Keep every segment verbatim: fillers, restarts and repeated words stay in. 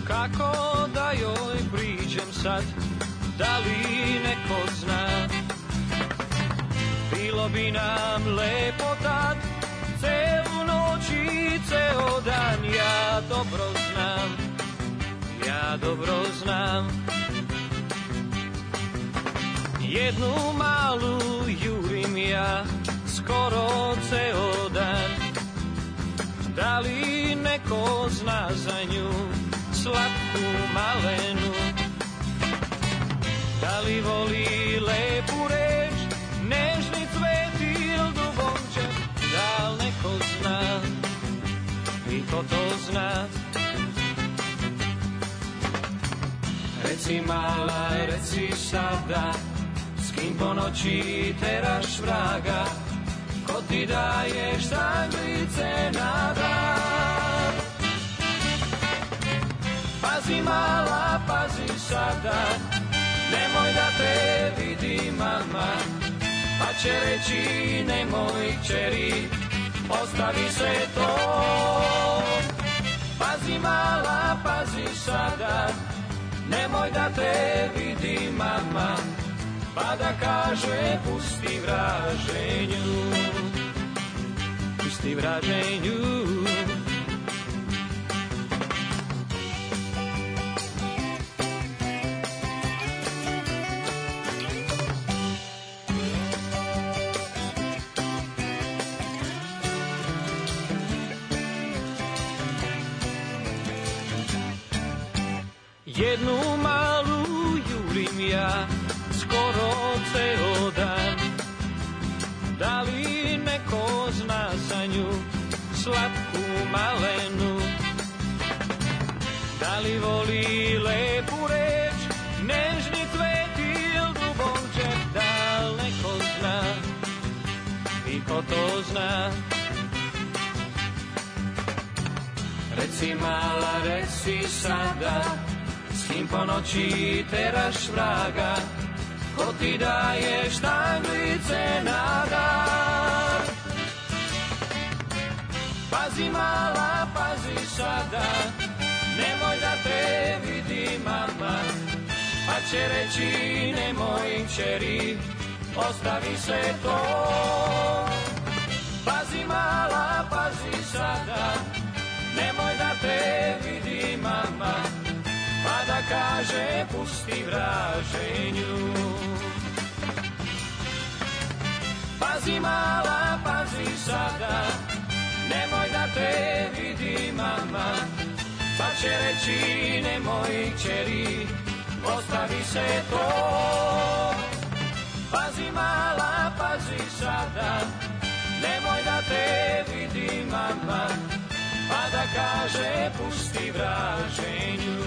Kako da joj priđem sad, da li neko zna? Bilo bi nam lepo tad, celu noć i ceo dan. Ja dobro znam, ja dobro znam. Jednu malu jurim ja, skoro ceo dan. Da li neko zna za nju, slatku malenu? Da li voli lepu reč, nežni cvet ili dubončak? Da li neko zna, i ko to zna? Reci mala, reci sada, s kim po noći teraš vraga, ko ti daješ tanglice na dan? Pazi mala, pazi sada, nemoj da te vidi mama, pa će reći nemoj kćeri, ostavi sve to. Pazi mala, pazi sada, nemoj da te vidi mama, pa da kaže pusti vraženju, pusti vraženju. Jednu malu jurim ja, skoro ceo dan. Da li neko zna za nju, slatku malenu? Da li voli lepu reč, nežni cvet ili dubončak? Da li neko zna, i ko to zna? Reci mala, reci sada, s kim po noći teraš vraga, ko ti daješ tanglice na dan? Pazi mala, pazi sada, nemoj da te vidi mama, pa će reći nemoj kćeri, ostavi sve to. Pazi mala, pazi sada, nemoj da te vidi mama, pa da kaže pusti vraženju. Pazi mala, pazi sada, nemoj da te vidi mama, pa će reći nemoj kćeri, ostavi se to. Pazi mala, pazi sada, nemoj da te vidi mama, pa da kaže pusti vraženju.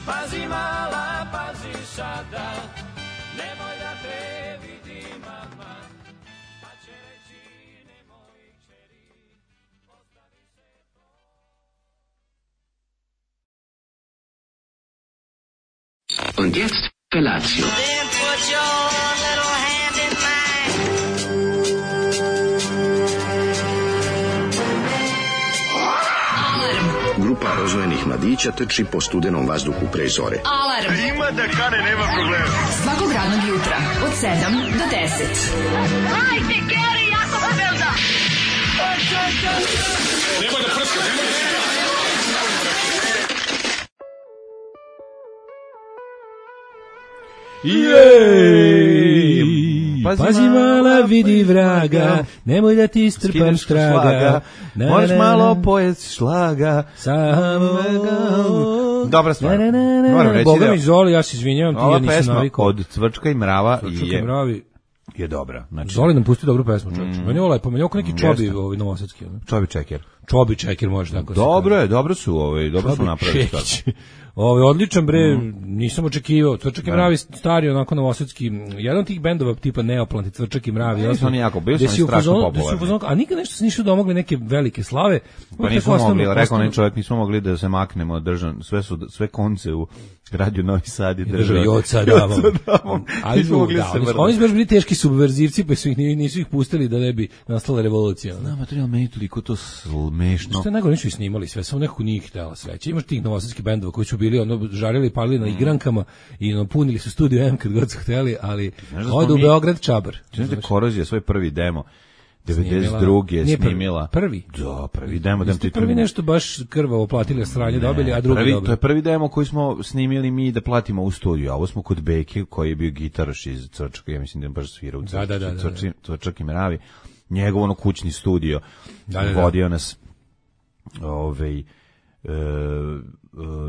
Pazi mala, pazi sada, nemoj da te vidi mama, pa će reći nemoj kćeri, ostavi se to. Und jetzt Felatio. Then put your little hand in mine. Grupa rozvojenih mladića trči po studenom vazduhu pre zore. Alarm! Ima da kane, nema problema. Svakog radnog jutra, od sedam do deset. Hajde, Geri, jako se velda! Nemoj da prska, nemoj da prska. Jej! Pazi, Pazi mala, vidi vraga, nemoj da ti strpam straga. Možeš malo pojesti šlaga. Samo... Dobra stvar. Moram reći Boga da... mi Zoli, ja se izvinjavam, ti ja nisam pesma navikao. od Cvrčka i Mrava Cvrčka je, i Mravi. je dobra. Znači, Zoli nam pusti dobru pesmu, čovječ. Mm. Meni je ovo lepo, meni je ovo neki čobi Jeste. ovaj, novosadski. Ono. Čobi Čeker. Čobi Čeker može tako se Dobro kaže. je, dobro su, ovaj, dobro su Čobi napravili. Čekić. Ovaj odličan bre, nisam očekivao. Cvrčak i Da. Mravi stari onako novosadski, jedan od tih bendova tipa Neoplanti, Cvrčak i Mravi. Ne, su oni jako, bili su gde oni si u strašno fazonu- gde si u popularni. fazonu- A nikad nešto se nisu domogli neke velike slave. Pa Uvijek nismo tako mogli, ostanu- rekao onaj ostanu- čovjek, nismo mogli da se maknemo od držan, sve su, sve konce u Radio Novi Sad i Država država. Joca davom. davom. Ali Nismo mogli da, da se oni, su- vrnemo. oni su baš bili teški subverzivci, pa su ih, nisu ih pustili da ne bi nastala revolucija. ono. Znam, to je meni toliko to sl, smešno. Što je najgore, nisu i snimali sve, samo nekako nije htjela sreća. Imaš tih novosadskih bendova koji su bili ono žarili i palili na igrankama i ono punili su studio M kad god su htjeli, ali odu u Beograd čabar. Znaš da Korozija svoj prvi demo devedeset druge je snimila. Prvi? Da, prvi demo. Da prvi, prvi nešto baš krvavo platili sranje dobili, a drugi prvi, dobili. To je prvi demo koji smo snimili mi da platimo u studiju, a ovo smo kod Beke koji je bio gitaraš iz Crčaka, ja mislim da je baš svirao u Crčak, da, da, da, da. Crčak i Meravi. Njegov ono kućni studio da, da, da. vodio nas ovaj e, e,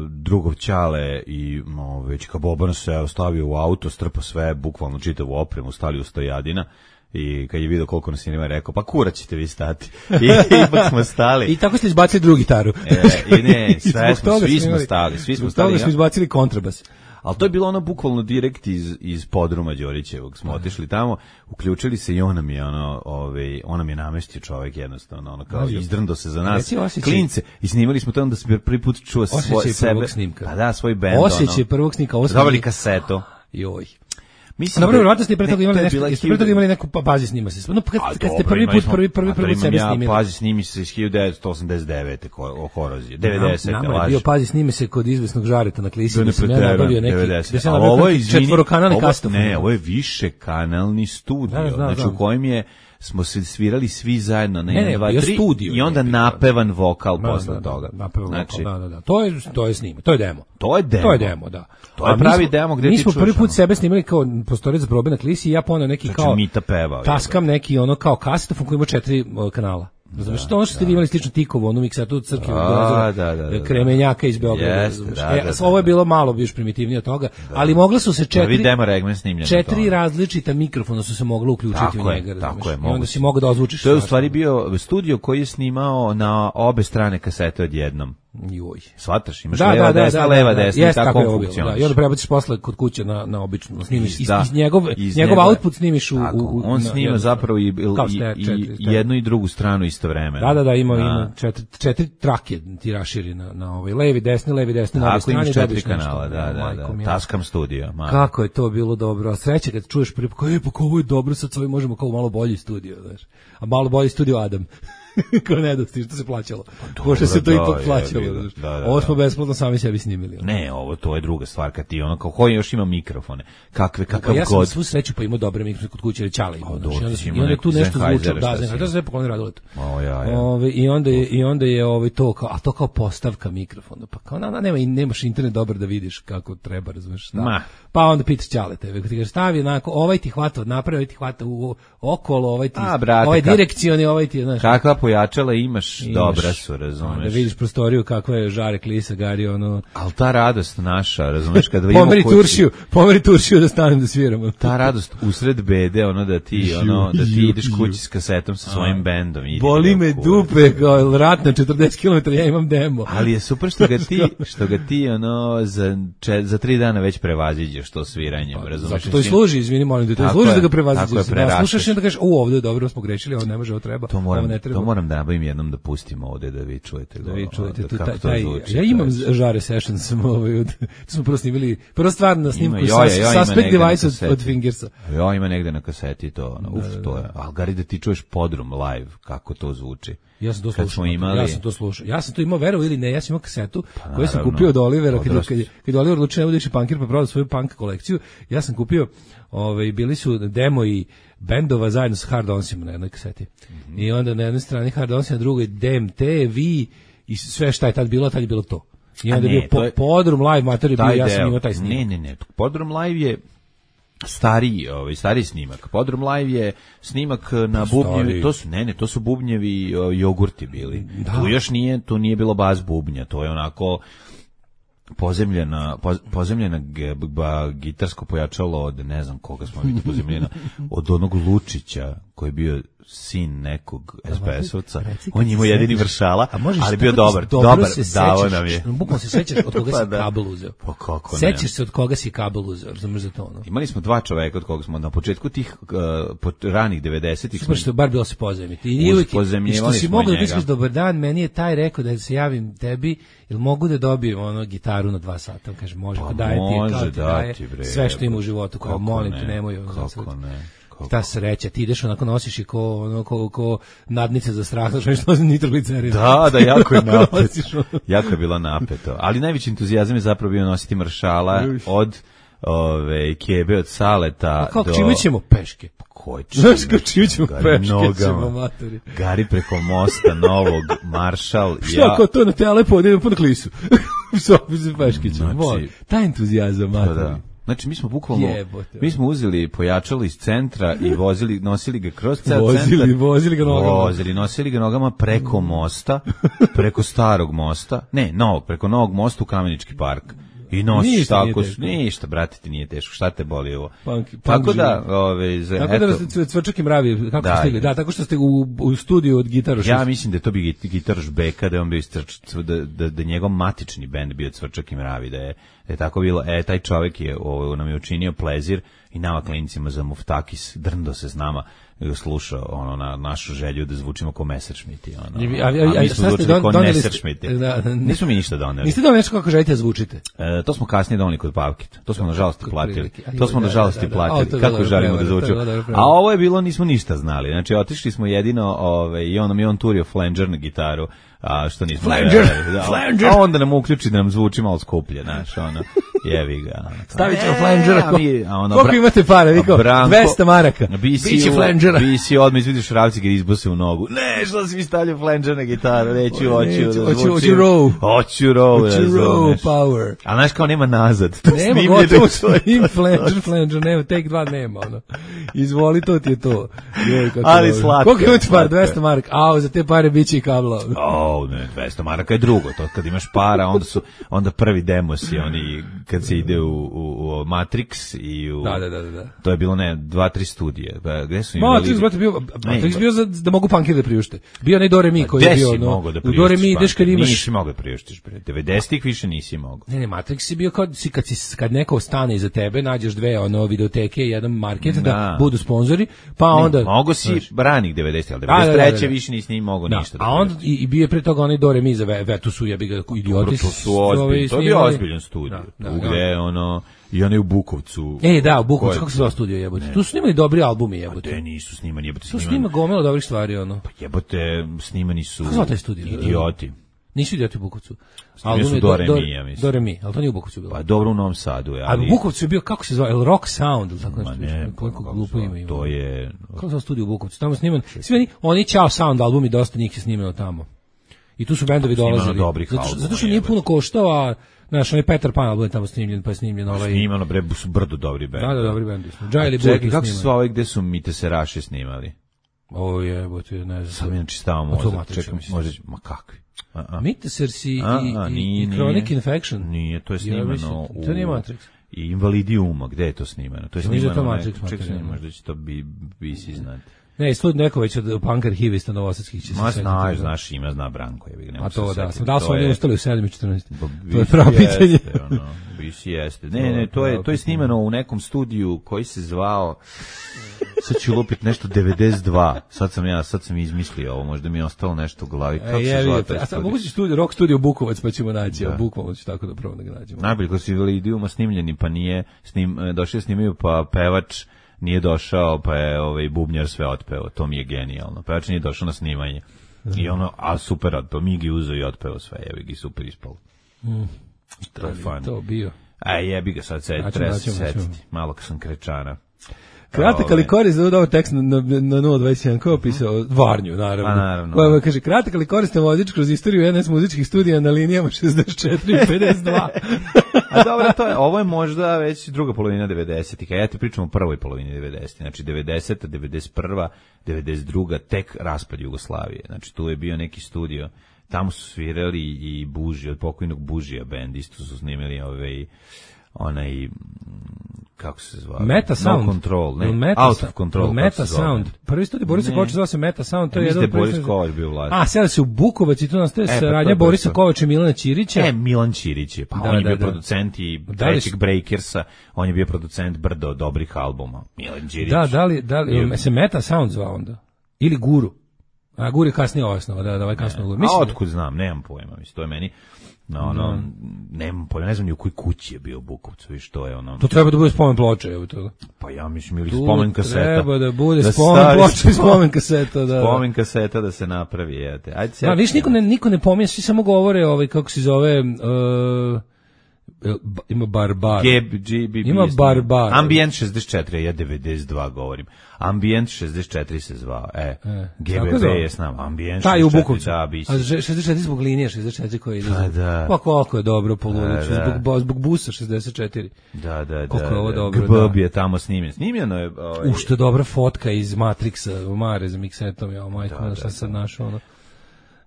drugov Ćale i ovaj Čika Boban se ostavio u auto, strpao sve, bukvalno čitavu opremu, stali u stojadina. I kad je vidio koliko nas je rekao, pa kura ćete vi stati. I ipak smo stali. I tako ste izbacili drugu gitaru. E, I ne, sve smo, svi smo stali. Svi smo stali. Toga smo izbacili kontrabas. Ali to je bilo ono bukvalno direkt iz, iz podruma Đorićevog. Smo otišli tamo, uključili se i on nam je, ono, ovaj, on nam je namestio čovjek jednostavno, ono, kao izdrndo se za nas, klince. I snimali smo to onda se prvi put čuo svoj sebe. Pa da, svoj bend. Osjećaj prvog snimka. Dobili kasetu. Joj. Mislim dobro, vratno ste pre toga imali nešto, jeste pre toga imali neku bazi snima se. No, kad, kad ste prvi put, prvi, prvi, prvi sebe snimili. Ja, pazi snimi se iz hiljadu devetsto osamdeset devete o Koroziji, devedesete, laži. Nama je bio pazi snimi se kod izvesnog Žareta na Klisi, da sam ja nabavio neki, devedeset. da sam ja nabavio četvorokanalni kastofon. Ne, ovo je višekanalni studio, znači u kojem je smo se svirali svi zajedno na jedan, dva, tri i onda napevan vokal posle toga. Znači, da, da, da. To je to je snima, to je demo. To je demo. To je demo, da. To je pravi demo gde ti čuješ. Mi smo prvi put sebe snimali kao prostorec za probe na Klisi i ja poneo neki kao Mita pevao. Taskam neki ono kao kasetofon koji ima četiri kanala. Razumeš, to ono što ste vi imali slično Tikovo, onu miksatu od crkve, da, da, da, Kremenjaka iz Beograda. Yes, da, e, da, da. Ovo je bilo malo još primitivnije od toga, da. Ali mogla su se četiri, četiri različita mikrofona su se mogla uključiti tako u njega. Tako je, i onda si mogao da ozvučiš. To je u stvari bio studio koji je snimao na obe strane kasete odjednom. Joj. Shvataš, imaš da, leva, da, desna, da, leva, da, desna, jest, i tako on funkcioniš. Da, i onda prebaciš posle kod kuće na, na obično, snimiš, iz, iz, iz njegov, iz njegov njegove, output snimiš u... Tako, u on snima na, zapravo i, i, četiri, četiri, i jednu i drugu stranu istovremeno. Da, da, da, ima, ima četiri, četiri trake ti raširi na, na ovaj, levi, desni, levi, desni, na ovoj strani. Tako imaš četiri kanala, da, da, da, Taskam studio. Kako je to bilo dobro, sreće kad čuješ prvi, kao je, pa kao ovo je dobro, sad sve možemo kao malo bolji studio, znaš, a malo bolji studio Adam. Kao nedosti, što se plaćalo. Pošto se to ipak plaćalo. Da, da, da. Ovo smo besplatno sami sebi snimili. Ne, ovo to je druga stvar, kad ti ono, kao koji još ima mikrofone, kakve, kakav god. Ja sam svu sreću pa imao dobre mikrofone kod kuće, ali Ćale imao. I onda je tu nešto zvučalo, da, znači, to se sve pokloni Radoletu. I onda je, i onda je ovaj to, kao, a to kao postavka mikrofona, pa kao, na, nema, nemaš internet dobar da vidiš kako treba, razumeš, šta. Pa onda pitaš Ćale tebe, ti kažeš, stavi onako, ovaj ti hvata od naprave, ovaj ti hvata u okolo, ovaj ti, ovaj direkcioni, ovaj ti, znaš. Kakva pojačala imaš, imaš, dobra su, razumeš. Da vidiš prostoriju kakva je Žare, Klisa, Gari, ono... Ali ta radost naša, razumeš, kada vidimo... pomeri Turšiju, pomeri Turšiju da stanem da sviramo. Ta radost usred bede, ono da ti, ono, da ti ideš kući s kasetom sa svojim bendom. Boli me dupe, kao rat na četrdeset kilometara, ja imam demo. Ali je super što ga ti, što ga ti, ono, za, če, za tri dana već prevaziđeš to sviranjem, razumeš. Zato to i služi, izvini, molim te, to i služi da ga prevaziđeš. Da slušaš i da kažeš, u, ovdje je dobro, smo grešili, ovo ne može, ovo treba, ovo ne treba. To moram da nabavim jednom da pustimo ovde da vi čujete. Da vi čujete tu taj, taj ja imam Žare sessions smo ovaj od to smo prvo snimili prva stvar na snimku sa Suspect Device od, od Fingersa. Ja ima negde na kaseti to, ono, uf, to je. Al Gari da ti čuješ Podrum live kako to zvuči. Ja sam to slušao. Imali... Ja sam to slušao. Ja sam to imao, verovali ili ne, ja sam imao kasetu pa, koju sam kupio od Olivera kad kad kad Oliver odlučio da bude punkir pa prodao svoju punk kolekciju. Ja sam kupio, ovaj bili su demo i bendova zajedno sa Hard Onsima na jednoj kaseti. Mm-hmm. I onda na jednoj strani Hard Ons, na drugoj D M T, V i sve šta je tad bilo, tad je bilo to. I onda je bio po, je, Podrum live materij bio, ja sam imao taj snimak. Ne, ne, ne. Podrum live je stariji, ovaj stariji snimak. Podrum live je snimak na bubnjevi, to su ne, ne, to su bubnjevi jogurti bili. Da. Tu još nije, tu nije bilo bas bubnja, to je onako pozemljena, pozemljena gitarsko pojačalo od, ne znam koga smo vidjeli pozemljena, od onog Lučića koji je bio sin nekog es be esovca. On je imao jedini vršala, ali bio dobar, dobar, dao nam je. Bukvalno se sećaš od koga si kabel uzeo. Pa kako ne? Sećaš se od koga si kabel uzeo, razumeš za to ono. Imali smo dva čoveka od koga smo na početku tih uh, ranih devedesetih. Super što bar bilo se pozajmiti. I uvijek, i što si mogao da kažeš dobar dan, meni je taj rekao da se javim tebi, jel mogu da dobijem ono gitaru na dva sata? Kaže može, pa daje ti, kao ti daje sve što ima u životu, kao molim te, nemoj. Kako ne? Ta sreća, ti ideš onako nosiš i ko, ono, ko, ko nadnice za strah, znači nešto nitroglicerin. Da, da, jako je napeto. Jako je bilo napeto. Ali najveći entuzijazam je zapravo bio nositi maršala od ove, kebe, od saleta. A kako do... čime ćemo peške? Koji Znaš kako čime ćemo peške ćemo, matori. Gari preko mosta novog, maršal. Šta ja... kao to na telepo, odjedem po na klisu. Sobi se peške ćemo. Znači, taj entuzijazam, matori. Da, da. Znači mi smo bukvalno Jebote. mi smo uzeli pojačalo iz centra i vozili nosili ga kroz ceo vozili, centar. Vozili ga nogama. Vozili, nosili ga nogama preko mosta, preko starog mosta. Ne, novog, preko novog mosta u Kamenički park. I nosiš ništa tako, ništa, brate, ti nije teško, šta te boli ovo? Punk, punk tako da, ove, za, tako eto, da ste Cvrčak i Mravi, kako da, ste stigli? Da, tako što ste u, u studiju od Gitaroš. Ja mislim da je to bi Gitaroš Beka, da je on bio da, da, da njegov matični bend bio Cvrčak i Mravi, da je, da je tako bilo, e, taj čovjek je, ovo, nam je učinio plezir i nama klincima za Muftakis, drndo se s nama, slušao ono na našu želju da zvučimo kao Messerschmitti, ono. A, a, a, a mi smo zvučili kao Messerschmitti. Da, da, Nisu mi ništa doneli. Niste doneli nešto kako želite da zvučite? E, to smo kasnije doneli kod Pavkita. To smo nažalost i platili. To smo nažalost i platili. Kako želimo da zvučimo. A ovo je bilo, nismo ništa znali. Znači, otišli smo jedino, ovaj, i on nam je on turio flanger na gitaru. A što nismo Flanger, da, Flanger. A onda nam uključi da nam zvuči malo skuplje, znaš, ono, jevi ga. Stavit ćemo Flangera. Ono, koliko imate para, vi kao, dvesta maraka, biće Flangera. Bi si odmah izvidiš Ravci ga izbose u nogu. Ne, što si mi stavljao Flanger na gitaru, neću, hoću da zvučim. Hoću row. Hoću row, hoću row power. A znaš kao nema nazad. To nema, gotovo svim Flanger, Flanger, nema, take dva nema, ono. Izvoli, to ti je to. Ali slatko. Koliko imate para, dvesta maraka, a za te pare biće i kabla. O, ne, dvesta maraka je drugo, to kad imaš para, onda su onda prvi demosi, oni kad se ide u, u, u Matrix i u da, da, da, da. To je bilo ne, dva, tri studije. Ba, gde su imali? Matrix, brate, bio, Matrix bio za, da mogu punkiri da priušte. Bio onaj Do Re Mi koji je bio, no. Da u Do Re Mi ideš kad imaš. Nisi mogao da priuštiš, bre. devedesetih više nisi mogao. Ne, ne, Matrix je bio kad si kad si kad neko stane iza tebe, nađeš dve ono videoteke, jedan market da, da budu sponzori, pa ne, onda mogu si ranih devedesetih, al devedeset treće da, da, da. više nisi ni mogao da, ništa. Da a onda i, i bio je pre toga onaj Do Re Mi za Vetu su jebi ga idioti. To su ozbiljni, to je bio ozbiljan studij. Gde ono i onaj u Bukovcu. E, da, u Bukovcu, kako se zove studio jebote? Tu su snimali dobri albumi jebote. Pa nisu snimani jebote. Tu snima gomila dobrih stvari ono. Pa jebote, snimani su. Kako zove taj studio? Idioti. Nisu idioti u Bukovcu. Album su Do Re Mi, ja mislim. Do Re Mi, ali to nije u Bukovcu bilo. Pa dobro u Novom Sadu je, ali. A u Bukovcu je bio, kako se zove, El Rock Sound, ili tako nešto. Ne, koliko glupo ima ima. To je... Kako se zove studio u Bukovcu? Tamo sniman, svi oni, oni Ćao Sound albumi, dosta njih je snimano tamo. I tu su bendovi dolazili. Zato što, zato što nije puno koštao, a znaš, onaj Petar Pan album je tamo snimljen, pa je snimljen ovaj... Snimano, bre, su brdo dobri bendi. Da, da, dobri bendi. Džajli Buk Čekaj, kako su ovaj gde su Mite Seraše snimali? Ovo je, bo ti ne znam. Sad mi inače stava mozak, čekam, možda, ma kakvi? Mite Sersi i, i, i Chronic Infection. Nije, to je snimano u... To nije Matrix. I Invalidiuma, gde je to snimano? To je snimano... To Matrix, čekaj, možda će to bi, bi si znati. Ne, Stud Neković od Punk arhivista Novosadskih će se Ma znaš, znaš, ima, zna Branko. Je, a to da, sam da su oni ustali u sedam i četrnaest. To je pravo pitanje. Ono, bisi jeste. Ne, ne, to je, to je snimano u nekom studiju koji se zvao, sad ću lupiti nešto devedeset dva, sad sam ja, sad sam izmislio ovo, možda mi je ostalo nešto u glavi. Kako e, se zvao taj a sad mogu si studiju, rock studio Bukovac, pa ćemo naći, a bukvalno ću tako da prvo da ga nađemo. Najbolje, ko su Invalidiuma snimljeni, pa nije, snim, došli snimaju, pa pevač nije došao, pa je ovaj bubnjar sve otpeo. To mi je genijalno. Pevač nije došao na snimanje. I ono, a super otpeo. Migi uzeo i otpeo sve. Jebi ga, super ispalo. Mm. To je fan. To bio. A jebi ga sad, sad treba se setiti. Malo kad sam krečana. Kratak ali koristan, ovo tekst na, na, na nula dvadeset jedan, ko je opisao Varnju, naravno. A, naravno. Koja kaže, kratak ali koristan vozič kroz istoriju N S muzičkih studija na linijama šezdeset četiri i pedeset dva. A dobro, to je, ovo je možda već druga polovina devedesetih, a ja ti pričam o prvoj polovini devedesetih, znači devedeseta, devedeset prva, devedeset druga, tek raspad Jugoslavije. Znači tu je bio neki studio, tamo su svirali i Buži, od pokojnog Bužija band, isto su snimili ovaj onaj kako se zvao? Meta Sound. No Control, ne, Meta Out of Control. Meta Sound. Prvi studij Borisa Kovača zvao se Meta Sound. To je jedan Boris Kovač bio vlast. A, sada se u Bukovac i tu nastaje e, saradnja pa Borisa Kovača i Milana Ćirića. E, Milan Ćirić je, pa da, on je da, bio da. producent i trećeg Breakersa, on je bio producent brdo dobrih albuma. Milan Ćirić. Da, da li, da li, je, se Meta Sound zvao onda? Ili Guru? A gur je kasnije osnova, da, da ovaj kasno gur. Mislim, a otkud znam, nemam pojma, mislim, to je meni, no, ono, no. nemam pojma, ne znam ni u kojoj kući je bio u Bukovcu i što je ono. To treba da bude spomen ploča, evo to. Pa ja mislim, ili spomen kaseta. Treba da bude da spomen ploča i spomen kaseta, da. Spomen kaseta da se napravi, jete. Ajde se. Da, viš, niko ne, niko ne pominje, svi samo govore, ovaj, kako se zove, uh, ima Barbar. G B B. Ima Barbar. Ambient šezdeset četiri, ja devedeset dva govorim. Ambient šezdeset četiri se zvao. E, e G B B je s nama. Ambient šezdeset četiri. Ta je u Bukovcu. Da, a šezdeset četiri zbog linije šezdeset četiri koji ide. Pa da. Pa koliko je dobro po Luliću, da, zbog, zbog busa šezdeset četiri. Da, da, da. Koliko je ovo dobro. G B B je tamo snimljen. Snimljeno je. Ovaj... U što je dobra fotka iz Matrixa, Mare za miksetom, ja, majko, da, šta da, sad našao ono.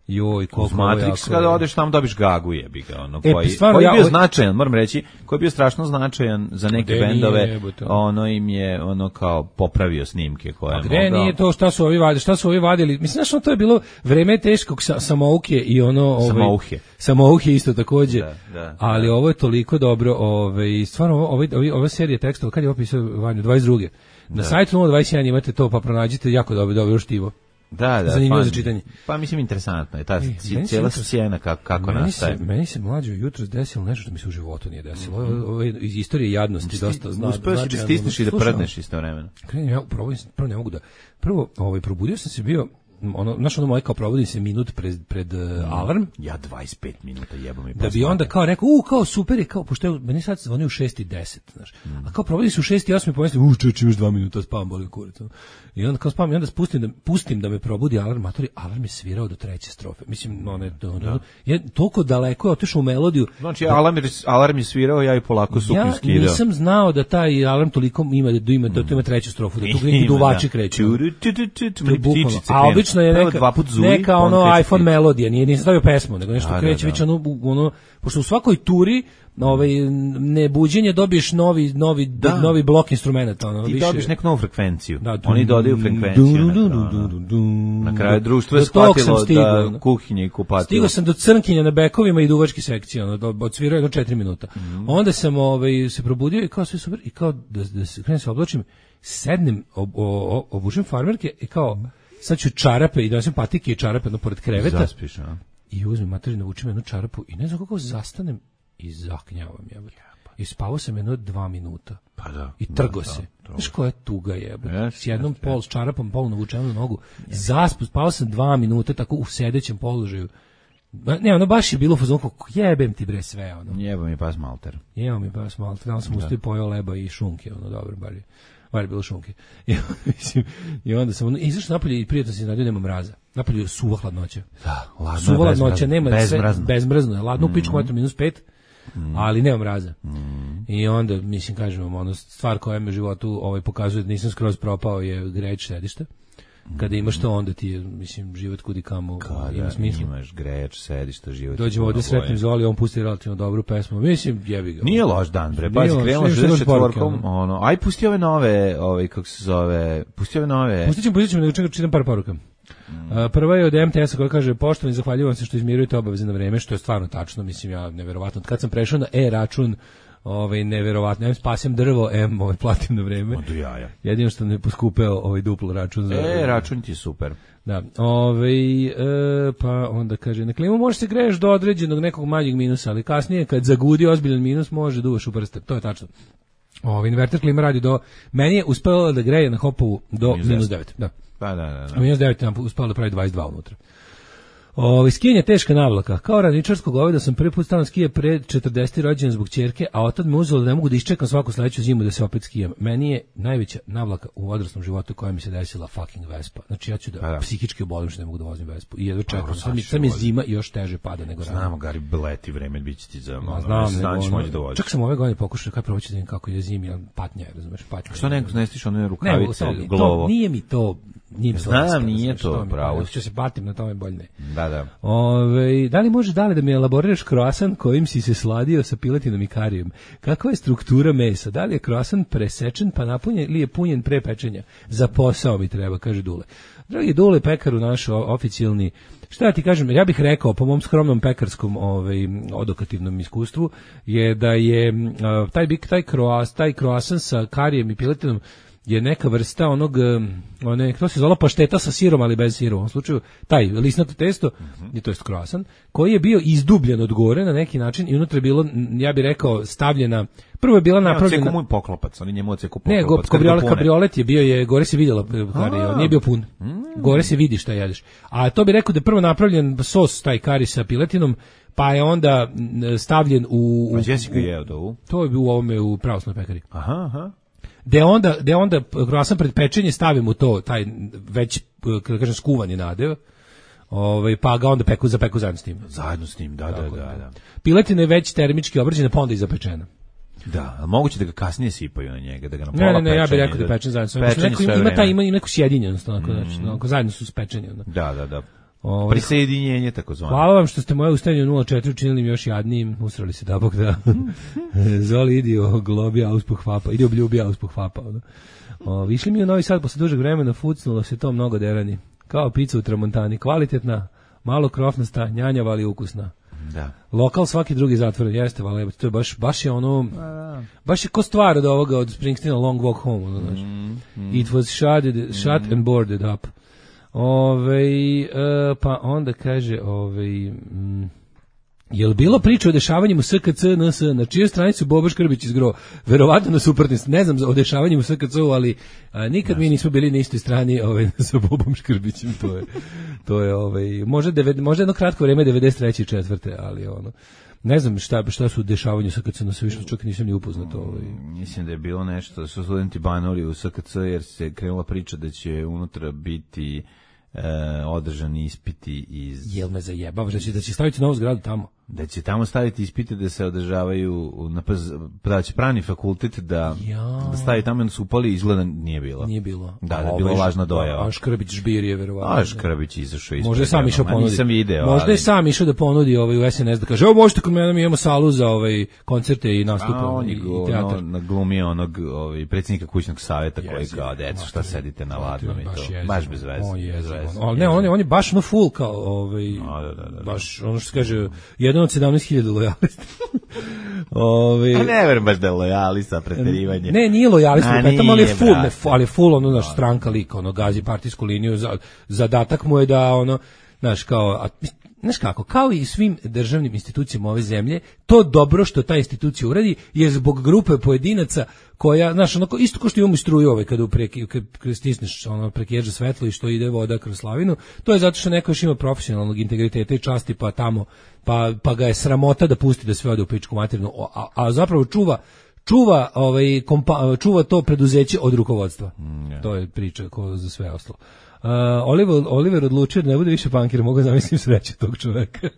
Joj, koliko Matrix, kada odeš tamo dobiš gagu, jebi ga, ono, e, koji, stvarno, koji je bio ja, značajan, moram reći, koji je bio strašno značajan za neke bendove, ono im je, ono, kao popravio snimke koje je mogao. Gde nije to šta su ovi vadili, šta su ovi vadili, mislim, znaš, ono, to je bilo vreme teškog sa, samouke i ono, ovaj, samouhe. Samouhe isto takođe, da, da, ali da. Ovo je toliko dobro, ovaj, stvarno, ovaj, ovaj, ova serija tekstova, kad je opisao Vanju, dvadeset druge. Na da. sajtu nula dvadeset jedan imate to, pa pronađite jako dobro, dobro štivo. Da, da, zanimljivo pa, za čitanje. Pa mislim interesantno je ta e, cijela scena kako, kako meni nastaje. Se, meni se mlađe jutros desilo nešto što mi se u životu nije desilo. Mm -hmm. Ovo je iz istorije jadnosti Sti, dosta zna. Uspeo si da stisneš i da prdneš istovremeno. Krenem ja, prvo, prvo ne mogu da... Prvo, ovaj, probudio sam se bio... ono, znaš, ono moje kao provodim se minut pred, pred uh, alarm. Ja dvadeset pet minuta jebam i da bi onda kao rekao, u, kao super je, kao, pošto je, meni sad se zvoni u šest i deset, znaš. Mm. A kao provodim se u šest i osam i pomislim, u, čeč, imaš dva minuta, spavam, bolim kurac. I onda kao spavam i onda spustim da, pustim da me probudi alarm, matori, alarm je svirao do treće strofe. Mislim, no, ne, no, no, je toliko daleko je otišao u melodiju. Znači, da, alarm, alarm je svirao, ja i polako suknju skidao. Ja nisam znao da taj alarm toliko ima, da ima, da to ima treću strofu, da tu neki duvači kreću. A obično je neka, neka ono iPhone melodija, nije nisam stavio pesmu, nego nešto kreće već ono, ono, pošto u svakoj turi ovaj nebuđenje dobiješ novi novi da. novi blok instrumenata, ono, ti više. Dobiješ neku novu frekvenciju. Da, oni dodaju frekvenciju. Na, na kraju društvo je shvatilo da kuhinje i kupatilo. Stigao sam do crnkinja na bekovima i duvačke sekcije, ono, odsvirao jedno četiri minuta. Mm. Onda sam ovaj se probudio i kao sve super i kao da da se krenem se oblačim, sednem, ob, ob, obučem farmerke i kao sad ću čarape i donesem patike i čarape no pored kreveta. Zaspiš, a? I uzmem materiju, navučem jednu čarapu i ne znam kako zastanem i zaknjavam, jebote. I spavao sam jedno dva minuta. Pa da. I trgo da, se. Da, znaš koja je tuga, jebote. Yes, s jednom yes, pol, s čarapom, pol navučenom na nogu. Yes. Zaspu, spavao sam dva minuta tako u sedećem položaju. Ne, ono baš je bilo fazon kako jebem ti bre sve, ono. Jebem mi pas malter. Jebem mi pas malter. Danas sam ustao i pojeo leba i šunke, ono, dobro, bar je. Bar je bilo šunke. I, mislim, i onda sam, ono, izašao napolje i prijatno se iznadio, nema mraza. Napolje je suva hladnoća. Da, ladno suva hladnoća, nema bezmrazno. Bezmrazno je, ladno, mm. pičku metru minus pet, mm. ali nema mraza. Mm. I onda, mislim, kažem vam, ono, stvar koja me u životu ovaj, pokazuje da nisam skroz propao je greč sedišta. Kada imaš to, onda ti je, mislim, život kudi kamo ima smisla. Imaš greč, sedišta, život. Dođemo ovdje sretnim Zoli, on pusti relativno dobru pesmu. Mislim, jebi ga. Nije loš dan, bre. Pazi, krenula šezdeset četvorkom, ono. Aj, pusti ove nove, ove, kako se zove, pusti ove nove. Pustit ćemo, pustit ćemo, nego čekam, čitam par poruka. Mm. Uh, prva je od M T S-a koja kaže, poštovani, zahvaljujem se što izmirujete obaveze na vreme, što je stvarno tačno, mislim, ja, neverovatno. Kad sam prešao na e-račun, ovaj neverovatno, em spasem drvo, em ovaj platim na vreme. Od jaja. Jedino što ne poskupeo ovaj duplo račun za. E, račun ti je super. Da. Ovaj e, pa onda kaže, na klimu može se greješ do određenog nekog manjeg minusa, ali kasnije kad zagudi ozbiljan minus može duvaš u prste. To je tačno. Ovaj inverter klima radi do, meni je uspelo da greje na Hopovu do minus devet. Da. Pa da, da, da. minus devet nam uspelo da pravi dvadeset dva unutra. O, skijanje teška navlaka. Kao radničarsko goveda sam prvi put stao na skije pred četrdeseti rođendan zbog ćerke, a otad me uzelo da ne mogu da iščekam svaku sledeću zimu da se opet skijam. Meni je najveća navlaka u odraslom životu koja mi se desila fucking Vespa. Znači ja ću da, da. psihički obolim što ne mogu da vozim Vespu. I jedno čekam. Sad mi, sad mi zima i još teže pada nego rano. Znamo, Gari, leti vreme biće ti za malo. Znam, znači moći da voziš. Čak sam ove godine pokušao kaj proći da vidim kako je zimi, ali patnja, razumeš, patnja. Što ne nestiš one rukavice, ne, glovo? To, nije mi to. Nije Znam, nije to pravo. Što se batim na tome bolje ne. Da, da. Ove, da li može dale da mi elaboriraš kroasan kojim si se sladio sa piletinom i karijom? Kakva je struktura mesa? Da li je kroasan presečen pa napunjen ili je punjen pre pečenja? Za posao mi treba, kaže Dule. Dragi Dule, pekaru naš oficijalni, šta ja ti kažem, ja bih rekao po mom skromnom pekarskom ovaj, odokativnom iskustvu je da je taj, taj, kroas, taj kroasan sa karijem i piletinom je neka vrsta onog, one, to se zvala pašteta sa sirom, ali bez sira u ovom slučaju, taj lisnato testo, mm-hmm. to jest croissant, koji je bio izdubljen od gore na neki način i unutra je bilo, ja bih rekao, stavljena, prvo je bila napravljena... Ne, on poklopac, oni njemu oceku poklopac. Ne, go, kabriolet, kabriolet je bio, je, gore se vidjela, kari, nije bio pun. Mm. Gore se vidi šta jedeš. A to bi rekao da je prvo napravljen sos, taj kari sa piletinom, pa je onda stavljen u... A gdje si ga jeo to u? To je bio u ovome, u pravoslavnoj pekari. Aha, aha. De onda, de onda croissant pred pečenje stavim u to, taj već, kako kažem, skuvani nadev, ovaj, pa ga onda peku, zapeku zajedno s tim. Zajedno s tim, da, da, da, da. Piletina je već termički obrađena, pa onda i zapečena. Da, a moguće da ga kasnije sipaju na njega, da ga na pola ne, ne, ne, pečenje. Ja bih rekao da je pečen zajedno. Pečenje neko, sve ima, vreme. taj, ima, ima neku sjedinjenost, onako, mm. znači, onako, zajedno su spečeni. Onda. Da, da, da. Ovaj, Prisjedinjenje, tako zvano. Hvala vam što ste moje ustajanje nula četiri učinili mi još jadnijim, usrali se da bog da. Zoli, idi o globi auspuh hvapa, idi obljubi auspuh hvapa. O, išli mi u Novi Sad posle dužeg vremena, fucnulo se to mnogo derani. Kao pizza u Tramontani, kvalitetna, malo krofnasta, njanjava ali ukusna. Da. Lokal svaki drugi zatvoren, jeste, vale, to je baš, baš je ono, baš je ko stvar od ovoga, od Springsteena Long Walk Home, ono, znači. Mm, mm. It was shut, shut mm. and boarded up. Ove, e, pa onda kaže, ove, mm, je li bilo priča o dešavanjima u S K C N S, na čijoj stranicu Bobo Škrbić izgro? Verovatno na suprotnoj, ne znam o dešavanjima u S K C-u, ali a, nikad mi nismo bili na istoj strani ove, sa Bobom Škrbićem, to je, to je ove, možda, deved, možda jedno kratko vreme devedeset treće i četvrte, ali ono, ne znam šta, šta su dešavanje u S K C, na sve više čak nisam ni upoznat. Ovaj. Mislim da je bilo nešto, da su studenti banuli u S K C jer se krenula priča da će unutra biti e, održani ispiti iz... Jel me zajebavaš da će, da će staviti novu zgradu tamo? Da će tamo staviti ispite da se održavaju, na, da će pravni fakultet da, da stavi tamo, onda su upali, izgleda nije bilo. Nije bilo. Da, da je bilo važna dojava. A Škrbić žbir je verovatno. A Škrbić izašao ispred. Možda je sam išao ponudi. Nisam video. Možda ali... je sam išao da ponudi ovaj u S N S da kaže, evo možete kod mene, mi imamo salu za ovaj koncerte i nastupe on i, i teatar. On naglumio onog ovaj, predsjednika kućnog savjeta yes, koji kao, deco, šta sedite na ladnom i to. Jezim. Baš bez veze. On je on, ne, on je, on je baš no full kao, ovaj, no, da, da, da, baš, ono što se kaže, jedan od sedamnaest hiljada lojalista. Ove, a ne verujem baš da je lojalista, preterivanje. Ne, nije lojalista, petam, ali je full, ne, ali je full, ono, naš stranka lika, ono, gazi partijsku liniju, za, zadatak mu je da, ono, znaš, kao, a, znaš kako, kao i svim državnim institucijama ove zemlje, to dobro što ta institucija uradi je zbog grupe pojedinaca koja, znaš, onako, isto kao što imamo i struju ove, kada preki, kada stisneš ono, prekijeđa svetlo i što ide voda kroz slavinu, to je zato što neko još ima profesionalnog integriteta i časti, pa tamo, pa, pa ga je sramota da pusti da sve ode u pičku materinu, a, a zapravo čuva čuva ovaj kompa, čuva to preduzeće od rukovodstva. Mm, yeah. To je priča ko za sve ostalo. Uh, Oliver, Oliver odlučio da ne bude više bankir, mogu zamislim sreće tog čoveka.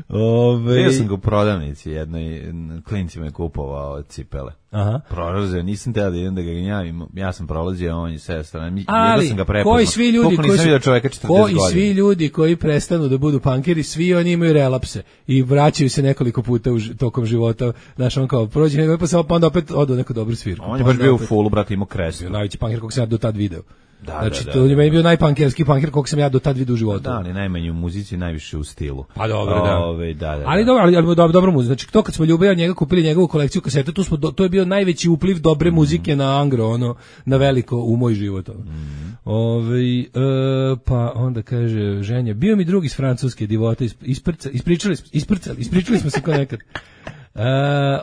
Ove... Bio sam ga u prodavnici, jednoj klincima je kupovao cipele. Aha. Prolazio, nisam teo da idem da ga gnjavim, ja sam prolazio, on je sve strane, ali sam ga prepoznao. Koji svi ljudi koji su, čoveka četrdeset koji godina. Svi ljudi koji prestanu da budu punkeri, svi oni imaju relapse i vraćaju se nekoliko puta u, tokom života. Znaš, on kao prođe nego pa samo pa onda opet odu u neku dobru svirku. On je baš bio u fullu, brate, imao krestu. Bio najveći punker kog sam ja do tad video. Da, znači, da, to da, je meni da. bio najpunkerski punker kog sam ja do tad vidio u životu. Da, ali najmanje u muzici, najviše u stilu. Pa dobro, da. Ove, da, da, ali da. dobro, ali, ali dobro, dobro muzika. Znači, to kad smo ljubili njega, kupili njegovu kolekciju kaseta, tu smo, do, to je bio najveći upliv dobre mm. muzike na Angro, ono, na veliko u moj život. Ono. Mm. Ove, e, pa onda kaže ženja, bio mi drugi iz Francuske divota, isprca, ispričali, isprcali, ispričali smo se kao nekad. Uh,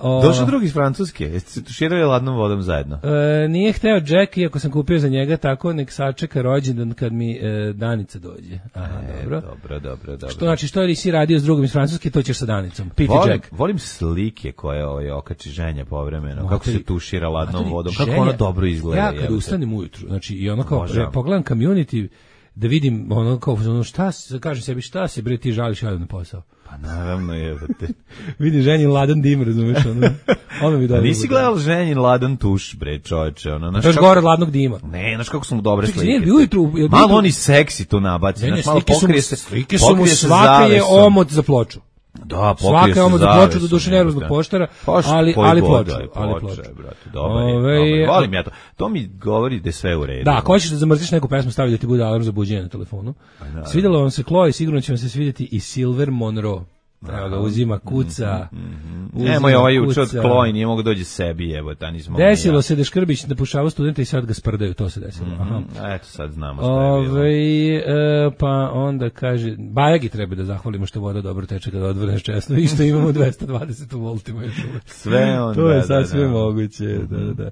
o... Došao drugi iz Francuske, jeste se tuširali ladnom vodom zajedno? Uh, nije hteo Jack, iako sam kupio za njega tako, nek sačeka rođendan kad mi uh, Danica dođe. Aha, e, dobro. Dobro, dobro, dobro. Što znači, što li si radio s drugim iz Francuske, to ćeš sa Danicom. Piti volim, Jack. Volim slike koje ovaj, okači ženja povremeno, Materi, kako se tušira ladnom Materi, vodom, ženja, kako ono dobro izgleda. Ja kad ustanem ujutru, znači i ono kao, re, pogledam Community, da vidim ono kao, ono, šta, kažem sebi, šta se bre ti žališ ja na posao. Pa naravno je. Vidi ženin ladan dim, razumeš, ono. Ono mi dobro. Nisi gledal ženin ladan tuš, bre, čoveče, ono. Znaš kako... gore od ladnog dima. Ne, znaš kako su mu dobre slike. Čekaj, ujutru, malo oni seksi tu nabaci, znaš, malo pokrije se. Slike su mu, svaka je omot za ploču. Da, svaka je omot za ploču, do duše nervoznog poštara, ali, ali ploču. Ali ploču, brate, dobar je, dobar. Volim ja to. To mi govori da je sve u redu. Da, ako hoćeš da zamrziš neku pesmu, stavi da ti bude alarm za buđenje na telefonu. Svidjelo vam se Chloe, sigurno će vam se svidjeti i Silver Monroe. Evo ga, uzima kuca. Mm-hmm. Nemoj, ovaj juče od Kloj, nije mogu dođi sebi, evo, ta nismo... Desilo ja. se da Škrbić napušavao studenta i sad ga sprdaju, to se desilo. Mm-hmm. Aha. Eto, sad znamo što je bilo. Ove, e, pa onda kaže, Bajagi treba da zahvalimo što voda dobro teče kada odvrneš česno i što imamo dvesta dvadeset u voltima još uvek. Sve on, to je da, sad da, sve da. moguće, mm-hmm. da, da.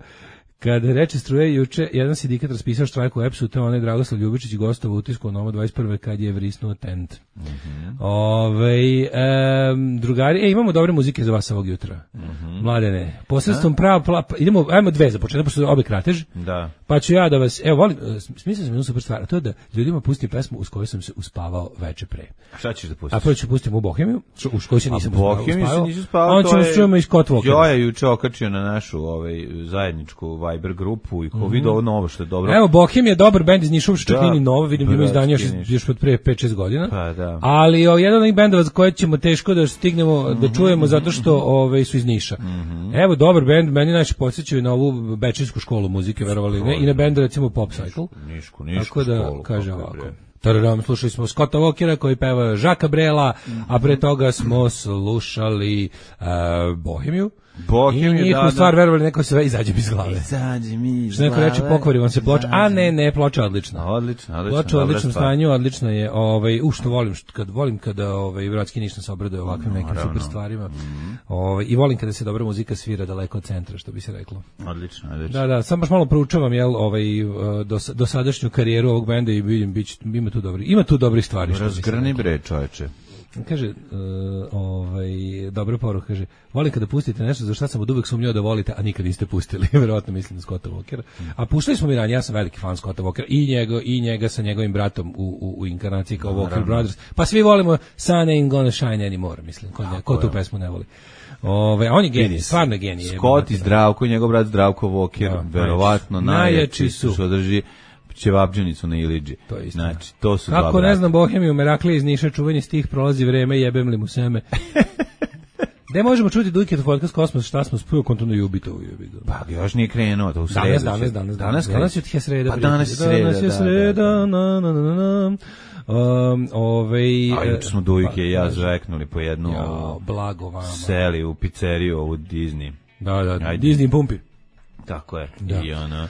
Kada reče struje juče, jedan sindikat raspisao štrajk u E P S-u, to je onaj Dragoslav Ljubičić gostovao u utisku Nova dvadeset prve kad je vrisnuo tent. Mm-hmm. Ove, e, drugari, e, imamo dobre muzike za vas ovog jutra. Mm-hmm. Mladene, posredstvom prava, pla, idemo, ajmo dve za početak, pošto obe kratež. Da. Pa ću ja da vas, evo, volim, smislio sam jednu super stvar, a to je da ljudima pustim pesmu uz koju sam se uspavao veče pre. Šta ćeš da pustiš? A prvo ću pustim u Bohemiju, uz koju se nisam a uspavao. Bohemiju se nisi uspavao, a on ćemo čujemo i Scott Walker. Jo je juče okačio na našu ovaj, zajedničku Viber grupu i ko mm-hmm. vidio ovo novo što je dobro. Evo, Bohem je dobar bend iz Niša, što čak nije ni novo, vidim da ima izdanje još, još od pre pet šest godina. Pa, da. Ali o, jedan od onih bendova za koje ćemo teško da stignemo mm-hmm. da čujemo zato što ove, su iz Niša. Mm-hmm. Evo, dobar bend, meni najče podsjećaju na ovu bečersku školu muzike, verovali ne, i na bend recimo Pop Cycle. Nišku, nišku Tako da, školu, kaže ovako. Tararam, slušali smo Scotta Walkera koji peva Žaka Brela, a pre toga smo slušali uh, Bohemiju. Bohemiju, i njihovu da, stvar, da. verovali, neko sve izađe mi iz glave. Izađe mi iz Što neko reče, pokvari vam se ploča, a ne, ne, ploča odlična. Odlična, odlična. Ploča u odličnom stanju, odlična je, ovaj, u što volim, što, kad volim kada ovaj, Vratski Niš nas obraduje ovakvim nekim Naravno. super stvarima. Mm-hmm. Ovaj, i volim kada se dobra muzika svira daleko od centra, što bi se reklo. Odlično, odlično. Da, da, sam baš malo proučavam, jel, ovaj, dos, dosadašnju karijeru ovog benda i vidim, bić, ima tu dobri, ima tu dobri stvari. Razgrani bre, čoveče. Kaže, uh, ovaj, dobra poruka, kaže, volim kada pustite nešto za šta sam od uvek sumnjao da volite, a nikad niste pustili, verovatno mislim na Scotta Walkera. A puštali smo mi ranije, ja sam veliki fan Scotta Walkera, i njega, i njega sa njegovim bratom u, u, u inkarnaciji kao Walker Naravno. Brothers. Pa svi volimo Sun Ain't Gonna Shine Anymore, mislim, ko, ne, ko tu pesmu ne voli. Ove, a on je genij, stvarno je genij. Scott i Zdravko i njegov brat Zdravko Walker, da, verovatno najjači su. Što drži ćevabdžanicu na Iliđi. To je znači, to su kako ne znam Bohemiju, Meraklije iz Niša, čuvanje stih, prolazi vreme, jebem li mu seme. Gde možemo čuti Dujke do podcast Kosmos, šta smo spio kontuno Jubitovu Jubitu? Pa još nije krenuo, to u sredu. Danas, danas, danas, danas, danas je tje sreda. Pa danas je sreda, danas je sreda, da, na, na, na, na. Um, ovej, a juče smo Dujke pa, i ja žeknuli po jednu ja, blago vama. Seli u pizzeriju u Disney. Da, da, Ajde. Disney pumpi. Tako je. Da. I ona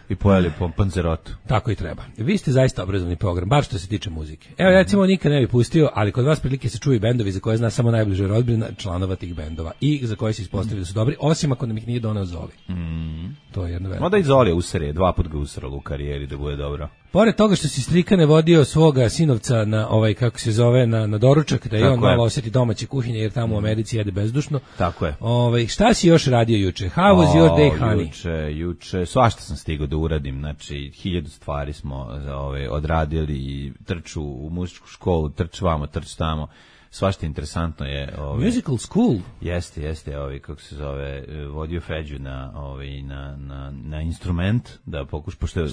i pojeli po panzerotu. Tako i treba. Vi ste zaista obrazovni program, bar što se tiče muzike. Evo, recimo, nikad ne bi pustio, ali kod vas prilike se čuju bendovi za koje zna samo najbliže rodbina članova tih bendova i za koje se ispostavili da su dobri, osim ako nam ih nije doneo Zoli. Mm. To je jedno veliko. Mada i Zoli je usere, dva put ga usralo u karijeri da bude dobro. Pored toga što si Strikane vodio svoga sinovca na ovaj, kako se zove, na, na doručak, da je on malo osjeti domaće kuhinje, jer tamo u Americi jede bezdušno. Tako je. Ovaj, šta si još radio juče? How was your day, honey? Juče, juče, svašta sam stigao da uradim, znači, hiljadu stvari smo ove, odradili i trču u muzičku školu, trč vamo, trč tamo. Svašta interesantno je. Ove, Musical school? Jeste, jeste, ovi, kako se zove, vodio Feđu na, ovi, na, na, na instrument, da pokuš, pošto je,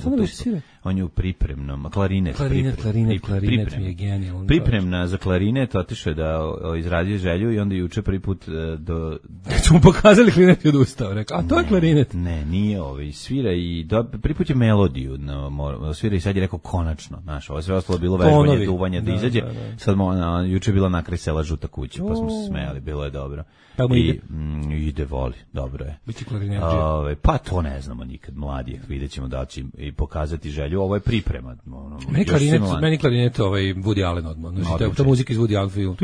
on je u pripremnom, klarinet, klarinet, priprem, klarinet, priprem, klarinet priprem, mi je genijalno. Pripremna za klarinet, otišao je da o, izradio želju i onda juče prvi put do... do smo pokazali klarinet i odustao, rekao, a to ne, je klarinet. Ne, nije ovi, svira i, do, prvi put je melodiju, no, svira i sad je rekao konačno, znaš, ovo sve ostalo bilo vežbanje, duvanje, da, da izađe, da, da. Sad mo, na, juče je bila nakraj sela Žuta kuća, pa smo se smejali, bilo je dobro. Pa mu ide? I, mm, ide, voli, dobro je. Biće klarinerđija? Ove, pa to ne znamo nikad, mladi, vidjet ćemo da će i pokazati želju, ovo je priprema. Ono, meni klarinet, meni klarinet ovaj Woody Allen odmah, znači, ta muzika iz Woody Allen film.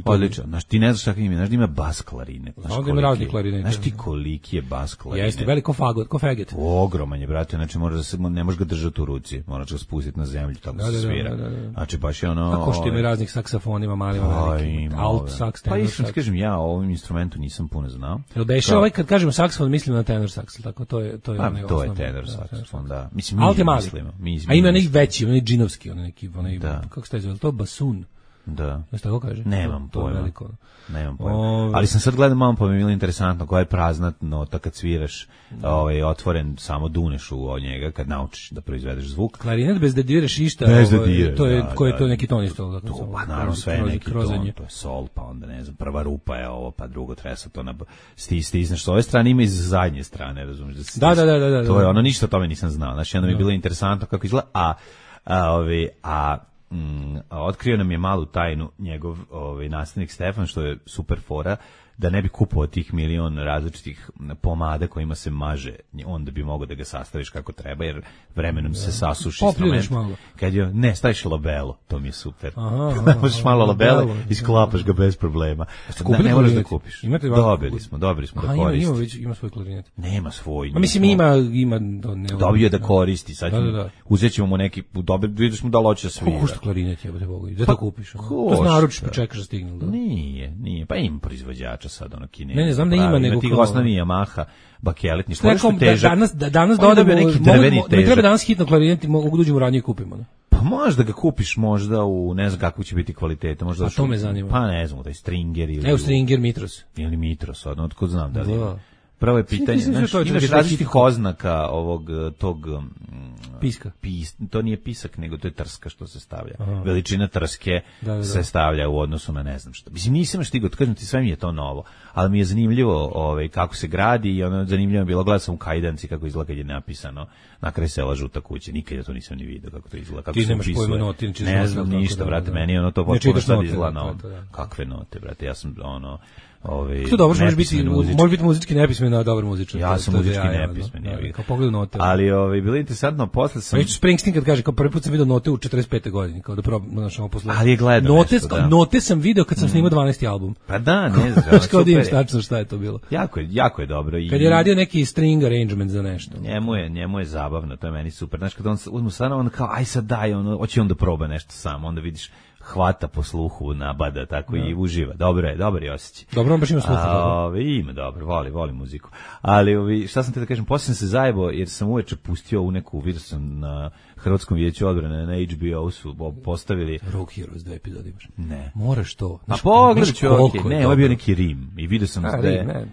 Odlično, znaš, ti ne znaš kakav ima, znaš da ima bas klarinet. Znaš, ovdje ima razni klarinet. Znaš ti koliki je bas klarinet? Jeste, veliko fagot, ko feget. Ogroman je, brate, znači možeš da se, ne možeš ga držati u ruci, moraš ga spustiti na zemlju, tako da, se svira. Da, da, da. Znači, baš je ono... Kako što ima raznih saksafonima, malima, velikim, alt saks, tenor saks. Pa iskreno kažem, ja o ovim instrumentu nisam puno znao. Jel beše ovaj, kad kažemo saksofon, mislim na tenor saks, tako, to je, to je, pa, onaj to osnovno. je tenor saksofon, da. Mislim, alt je mali. Mislimo, mi, a ima neki veći, onaj džinovski, onaj neki, onaj, da. Kako se taj zove, to basun. Da. Jesi tako kaže? Nemam to, pojma. To Nemam pojma. Ove... Ali sam sad gledao malo pa mi je bilo interesantno koja je prazna nota kad sviraš, ovaj, otvoren, samo duneš u njega kad naučiš da proizvedeš zvuk. Klarinet bez da diraš išta, bez da ovaj, diraš, to je, da, ko je da, to neki ton isto? To, to, pa naravno sve je neki ton, to je sol, pa onda ne znam, prva rupa je ovo, pa drugo tresa to na sti, stisneš s ove strane, ima i s zadnje strane, razumiješ? Da, da, da, da, da. To je ono, ništa o tome nisam znao, znači onda mi je bilo interesantno kako izgleda, a, a, ovi, a mm, otkrio nam je malu tajnu njegov ovaj, nastavnik Stefan, što je super fora, da ne bi kupovao tih milion različitih pomada kojima se maže, onda bi mogao da ga sastaviš kako treba, jer vremenom da. se sasuši instrument. Kad je, ne, staviš labelo, to mi je super. Možeš malo labelo i sklapaš ga bez problema. Da, ne moraš da kupiš. Dobili smo, dobili smo da koristi. Ima, već, ima svoj klarinet. Nema svoj. A mislim, ima, ima do, ne, dobio da koristi, sad da, da, da. uzet ćemo mu neki, dobri, vidiš mu da loće svira. Kako košta klarinet, jebate Bogu, da to kupiš? To naručiš, pa čekaš da stigne. Nije, nije, pa ima proizvođača sad ono Kine. Ne, ne znam da ima, nego kao osnovi Yamaha, bakelet, ništa nešto težak. Danas danas dodaju neki drveni težak. Mi treba danas hitno klarinet, mogu da uđemo ranije kupimo, ne? Pa možda ga kupiš možda u ne znam kakvu će biti kvaliteta, možda. A to me zanima. Pa ne znam, taj Stringer ili Evo Stringer Mitros. Ili Mitros, odno otkud znam da li. Prvo je pitanje, znaš, imaš različitih oznaka ovog tog piska. Pis, to nije pisak, nego to je trska što se stavlja. Aha. Veličina trske da, da, da. se stavlja u odnosu na ne znam što. Mislim, nisam stigao, kažem ti, sve mi je to novo, ali mi je zanimljivo ovaj, kako se gradi i ono zanimljivo je bilo, gledao sam u kajdanci kako izgleda kad je napisano na kraj sela Žuta kuća, nikad ja to nisam ni vidio kako to izgleda. Kako ti nemaš pojma note, ne znam ništa, da, brate, da, meni ono to potpuno sad izgleda novo. Kakve note, brate, ja sam ono... Ovaj to dobro, može biti može biti muzički nepismen, a dobar muzičar. Ja sam muzički nepismen, ja kao pogled note. Ali ovaj bilo interesantno, posle sam Već Springsteen kad kaže kao prvi put sam video note u četrdeset pete godine, kao da probam našao posle. Ali je gledao note, nešto, da. Note sam video kad sam snimao dvanaesti album. Pa da, ne znam. Kao da im tačno šta je to bilo. Jako je, jako je dobro i kad je radio neki string arrangement za nešto. Njemu je, njemu je zabavno, to je meni super. Znaš kad on uzmu stvarno on kao aj sad daj, on hoće on da proba nešto sam, onda vidiš hvata po sluhu, nabada, tako no. i uživa. Dobro je, dobar je osjećaj. Dobro, on baš ima sluha. A, ima, dobro, voli, voli muziku. Ali, ovi, šta sam te da kažem, poslije sam se zajebao, jer sam uveče pustio u neku, vidio sam na Hrvatskom vijeću odbrane, na H B O su postavili... Rock Heroes, dve epizode imaš. Ne. Moraš to. A pogledaj ću, okej, okay. ne, ovo je bio neki Rim. I vidio sam da je...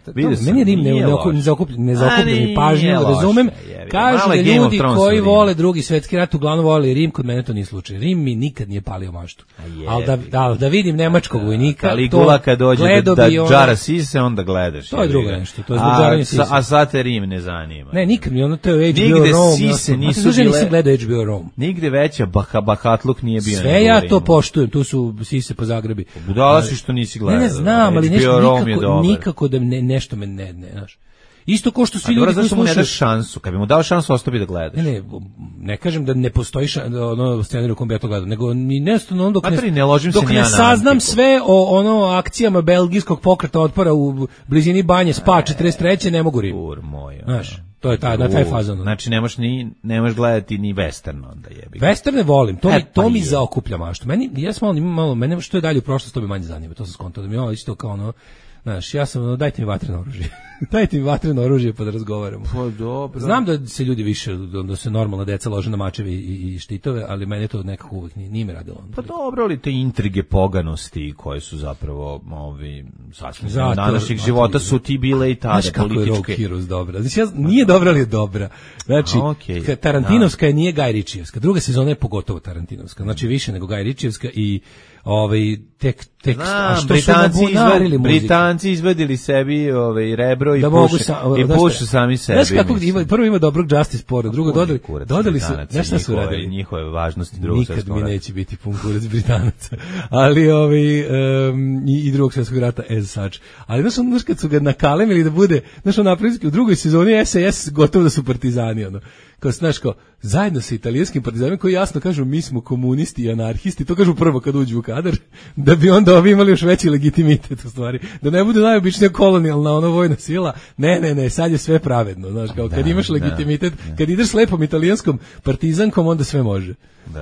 Meni je Rim ne zaokupljeni pažnju, razumem. Kažu da ljudi koji vole drugi svetski rat uglavnom vole Rim, kod mene to nije slučaj. Rim mi nikad nije palio maštu. Ali da, da, da vidim nemačkog vojnika, Kaligula kad dođe da, da džara sise, onda gledaš. To je drugo nešto, to je zbog džaranja sise. A sad te Rim ne zanima. Ne, nikad mi ono, to je H B O Rome. Nigde sise nisu bile... nisam gledao H B O Rome. Nigde veća baha, bahatluk nije bio. Sve ja to poštujem, tu su sise po Zagrebi. Budala si što nisi gledao. Ne, ne znam, ali nešto nikako, nikako da ne, nešto me ne, ne, znaš. Isto ko što svi ljudi koji slušaju, mu ne daš šansu. Kad bi mu dao šansu, ostao bi da gledaš. Ne, ne, ne kažem da ne postoji šan, ono scenarij u kom bi ja to gledao, nego ni nesto on dok ne, ne, ložim dok se ne ja saznam sve o ono akcijama belgijskog pokreta otpora u blizini Banje Spa četrdeset treće ne mogu Rim. Ur moj. Znaš, to je ta, na taj fazon. Znači ne možeš ni ne možeš gledati ni western onda jebi. Westerne volim, to e, mi to pa mi je. zaokuplja maštu. Meni ja sam malo malo mene što je dalje u prošlosti to me manje zanima, to sam skontao da mi je isto kao ono. Znaš, ja sam, no, dajte mi vatreno oružje. Dajte mi vatreno oružje pa da razgovaramo. Pa dobro. Znam da se ljudi više, da se normalna deca lože na mačevi i, i štitove, ali mene to nekako uvijek nije, nije me radilo. Pa dobro, ali te intrige poganosti koje su zapravo ovi, sasvim današnjeg života su ti bile i tada znaš političke. Znaš kako je Rock Heroes dobra? Znači, ja, nije dobra, ali je dobra. Znači, okay, Tarantinovska je nije Gaj Ričijevska. Druga sezona je pogotovo Tarantinovska. Znači, više nego Gaj Ričijevska i ovaj tek tek a što Britanci su nabunarili izved, Britanci izvedili sebi ovaj rebro i da puše sa, i puše sami sebi. Znaš kako ima, prvo ima dobrog Justice Pora, drugo dodali dodali su nešto su radili njihove važnosti drugog svjetskog rata. Nikad mi neće biti pun kurac Britanaca. Ali ovaj um, i, i drugog svjetskog rata as such. Ali znaš, znaš kad su ga nakalemili da bude, znaš on napravili u drugoj sezoni S A S gotovo da su partizani ono. Kao znaš kao zajedno sa italijanskim partizanima koji jasno kažu mi smo komunisti i anarhisti, to kažu prvo kad uđu u kadar, da bi onda ovi imali još veći legitimitet u stvari, da ne bude najobičnija kolonijalna ono vojna sila, ne, ne, ne, sad je sve pravedno, znaš, kao kad imaš legitimitet, kad ideš s lepom italijanskom partizankom, onda sve može.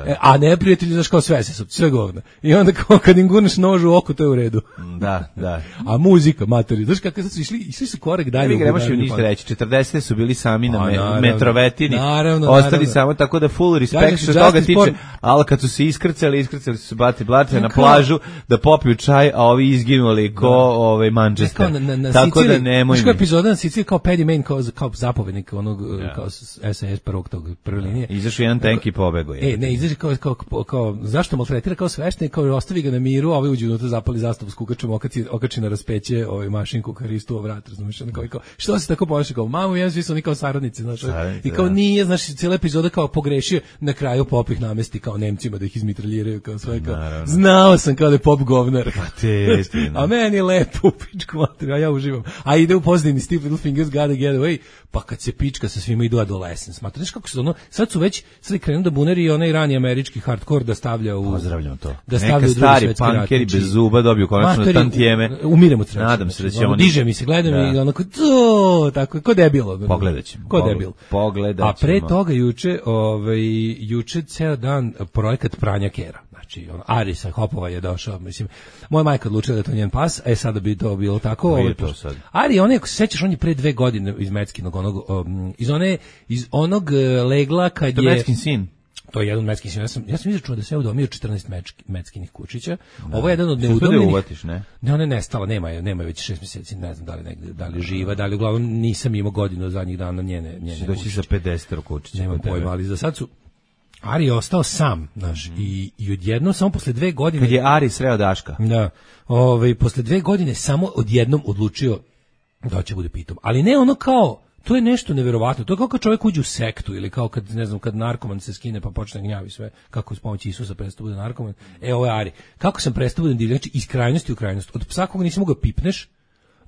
E, a neprijatelji, znaš, kao sve se, sve govna. I onda kao kad im gurneš nož u oko, to je u redu. Da, da. A muzika, matori, znaš kako sad su išli, išli su korek dalje. Ne bih nemaš im ništa reći, četrdesete su bili sami na me, metrovetini, naravno, ostali naravno. Samo tako da full respect što toga tiče, por... ali kad su se iskrcali, iskrcali su se bati blate na plažu da popiju čaj, a ovi izginuli ko ovaj Manchester. Na, na, na tako Sicili, da nemoj mi. Znaš epizoda na Siciliji kao Paddy Main, kao, kao zapovednik onog, ja. Kao S A S prvog tog prve linije. Izašao jedan tank i pobegao je. E, ne, izašao kao, kao, kao, zašto maltretira kao sveštenik, kao ostavi ga na miru, a ovi uđu unutra zapali zastavu s kukačom mu okači, okači na raspeće ovaj mašinku karistu u vrat, razumiješ, ono kao, kao, što se tako ponaša, kao, mamu, ja svi su oni kao saradnici, znaš, i kao nije, znaš, cijela epizoda kao pogrešio, na kraju Pop ih namesti kao Nemcima da ih izmitraljiraju, kao sve, kao, naravno. Znao sam kao da je Pop govnar, te, a meni je lepo u pičku materiju, a ja uživam, a ide u pozadini Steve Little Fingers Gotta Get Away, pa kad se pička sa svima idu Adolescence, smatra, znaš kako se ono, sad su već, sad je krenuo da bunari i onaj rani američki hardcore da stavlja u... Pozdravljam to. Da stavlja neka stari punkeri bez zuba dobiju konačno tantijeme. Umiremo od sreće. Nadam se da će ono, oni... Diže mi se, gledam da. I onako, to, tako, ko debilo. Pogledat ćemo. Ko debil. Pogledat ćemo. A pre toga juče, ovaj, juče ceo dan projekat pranja kera. Znači, on, Arisa Hopova je došao, mislim, moja majka odlučila da je to njen pas, e sada bi to bilo tako. Ovo je to sad. Ari, on je, ako se sećaš, on je pre dve godine iz Meckinog, onog, um, iz, one, iz onog legla kad to je... Meckin sin. To je jedan Meckin sin. Ja sam, ja sam izračunao da se ja udomio četrnaest Meckinih kučića. Da. Ovo je jedan od neudomljenih. Da uvatiš, ne? Ne, ona je nestala, nema je, nema je već šest mjeseci, ne znam da li negde, da li živa, da li uglavnom nisam imao godinu zadnjih dana njene, njene doći za pedeset kučića. Nema pojma, ali za sad su Ari je ostao sam, znaš, mm. i, i odjednom, samo posle dve godine... Kad je Ari sreo Daška. Da, ovaj, posle dve godine samo odjednom odlučio da će bude pitom. Ali ne ono kao, to je nešto neverovatno, to je kao kad čovjek uđe u sektu, ili kao kad, ne znam, kad narkoman se skine pa počne gnjavi sve, kako s pomoći Isusa prestao bude narkoman. E, ovo je Ari. Kako sam prestao bude divljan, znači iz krajnosti u krajnost. Od psa koga nisi mogao pipneš,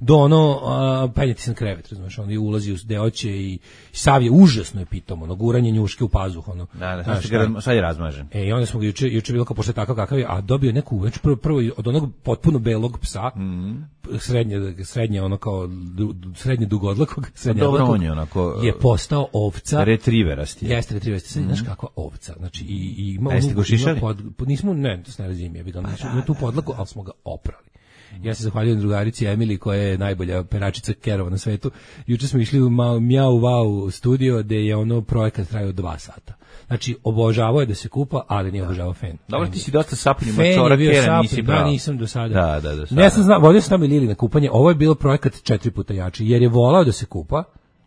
do ono, a, penjeti sam krevet, razumiješ, on je ulazi u deoće i sav je užasno je pitom, ono, guranje njuške u pazuh, ono. Da, da, znaš, sad, sad je razmažen. E, i onda smo ga juče, juče bilo kao pošto je takav kakav je, a dobio je neku, već prvo, prvo od onog potpuno belog psa, mm-hmm. srednje, srednje ono kao, srednje dugodlakog, srednje odlakog, je, onako, je postao ovca. Retriverasti. Jeste retriverasti, sad, mm-hmm. znaš kakva ovca, znači, i, i ima, a jeste go šišali? Pod, nismo, ne, to se ne razim, je, znači, ima tu podlaku, ali smo ga oprali. Ja se zahvaljujem drugarici Emili koja je najbolja peračica kerova na svetu. Juče smo išli u Mjau Wow studio gde je ono projekat trajao dva sata. Znači obožavao je da se kupa, ali nije obožavao fen. Dobro, ti si dosta sapunju mačora kera, nisi bravo. Da, nisam do sada. Da, da, do sada. Ne sam znao, vodio sam tamo i Lili na kupanje. Ovo je bilo projekat četiri puta jači, jer je volao da se kupa.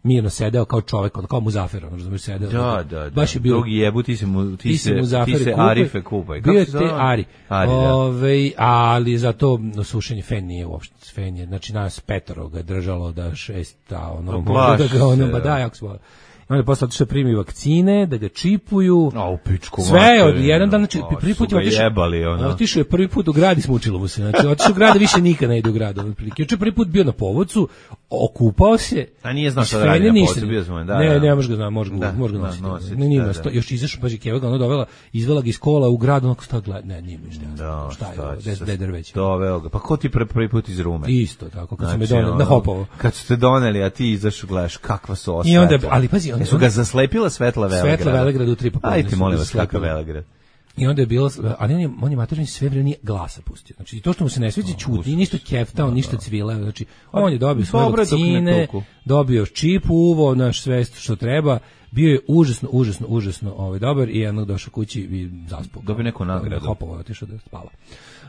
Mirno sedeo kao čovjek, kao Muzafer, ono razumiješ, sedeo. Da, da, da. Baš je bio. Drugi jebu, ti se mu, ti, ti se, ti se kupaj, Arife kupaj. Bio je te Ari. Ari, da. Ove, ali za to sušenje fen nije uopšte fen je, znači nas petoro ga držalo da šesta, ono, Plaš, da ga ono, ba da, jako se onda je posle otišao primi vakcine, da ga čipuju. A u pičku sve je od jedan dan, znači o, prvi put je otišao. Ono. Otišao je prvi put u grad i smučilo mu se. Znači otišao u grad, više nikad ne ide u grad. Juče prvi put bio na povodcu, okupao se. A nije znao šta da radi na povodcu, bio sam, da. Ne, da. ne, može ga znam, može ga, može ga nositi. nositi. Ne, nije da, da. Još izašao, pa je Keva ga ono dovela, izvela ga iz kola u grad, onako šta gleda, ne, nije mi šta. Da, šta je, da je drveć. Doveo ga. Pa ko ti prvi put iz Rume? Isto tako, kad su me doneli na Hopovo. Kad su te doneli, a ti izašao gledaš kakva su osveta. I onda, ali pazi, onda su ga zaslepila Svetla Velegrad. Svetla Velegrad u tri popodne. Ajde, molim vas, kakav Velegrad. I onda je bilo, ali on je, on je materni sve vreme nije glasa pustio. Znači, to što mu se ne sviđa čuti, nije ništa keftao, ništa cvila. Znači, on je dobio svoje vakcine, dobio čip u uvo, naš sve što treba. Bio je užasno, užasno, užasno ovaj, dobar i jednog došao kući i zaspao. Dobio neku nagradu. Hopovo, otišao da spava.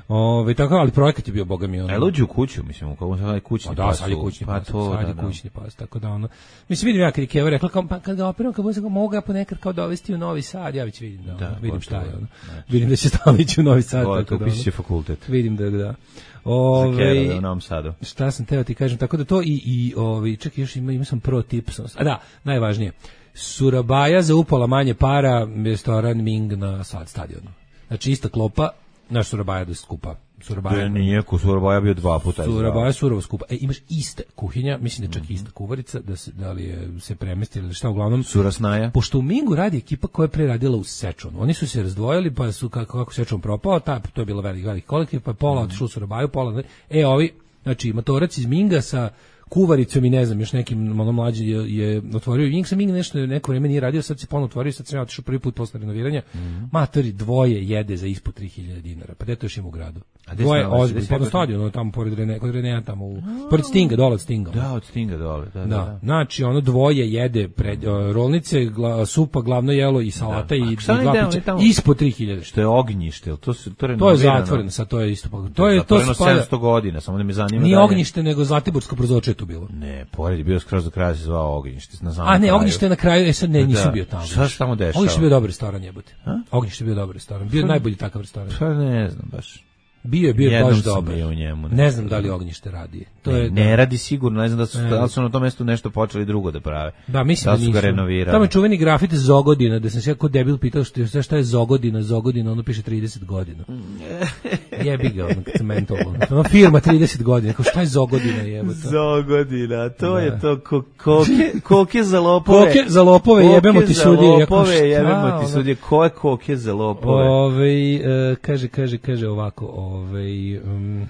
Ove, tako, ali projekat je bio, boga mi, ono. A uđe u kuću, mislim, u kako sad je kućni pa, pas. Da, sad je kućni pa pas, to, sad je da, kućni pas, tako da, ono. Mislim, vidim ja kad je Keva rekla, kao, pa kad ga operam, kad budem, mogu ga ponekad kao dovesti u Novi Sad, ja već vidim, da, da ono, vidim šta je, ono. Znači. Vidim da će stalno ići u Novi Sad, o, tako da, ono. Fakultet. Vidim da, da. Ove, za Keva u Novom Sadu. Šta sam teo ti kažem, tako da to i, i ovi, čekaj, još ima, ima sam pro tips, a da, najvažnije, Surabaja za upola manje para, restoran Ming na Sad stadionu. Znači, ista klopa, naš Surabaja da se skupa. Surabaja. Da nije, ko Surabaja bio dva puta. Surabaja surovo skupa. E, imaš iste kuhinja, mislim da je čak ista kuvarica, da se, da li je se premestila ili šta, uglavnom. Surasnaja. Pošto u Mingu radi ekipa koja je pre radila u Sečonu. Oni su se razdvojili, pa su, kako, kako Sečon propao, ta, to je bilo veliki, veliki kolektiv, pa je pola mm. otišlo u Surabaju, pola, e, ovi, znači, matorac iz Minga sa kuvaricom i ne znam, još nekim ono mlađi je, je otvorio. Ming sam Ming nešto neko vreme nije radio, sad se ponovo otvorio, sad sam ja otišao prvi put posle renoviranja. Mm. Matori dvoje jede za ispod tri hiljade dinara. Pa gde to još ima u gradu? A dvoje ozbiljno, pa na stadionu, tamo pored Rene, kod Renea tamo u pored Stinga, dole od Stinga. Da, od Stinga dole, da, da. da. da. Znači, ono dvoje jede pred uh, rolnice, gla, supa, glavno jelo i salata da. i, i dva pića ispod tri hiljade. Što je ognjište, to se to To je zatvoreno, sad to je isto. To je to spada sedamsto godina, samo da me zanima. Nije ognjište, nego Zlatiborsko Prozorče tu bilo. Ne, pored je bio skroz do kraja se zvao Ognjište na samom. A ne, Ognjište na kraju, e sad ne, nisam bio tamo. Šta se tamo dešava? Ognjište je bio dobar restoran, jebote. Ognjište je bio dobar restoran. Bio najbolji takav restoran. Pa ne znam baš. Bio je bio Jednom baš sam dobar. bio u njemu, ne znam da li Ognjište radi. To ne, je ne da. radi sigurno, ne znam da su, Ne. da su na tom mestu nešto počeli drugo da prave. Da, mislim da da su ga nisu. renovirali. Tamo je čuveni grafit Zogodina, da sam se jako debil pitao što, šta je Zogodina, Zogodina, ono piše trideset godina. Jebi ga, ono, kad sam mentalno. Ono firma trideset godina, kao šta je Zogodina, jebote. Zogodina, to Da. je to ko, koke, koke za lopove. Koke za lopove, Koke jebemo ti za sudije. Ja kao, lopove, šta, jebemo ti ono? sudije. Ko je koke za lopove? Ove, e, kaže, kaže, kaže ovako, ove, um,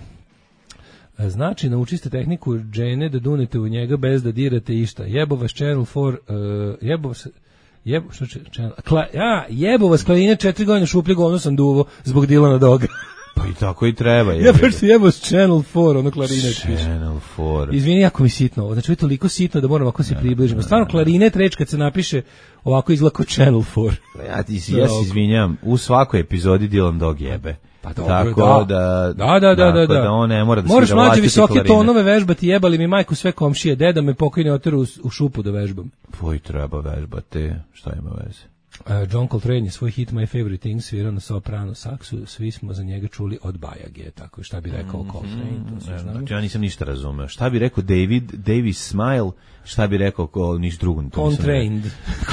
znači, naučiste tehniku džene da dunete u njega bez da dirate išta. Jebo vas Channel četiri, uh, jebo vas, jebo, što će, channel, kla, ja, jebo vas Klarine četiri godine šuplje govno sam duvo zbog Dilana Doga. Pa i tako i treba. Ja baš se jebo s Channel četiri, ono Klarine. Channel četiri. Izvini, jako mi sitno ovo. Znači, ovo je toliko sitno da moram ovako se približimo. Stvarno, Klarinet reč kad se napiše ovako izgleda kao Channel četiri. Ja, ti, ja se izvinjam, u svakoj epizodi Dylan Dog jebe. Pa dobro, tako da. da, Da, da, da, da, da. da on ne mora da moraš svira mlađe vlastite visoke klarine. tonove vežbati, jebali mi majku sve komšije, deda me pokojni oteru u, u šupu da vežbam. Tvoj treba vežbati, šta ima veze? Uh, John Coltrane je svoj hit My Favorite Things svirao na soprano saksu, svi smo za njega čuli od Bajage, tako šta bi rekao mm, Coltrane, to sve znamo. Znači, ja nisam ništa razumeo. Šta bi rekao David, Davis Smile, šta bi rekao ko, niš drugo. Contrained.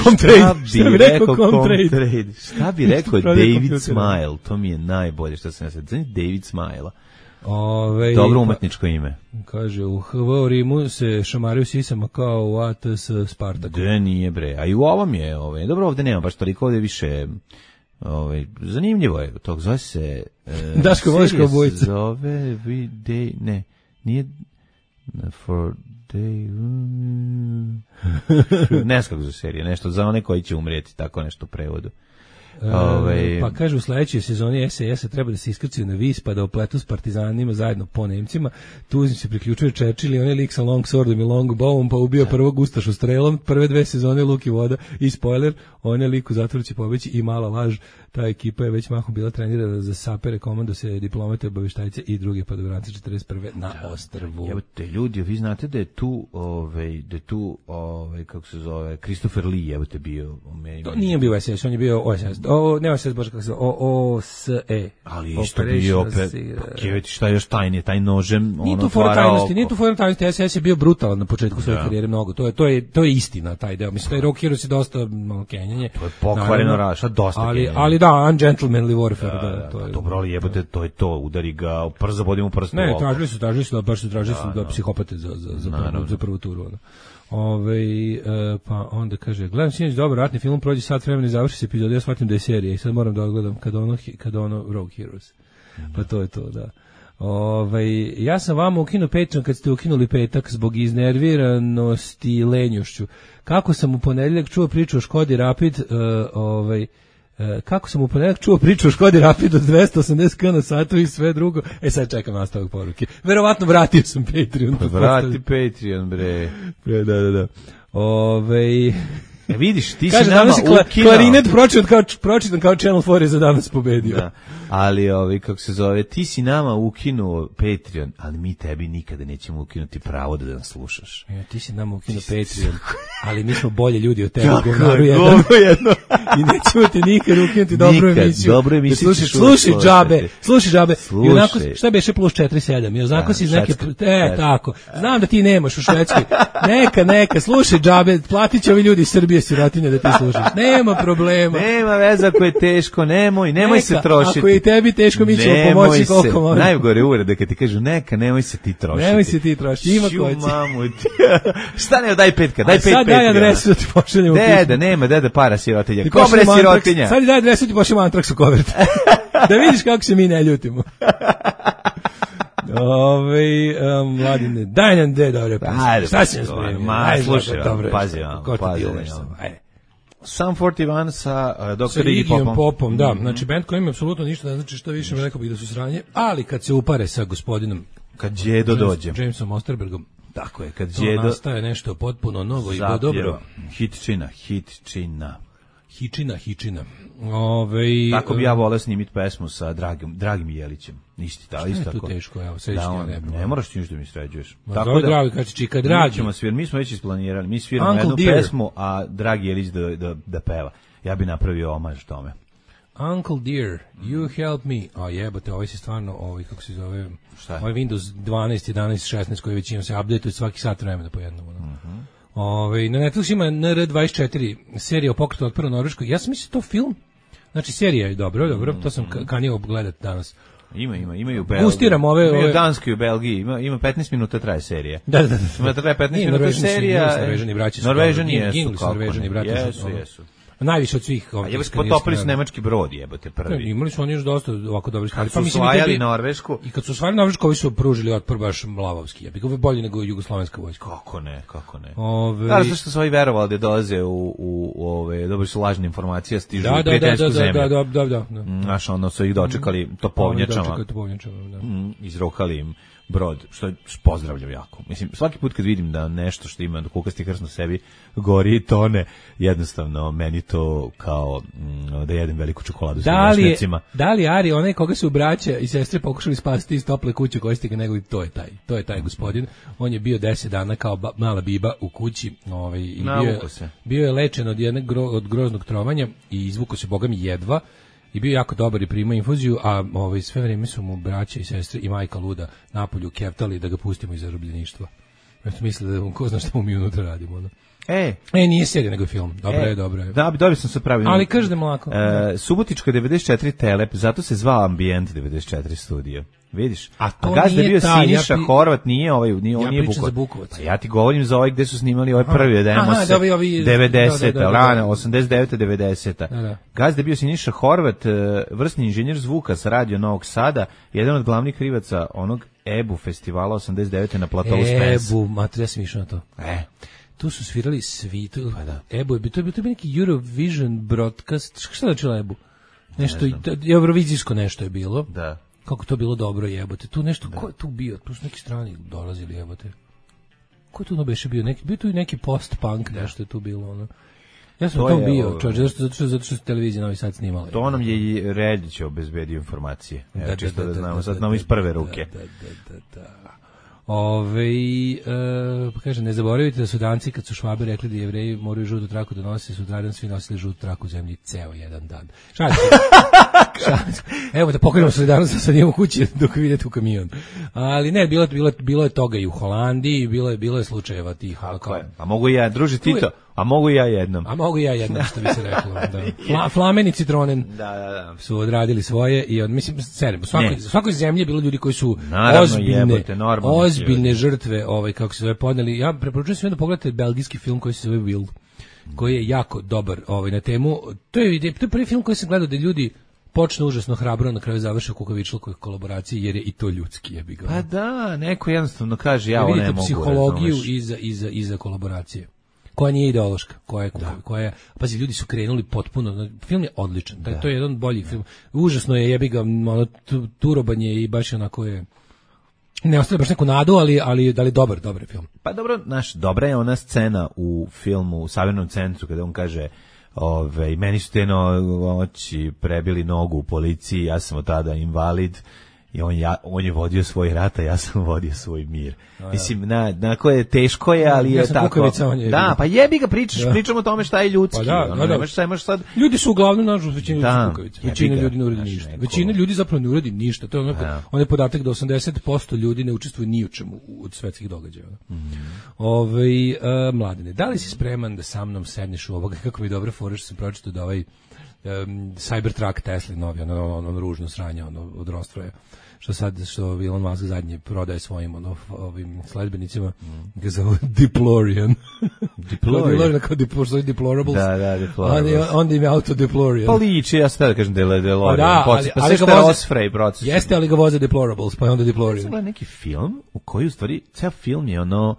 Contrained. Šta bi rekao Contrained? Contrained? Šta bi rekao David Smile? To mi je najbolje što sam ja sad. Znači David Smile. Ove, Dobro umetničko ime. Kaže, u H V Rimu se šamaraju sisama kao u A T S Spartaku. Da nije bre, a i u ovom je, ovaj, dobro ovde nema baš toliko, ovde više, ovaj, zanimljivo je, tog zove se... E, Daško voliš kao bojica. Zove, we day, ne, nije, for day, ne znam kako za serije, nešto za one koji će umrijeti, tako nešto u prevodu. Ove, pa kaže u sledećoj sezoni S A S treba da se iskrcaju na vis pa da opletu s partizanima zajedno po Nemcima. Tu se priključuje Churchill i onaj lik sa long swordom i long bowom pa ubio prvog ustašu strelom. Prve dve sezone Luk i voda i spoiler, on je lik u zatvoru će pobeći i mala laž. Ta ekipa je već mahom bila trenirana za sapere, komando se diplomate, obaveštajce i druge padobrance četrdeset prve na ostrvu. Evo te ljudi, vi znate da je tu, ovaj, da je tu, ovaj, kako se zove, Christopher Lee, evo te bio u meni. To nije bio S S, on je bio O S S. O, ne O S S, bože kako se zove, O S E. Ali isto bio opet, kjeveti šta je još tajnije, taj nožem, nije ono tu fora otvara tajnosti, oko. nije tu fora tajnosti, S S je bio brutalan na početku svoje Da. karijere mnogo, to je, to je, to je istina, taj deo, mislim, taj Rock Heroes je dosta malo kenjanje. To je pokvareno raša, dosta ali, kenjanja. ali da, ungentlemanly warfare, da, Da, da, to je. dobro, ali jebote, to je to, udari ga, prst zabodi mu prst u Ne, oko. tražili su, tražili su da, baš su tražili su da, da. psihopate za, za, za, prvu, Naravno. za prvu turu, ono. Ove, e, pa onda kaže, gledam sinoć dobar ratni film, prođe sat vremena i završi se epizoda, ja shvatim da je serija i sad moram da odgledam kad ono, kad ono Rogue Heroes. Pa to je to, da. Ove, ja sam vama ukinuo Patreon kad ste ukinuli petak zbog iznerviranosti i lenjošću. Kako sam u ponedjeljak čuo priču o Škodi Rapid, uh, ovaj, uh, kako sam u ponedjeljak čuo priču o Škodi Rapid od dvesta osamdeset kilometara na satu i sve drugo, e sad čekam nastavak poruke. Verovatno vratio sam Patreon. Vrati Patreon, bre. Bre, da, da, da. Ove, E vidiš, ti kaže, si nama danas je kla, ukinao. klarinet pročitan kao, pročitan kao Channel četiri je za danas pobedio. Da. Ali, ovaj, kako se zove, ti si nama ukinuo Patreon, ali mi tebi nikada nećemo ukinuti pravo da nas slušaš. E, ti si nama ukinuo Patreon, ali mi smo bolji ljudi od tebe. Tako govnaru je, jedan. govno jedno. I nećemo ti nikad ukinuti dobru Nikad, emisiju. dobru emisiju Da slušaj, ćeš uvek slušaj džabe, slušati. slušaj džabe. Slušaj. I onako, šta beše plus četiri sedam? I onako Da, si iz neke, švedska. e, Da. tako. Znam da ti nemaš u Švedskoj. Neka, neka, slušaj džabe, platit će ovi ljudi iz Srbije sirotinje da ti slušaš. Nema problema. Nema veze ako je teško, nemoj, nemoj Neka, se trošiti. ako je i tebi teško, mi ćemo Nemoj pomoći se. koliko možemo. Najgore uvrede kad ti kažu neka, nemoj se ti trošiti. Nemoj se ti trošiti, ima Ću, ko će. mamu ti. Šta ne, daj petka, daj A pet sad daj Patreona. adresu da ti pošaljemo. Deda, nema, deda para sirotinja. Ti Ko bre pošaljemo Antrax. sirotinja? Sad daj adresu ti pošaljemo Antrax u kovert. Da vidiš kako se mi ne ljutimo. Ove, um, mladine, daj nam de, dobro, Ajde, šta si nam pa, spremio? ma, Ajde, slušaj, dobro, pazi vam, ko ti pazi dileš vam. sam, ajde. Sam četrdeset jedan sa uh, Sa doktor Iggy Iggyjem Popom. Popom, da, znači band koji ima apsolutno ništa, ne znači što više, rekao bih da su sranje, ali kad se upare sa gospodinom Kad Đedo dođe. Jamesom Osterbergom, Tako je, kad to Đedo nastaje nešto potpuno novo i zapjeva. dobro. Hitčina, hitčina. Hičina, hičina. Ove, Tako bi ja voleo snimiti pesmu sa Dragim, Dragim Jelićem. Isti, da, isto je tu tako. teško, evo, srećnija Da, on- nema. ne moraš ti ništa da mi sređuješ. Ma zove Dragi, kad će čika Dragi. Mi, ćemo svir, mi smo već isplanirali, mi sviramo Uncle jednu Dear. pesmu, a Dragi Jelić da, da, da peva. Ja bi napravio omaž tome. Uncle Dear, You Help Me. A jebote, ovaj se stvarno, ovaj, kako se zove, šta je? Ovaj Windows dvanaest, jedanaest, šesnaest koji većinom se update-uje svaki sat vremena po jednom. No. Uh-huh. Ovaj, na Netflixu ima N R dvadeset četiri, serija o pokretu otpora Norveškoj. Ja sam mislio to film, znači serija je dobro, dobro, to sam kanio gledati danas. Ima, ima, imaju u Belgiji. Gustiram ove... Imaju ove... Danskoj u Belgiji, ima, ima petnaest minuta traje serija. Da, da, da. Ima traje petnaest minuta serija. Norvežani braći su. Norvežani jesu, Norvežani braći su. Jesu, jesu. Najviše od svih ovih. A jebote, potopili su nemački brod, jebote, prvi. Imali su oni još dosta ovako dobrih stvari. Pa mislim osvajali Norvešku. I kad su osvajali Norvešku, ovi su pružili otpor baš lavovski. Jebi ga, bolje nego jugoslovenska vojska. Kako ne, kako ne. Ove... Da, zašto su ovi verovali da dolaze u u u ove dobili su lažne informacije, stižu da, u prijateljsku da, zemlju. Da, da, da, da, da. Znaš, ono su ih dočekali topovnjačama. Dočekali topovnjačama, da. Mm, izrokali im brod, što pozdravljam jako. Mislim, svaki put kad vidim da nešto što ima kukasti krst na sebi gori i tone, jednostavno meni to kao mm, da jedem veliku čokoladu sa lešnicima. Da li Ari, onaj koga su braća i sestre pokušali spasiti iz tople kuće koje ste ga nego, to je taj. To je taj gospodin. On je bio deset dana kao ba, mala biba u kući, ovaj, i bio je, bio je lečen od jednog gro, od groznog trovanja i izvukao se bogami jedva. I bio jako dobar i primao infuziju, a ovaj, sve vreme su mu braća i sestre i majka luda napolju keftali da ga pustimo iz zarobljeništva. Ja sam mislio da ko zna šta mu mi unutra radimo. No? E, e, nije serija nego film. Dobro e, je, dobro je. Da, dobio sam se pravilno. Ali kažem lako. E, Subotička devedeset četiri Telep, zato se zvao Ambijent devedeset četiri studio. Vidiš? A to a gazda nije bio ta, Siniša ja pi... Horvat, nije ovaj, nije on ja nije Bukovac. Bukovac. Ja ti govorim za ovaj gde su snimali ovaj prvi demo Aha, da, ovi, ovi, devedesete, da, da, da, rana osamdeset devete devedesete. Da, da. Gazda je bio Siniša Horvat, vrsni inženjer zvuka sa radio Novog Sada, jedan od glavnih krivaca onog Ebu festivala osamdeset devete na platovu Spence. Ebu, mater, ja sam išao na to. E. Tu su svirali svi, tu, pa da. Ebu, to je bio neki Eurovision broadcast, šta da čela Ebu? Nešto, ne eurovizijsko nešto je bilo. Da. Kako to bilo dobro, jebote. Tu nešto, da. Ko je tu bio? Tu su neki strani dolazili, jebote. Ko je tu no beše bio? Neki, bio tu i neki post-punk, da. Nešto je tu bilo, ono. Ja sam to tom bio, ovo, čovječ, zato što, zato što, zato što televizija Novi Sad snimala. To nam je i Reljić obezbedio informacije. Evo, da, čisto da, da, da znamo, da, sad znamo iz prve ruke. Da, da, da, da. Ove, e, pa kaže, ne zaboravite da su Danci kad su Švabe rekli da Jevreji moraju žutu traku da nose, sutradan svi nosili žutu traku u zemlji ceo jedan dan. Šalim se. Evo da pokrenemo solidarnost, sad idemo kući dok vidite u kamion. Ali ne, bilo, bilo, bilo je toga i u Holandiji, bilo je, bilo je slučajeva tih. Kako je? A mogu ja, druži Tito, a mogu ja jednom. A mogu ja jednom, što bi se reklo. Da. Fla, Flamen i Citronen da, da, da. su odradili svoje i od, mislim, serem, u svakoj, svakoj zemlji je bilo ljudi koji su naravno, ozbiljne, jebote, ozbiljne žrtve, ovaj, kako se zove, podneli. Ja preporučujem svima da pogledate belgijski film koji se zove Will, koji je jako dobar ovaj, na temu. To je, to je prvi film koji sam gledao da ljudi počne užasno hrabro, na kraju završe u kukavičlukoj kolaboraciji, jer je i to ljudski, jebi ga. Pa da, neko jednostavno kaže, ja ovo ne mogu. Psihologiju iza, iza, iza kolaboracije, koja nije ideološka, koja je, da. koja je, pazi, ljudi su krenuli potpuno, film je odličan, da. To je jedan bolji film, užasno je, jebi ga, ono, turobanje i baš onako je, ne ostaje baš neku nadu, ali, ali da li dobar, dobar film. Pa dobro, naš, dobra je ona scena u filmu, u Savernom centru, kada on kaže, ove, meni su te noći prebili nogu u policiji, ja sam od tada invalid, i on, ja, on je vodio svoj rat, a ja sam vodio svoj mir. A, mislim, na, na koje je teško je, ali ja je tako. Kukavica, on je da, pa jebi ga pričaš, da. Pričamo o tome šta je ljudski. Pa da, ono, da, nemaš, sad, imaš sad... Ljudi su uglavnom, nažalost, većina ljudi su kukavica. Većina ljudi ne uradi ništa. Neko... Većina ljudi zapravo ne uradi ništa. To je onako, on je podatak da osamdeset posto ljudi ne učestvuje ni u čemu od svetskih događaja. Mm. Ove, uh, mladine, da li si spreman da sa mnom sedneš u ovoga, kako mi dobro fora što sam pročitao da ovaj um, Cybertruck Tesla novi, ono, ono, ono ružno sranje, ono, od Rostroja, što sad, što Elon Musk zadnje prodaje svojim ono, ovim sledbenicima, mm. ga zove Deplorian. Deplorian, kao Deplorian, Deplorables. Da, da, Deplorables. Onda im je auto Deplorian. Pa liči, ja sad da kažem Deplorian. Da, ali, pa ali sve što je Osprey proces. Jeste, ali ga voze Deplorables, pa je onda Deplorian. Ovo je neki film u koji u stvari, ceo film je ono,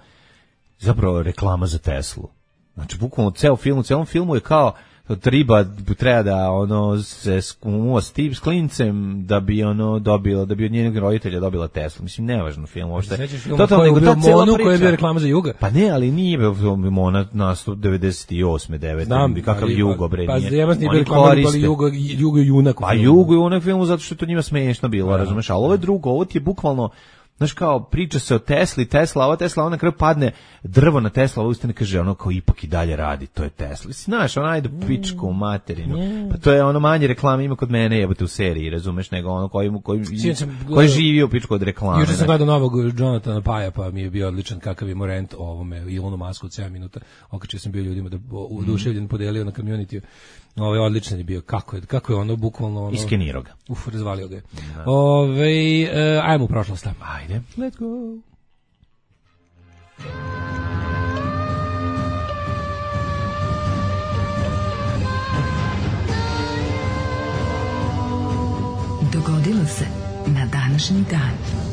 zapravo reklama za Teslu. Znači, bukvalno ceo film, u celom filmu je kao triba treba da ono se skumuva s tim s klincem da bi ono dobila, da bi od njenog roditelja dobila Teslu. Mislim, nevažno film uopšte. Totalno nego ta cela priča. Koja je bio reklama za Juga. Pa ne, ali nije bio Mona nastup devedeset osme devete kakav Jugo bre nije. Pa Jevas nije bio reklama, ali Jugo, Jugo i Junak. Pa Jugo i Junak film zato što to njima smešno bilo, razumeš? Ali ovo je drugo, ovo ti je bukvalno Znaš, kao, priča se o Tesli, Tesla, ova Tesla, ona na kraju padne, drvo na Tesla, ova ustane kaže, ono kao ipak i dalje radi, to je Tesla. Znaš, ona ajde pičku u materinu, pa to je ono manje reklame ima kod mene, jebote u seriji, razumeš, nego ono koji, koji, koji živi u pičku od reklame. Juče sam gledao novog Jonathana Paja, pa mi je bio odličan kakav je morent o ovome, Elonu Musku od sedam minuta, okačio sam bio ljudima da oduševljen podelio na community. Ovo je odličan je bio, kako je, kako je ono, bukvalno ono... Iskenirao ga. Uf, razvalio ga je. Ove, e, ajmo u prošlost. Ajde. Let's go. Dogodilo se na današnji dan.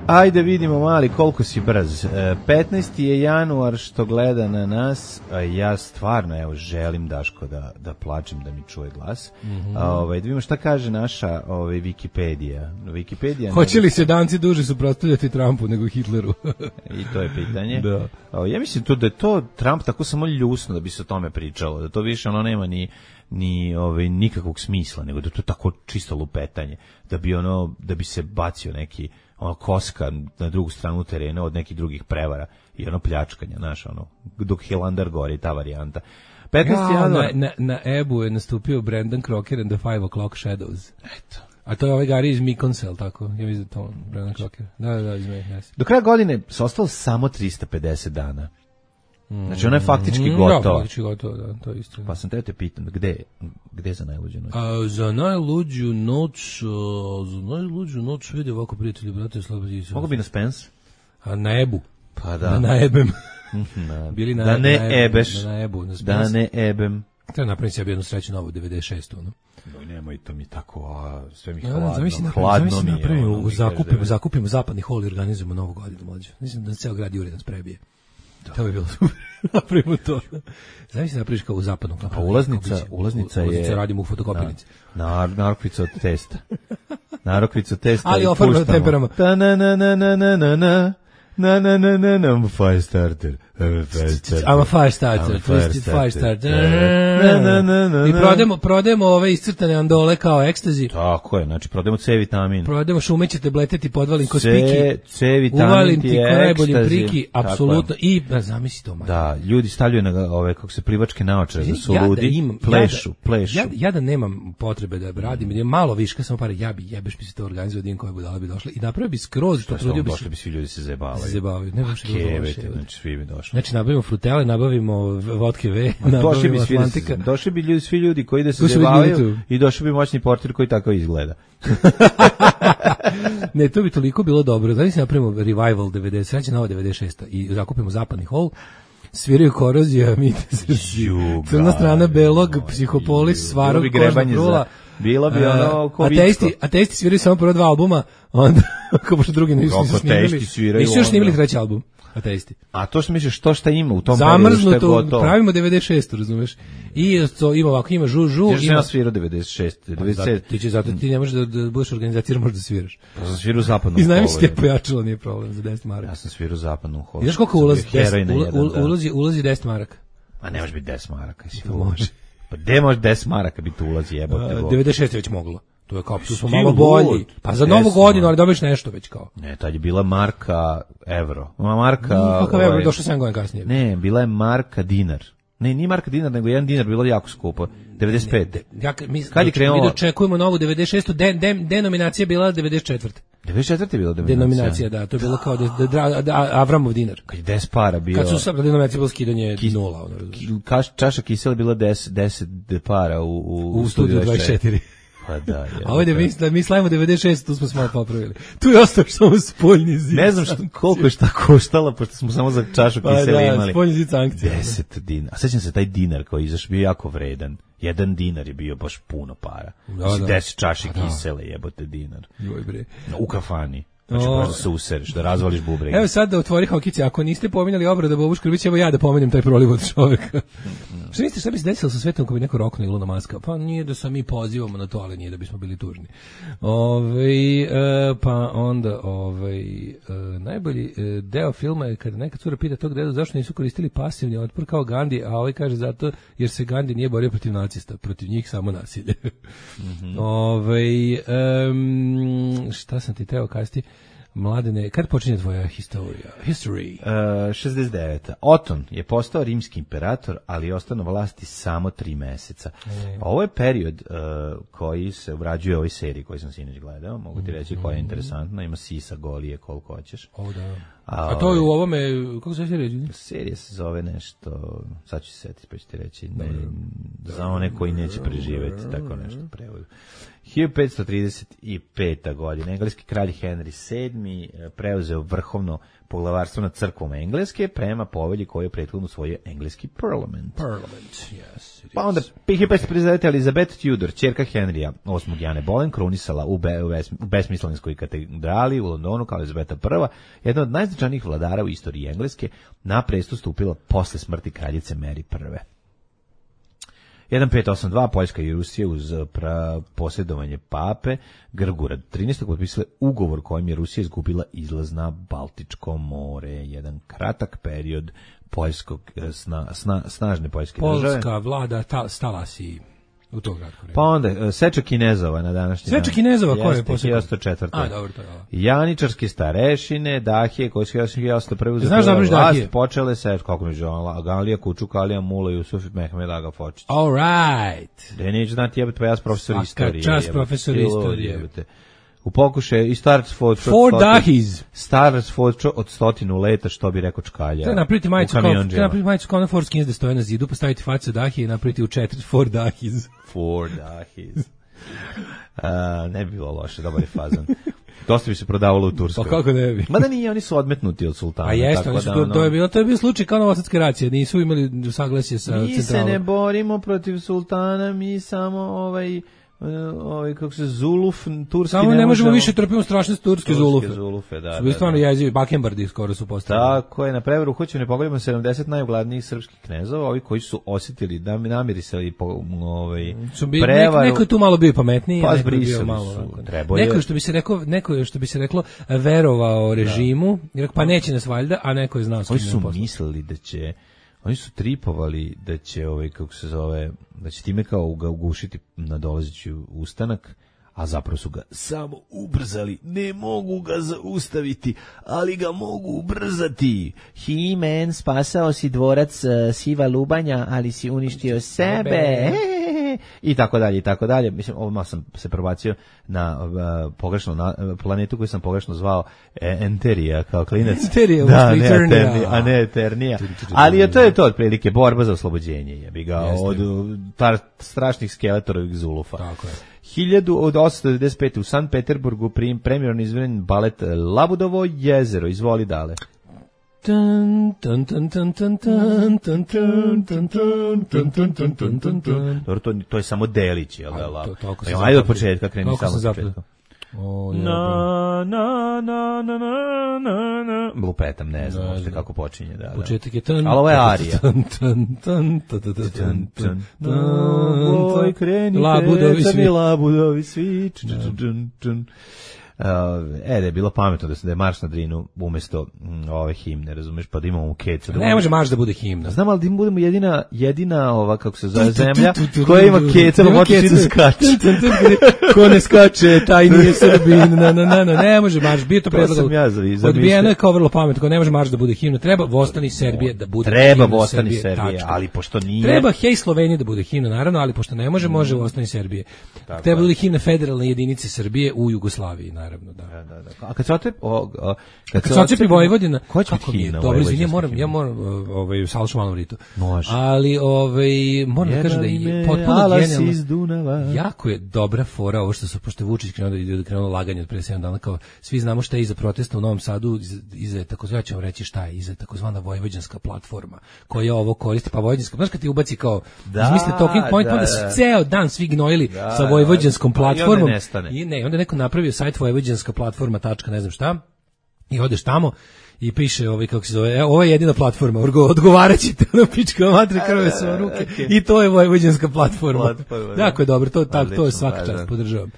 Ajde vidimo mali koliko si brz. petnaesti je januar što gleda na nas. Ja stvarno evo želim Daško da da plačem da mi čuje glas. Mm-hmm. Ovaj da vidimo šta kaže naša ovaj Wikipedija. Wikipedija. Hoće li se danci duže suprotstavljati Trumpu nego Hitleru? I to je pitanje. Da. Ja mislim to da je to Trump tako samo ljusno da bi se o tome pričalo, da to više ono nema ni ni ovaj nikakvog smisla, nego da to tako čisto lupetanje, da bi ono da bi se bacio neki ono koska na drugu stranu terena od nekih drugih prevara i ono pljačkanja, znaš, ono, dok Hilander gori, ta varijanta. petnaesti Ja, januar... na, na, na Ebu je nastupio Brandon Crocker and the Five O'Clock Shadows. Eto. A to je ovaj Gari iz Mikonsa, tako? Ja mislim da to Brandon Crocker. Da, da, da, izme, yes. Do kraja godine se ostalo samo trista pedeset dana. Znači ona je faktički mm, gotova. Da, faktički gotova, da, to je isto. Pa sam te te pitam, gde, gde za najluđu noć? A, za najluđu noć, a, za najluđu noć, vidi ovako prijatelji, brate, slabati. Mogu bi na Spence? A na Ebu. Pa da. Na, na Ebem. Na, Bili na, da ne na ebeš. Na Ebu, na da ne ebem. Treba napraviti sebi jednu sreću novu, devedeset šest ono. No, nemoj to mi tako, a sve mi Ja, hladno, zamisli hladno mi je. Napravimo, Ono, zakupimo, zakupimo zapadni hol i organizujemo novu godinu mlađe. Mislim da ceo grad Jure nas prebije. Da. To bi bilo super. Napravimo to. Zamisli napraviš kao u zapadnom. Pa ulaznica, ulaznica je... Ulaznica radimo u fotokopirnici. Na, narokvica od testa. Narokvica od testa. Ali ofarba temperama. Ta na na na na na na na. Na na na na na, I'm a fire starter. I'm a fire starter. I'm a fire starter. Twisted fire starter. I prodajemo, prodajemo ove iscrtane andole kao ekstazi. Tako je, znači prodajemo C vitamin. Prodajemo šumeće tablete, ti podvalim ko spiki. C vitamin uvalim ti ti je ko najboljim ekstazi. priki, apsolutno. I, da, zamisli to, man. Da, ljudi stavljaju na ove, kako se plivačke naočare, da su ja ludi, da imam, plešu, ja da, plešu. Ja, ja da nemam potrebe da radim, mm. malo viška, samo pare, ja bi, jebeš bi se to organizovao, din koje budala bi došli i napravio bi skroz, to trudio bi se. Došli bi svi ljudi se zajebavaju. Zajebavaju, ne baš Kevete, znači svi bi došli. Znači nabavimo frutele, nabavimo vodke V, nabavimo Atlantika. Došli bi ljudi, svi ljudi koji da se zajebavaju i došli bi moćni portir koji tako izgleda. Ne, to bi toliko bilo dobro. Znači napravimo revival devedeset, sreće nova devedeset šest i zakupimo zapadni hol. Sviraju Korozija, Mitezerci, Crna strana belog, Psihopolis, Svarog, Kožna brula. Bilo bi ono ko ateisti, ateisti sviraju samo prvo dva albuma, onda kako pošto drugi nisu snimili. Nisu još snimili treći album. Ateisti. A to što misliš, to šta ima u tom zamrznuto, pravimo devedeset šest, razumeš? I to ima ovako, ima žu žu, ima ja svirao devedeset šest, devedeset sedam. Ti će zato ti ne možeš da, da budeš organizator, možeš da sviraš. Pa sam svirao zapadnom. I znam se pojačalo, nije problem za deset maraka. Ja sam svirao zapadnom holu. Znaš koliko ulazi ulazi ulazi deset maraka? A ne može biti deset maraka, si to može. Pa gde može deset maraka biti ulazi, jebote. devedeset šest je već moglo. To je kao, tu smo malo bolji. Pa za novu godinu, ali dobiješ nešto već kao. Ne, tad je bila marka evro. Marka... Kakav evro, došao sedam godina kasnije. Ne, bila je marka dinar. Ne, nije marka dinar, nego jedan dinar, bilo jako skupo. devedeset pet. Ne, ja, mi, kad je krenulo? Mi dočekujemo novu devedeset šest. Den, den, denominacija bila devedeset četiri. devedeset četiri je bila denominacija. Denominacija, da, to je bilo kao da, da, da, Avramov dinar. Kad je deset para bio. Kad su sad denominacija bilo skidanje Kis, nula. Ono, kaš, čaša kisela bila deset, deset para u, u, u, u studiju dvadeset četiri. Pa da, ja. A ovdje mi, mi slavimo devedeset šest, tu smo se malo popravili. Tu je ostao samo spoljni zid. Ne znam što, koliko je šta koštala, pošto smo samo za čašu kisela pa da, imali. Pa spoljni zid sankcija. deset dinara. A sećam se taj dinar koji izaš bio jako vredan. Jedan dinar je bio baš puno para. Da, da. deset čaši pa kisele, jebote dinar. Joj bre. U kafani. Znači, o... možda se usereš, da razvališ bubrege. Evo sad da otvori hokice, ako niste pominjali obrada Bobu Škrbić, evo ja da pomenem taj proliv od čoveka. Šta mislite, šta bi se desilo sa svetom ako bi neko roknuo Ilona Maska? Pa nije da sam mi pozivamo na to, ali nije da bismo bili tužni. Ove, e, pa onda ovaj, e, najbolji e, deo filma je kada neka cura pita tog dedu zašto nisu koristili pasivni otpor kao Gandhi, a ovaj kaže zato jer se Gandhi nije borio protiv nacista, protiv njih samo nasilje. Mm-hmm. Ove, e, šta sam ti teo kazati? Mladene, kad počinje tvoja historija? History. Uh, šezdeset deveta. Oton je postao rimski imperator, ali je ostao na vlasti samo tri meseca. E. Ovo je period uh, koji se obrađuje u ovoj seriji koju sam sinoć gledao. Mogu ti reći koja je interesantna. Ima sisa, golije, koliko hoćeš. O, da. A, A to je u ovome, kako se serija? Serija se zove nešto, sad ću se setiti pa ću ti reći, ne, za one koji neće preživjeti, tako nešto prevodu. hiljadu petsto trideset peta. godina, engleski kralj Henry sedmi preuzeo vrhovno poglavarstvo nad crkvom Engleske prema povelji koju je prethodno usvojio engleski parlament. Parlament, yes. Pa onda hiljadu petsto pedeset devete. Elizabeth Tudor, ćerka Henrya osmog Jane Boleyn, krunisala u, be, u, bes, u besmislenskoj katedrali u Londonu kao Elizabeta prva, jedna od najznačajnijih vladara u istoriji Engleske, na presto stupila posle smrti kraljice Mary prve. hiljadu petsto osamdeset dva. Poljska i Rusija uz pra posjedovanje pape Grgura trinaestog potpisale ugovor kojim je Rusija izgubila izlaz na Baltičko more. Jedan kratak period poljskog sna, sna, snažne poljske Polska države. Polska vlada ta, stala si u to kratko vreme. Pa onda seča Kinezova na današnji dan. Seča Kinezova ko je posle? hiljadu četvrte. A dobro, to je. Janičarske starešine, Dahije, koje su hiljadu preuzeli. Znaš da vlast, Dahije? Počele se, kako mi žala, Galija, Kučuk, Alija, Mula, Jusuf, Mehmed, Aga Fočić. All right. Da neću znati, jebate, pa ja sam profesor Svaka istorije. čast profesor istorije. Jebate. U pokušaju i Stars for Four Dahis. Stars for od stotinu leta, što bi rekao Čkalja. Treba napraviti majicu kao, treba napraviti majicu kao na Four Skins da stoje na zidu, postaviti facu Dahije i napraviti u četiri Four Dahis. Four Dahis. Uh, ne bi bilo loše, dobar je fazan. Dosta bi se prodavalo u Turskoj. Pa kako ne bi? Mada nije, oni su odmetnuti od sultana. A jeste, tako da, ono, to je bilo, to je bio slučaj kao novosadske racije, nisu imali saglasje sa mi centralom. Mi se ne borimo protiv sultana, mi samo ovaj ovaj kako se Zuluf turski samo ne, ne možemo više trpimo strašne turske Zulufe. Zulufe, da. Su bili stvarno jezivi, Bakembardi skoro su postali. Tako je, na preveru hoćemo ne pogledamo sedamdeset najugladnijih srpskih knezova, ovi koji su osjetili da mi namirisali po ovaj bi, prevaru. Neko je tu malo bio pametniji, pa neko je bio malo. Neko je što bi se rekao, neko je što bi se reklo verovao režimu, jer pa neće nas valjda, a neko je znao s kim su mislili da će oni su tripovali da će ovaj kako se zove da će time kao ga ugušiti na dolazeći ustanak, a zapravo su ga samo ubrzali. Ne mogu ga zaustaviti, ali ga mogu ubrzati. He-Man, spasao si dvorac uh, Siva Lubanja, ali si uništio sebe. I tako dalje, i tako dalje. Mislim, ovdje sam se probacio na uh, pogrešno na, uh, planetu koju sam pogrešno zvao e, Enterija kao klinac. Enterija, da, ne Eternija, a ne Eternija. Ali je to je to otprilike borba za oslobođenje, jebi ga, od tar, strašnih skeletorovih Zulufa. Tako je. hiljadu osamsto devedeset pete. u Sankt Peterburgu prim premijerno izveden balet Labudovo jezero. Izvoli dale. Tan tan tan tan tan tan tan tan tan tan tan tan tan tan tan. Dobro, to to je samo delić, je l' da? Ajde, ajde od početka, kreni samo od početka. O, na na na na na na. Lupetam, ne znam uopšte kako počinje, da, da. Početak je tan. Ali ovo je arija. Tan tan tan tan tan tan. Oj, krenite, Labudovi svi. Labudovi svi. Uh, e, da je bilo pametno da se da je marš na Drinu umesto mm, ove himne, razumeš, pa da imamo u kecu. Da ne može marš da bude himna. Znam, ali da im budemo jedina, jedina ova, kako se zove, zemlja koja ima keca, pa može da skače. Ko ne skače, taj nije Srbin, na, na, na, na, ne može marš, bio to predlog. Ja odbijeno je kao vrlo pametno, ko ne može marš da bude himna, treba Vostani Serbije da bude treba himna. Treba Vostani Serbije, ali pošto nije. Treba Hej Slovenija da bude himna, naravno, ali pošto ne može, može Vostani Serbije. Treba bude himna federalne jedinice Srbije u Jugoslaviji, naravno. Da. Da, da, da. A kad se otepi, o, o, kad, kad se otepi Vojvodina, ko će biti himna? Dobro, izvini, ja moram, ja moram, ovaj, Salšu malo ritu. Može. Ali, ovaj, moram da kažem da je potpuno genijalno. Jako je dobra fora ovo što su, pošto Vučić krenuo da ide krenulo laganje od pre sedam dana, kao svi znamo šta je iza protesta u Novom Sadu, iza takozvana, ja ću vam reći šta je, iza takozvana vojvođanska platforma, koja ovo koristi, pa vojvođanska, znaš kad ti ubaci kao, da, izmisli talking point, da, onda da, da. Ceo dan svi gnojili da, sa vojvođanskom platformom. I, I ne, onda neko napravio sajt vojvođanska platforma tačka ne znam šta. I odeš tamo i piše ovaj kako se zove, ovo je jedina platforma, odgovaraćete na pička matre krve su ruke. Okay. I to je vojvođanska platforma. platforma jako je dobro, to tako to je svaka čast, podržavam.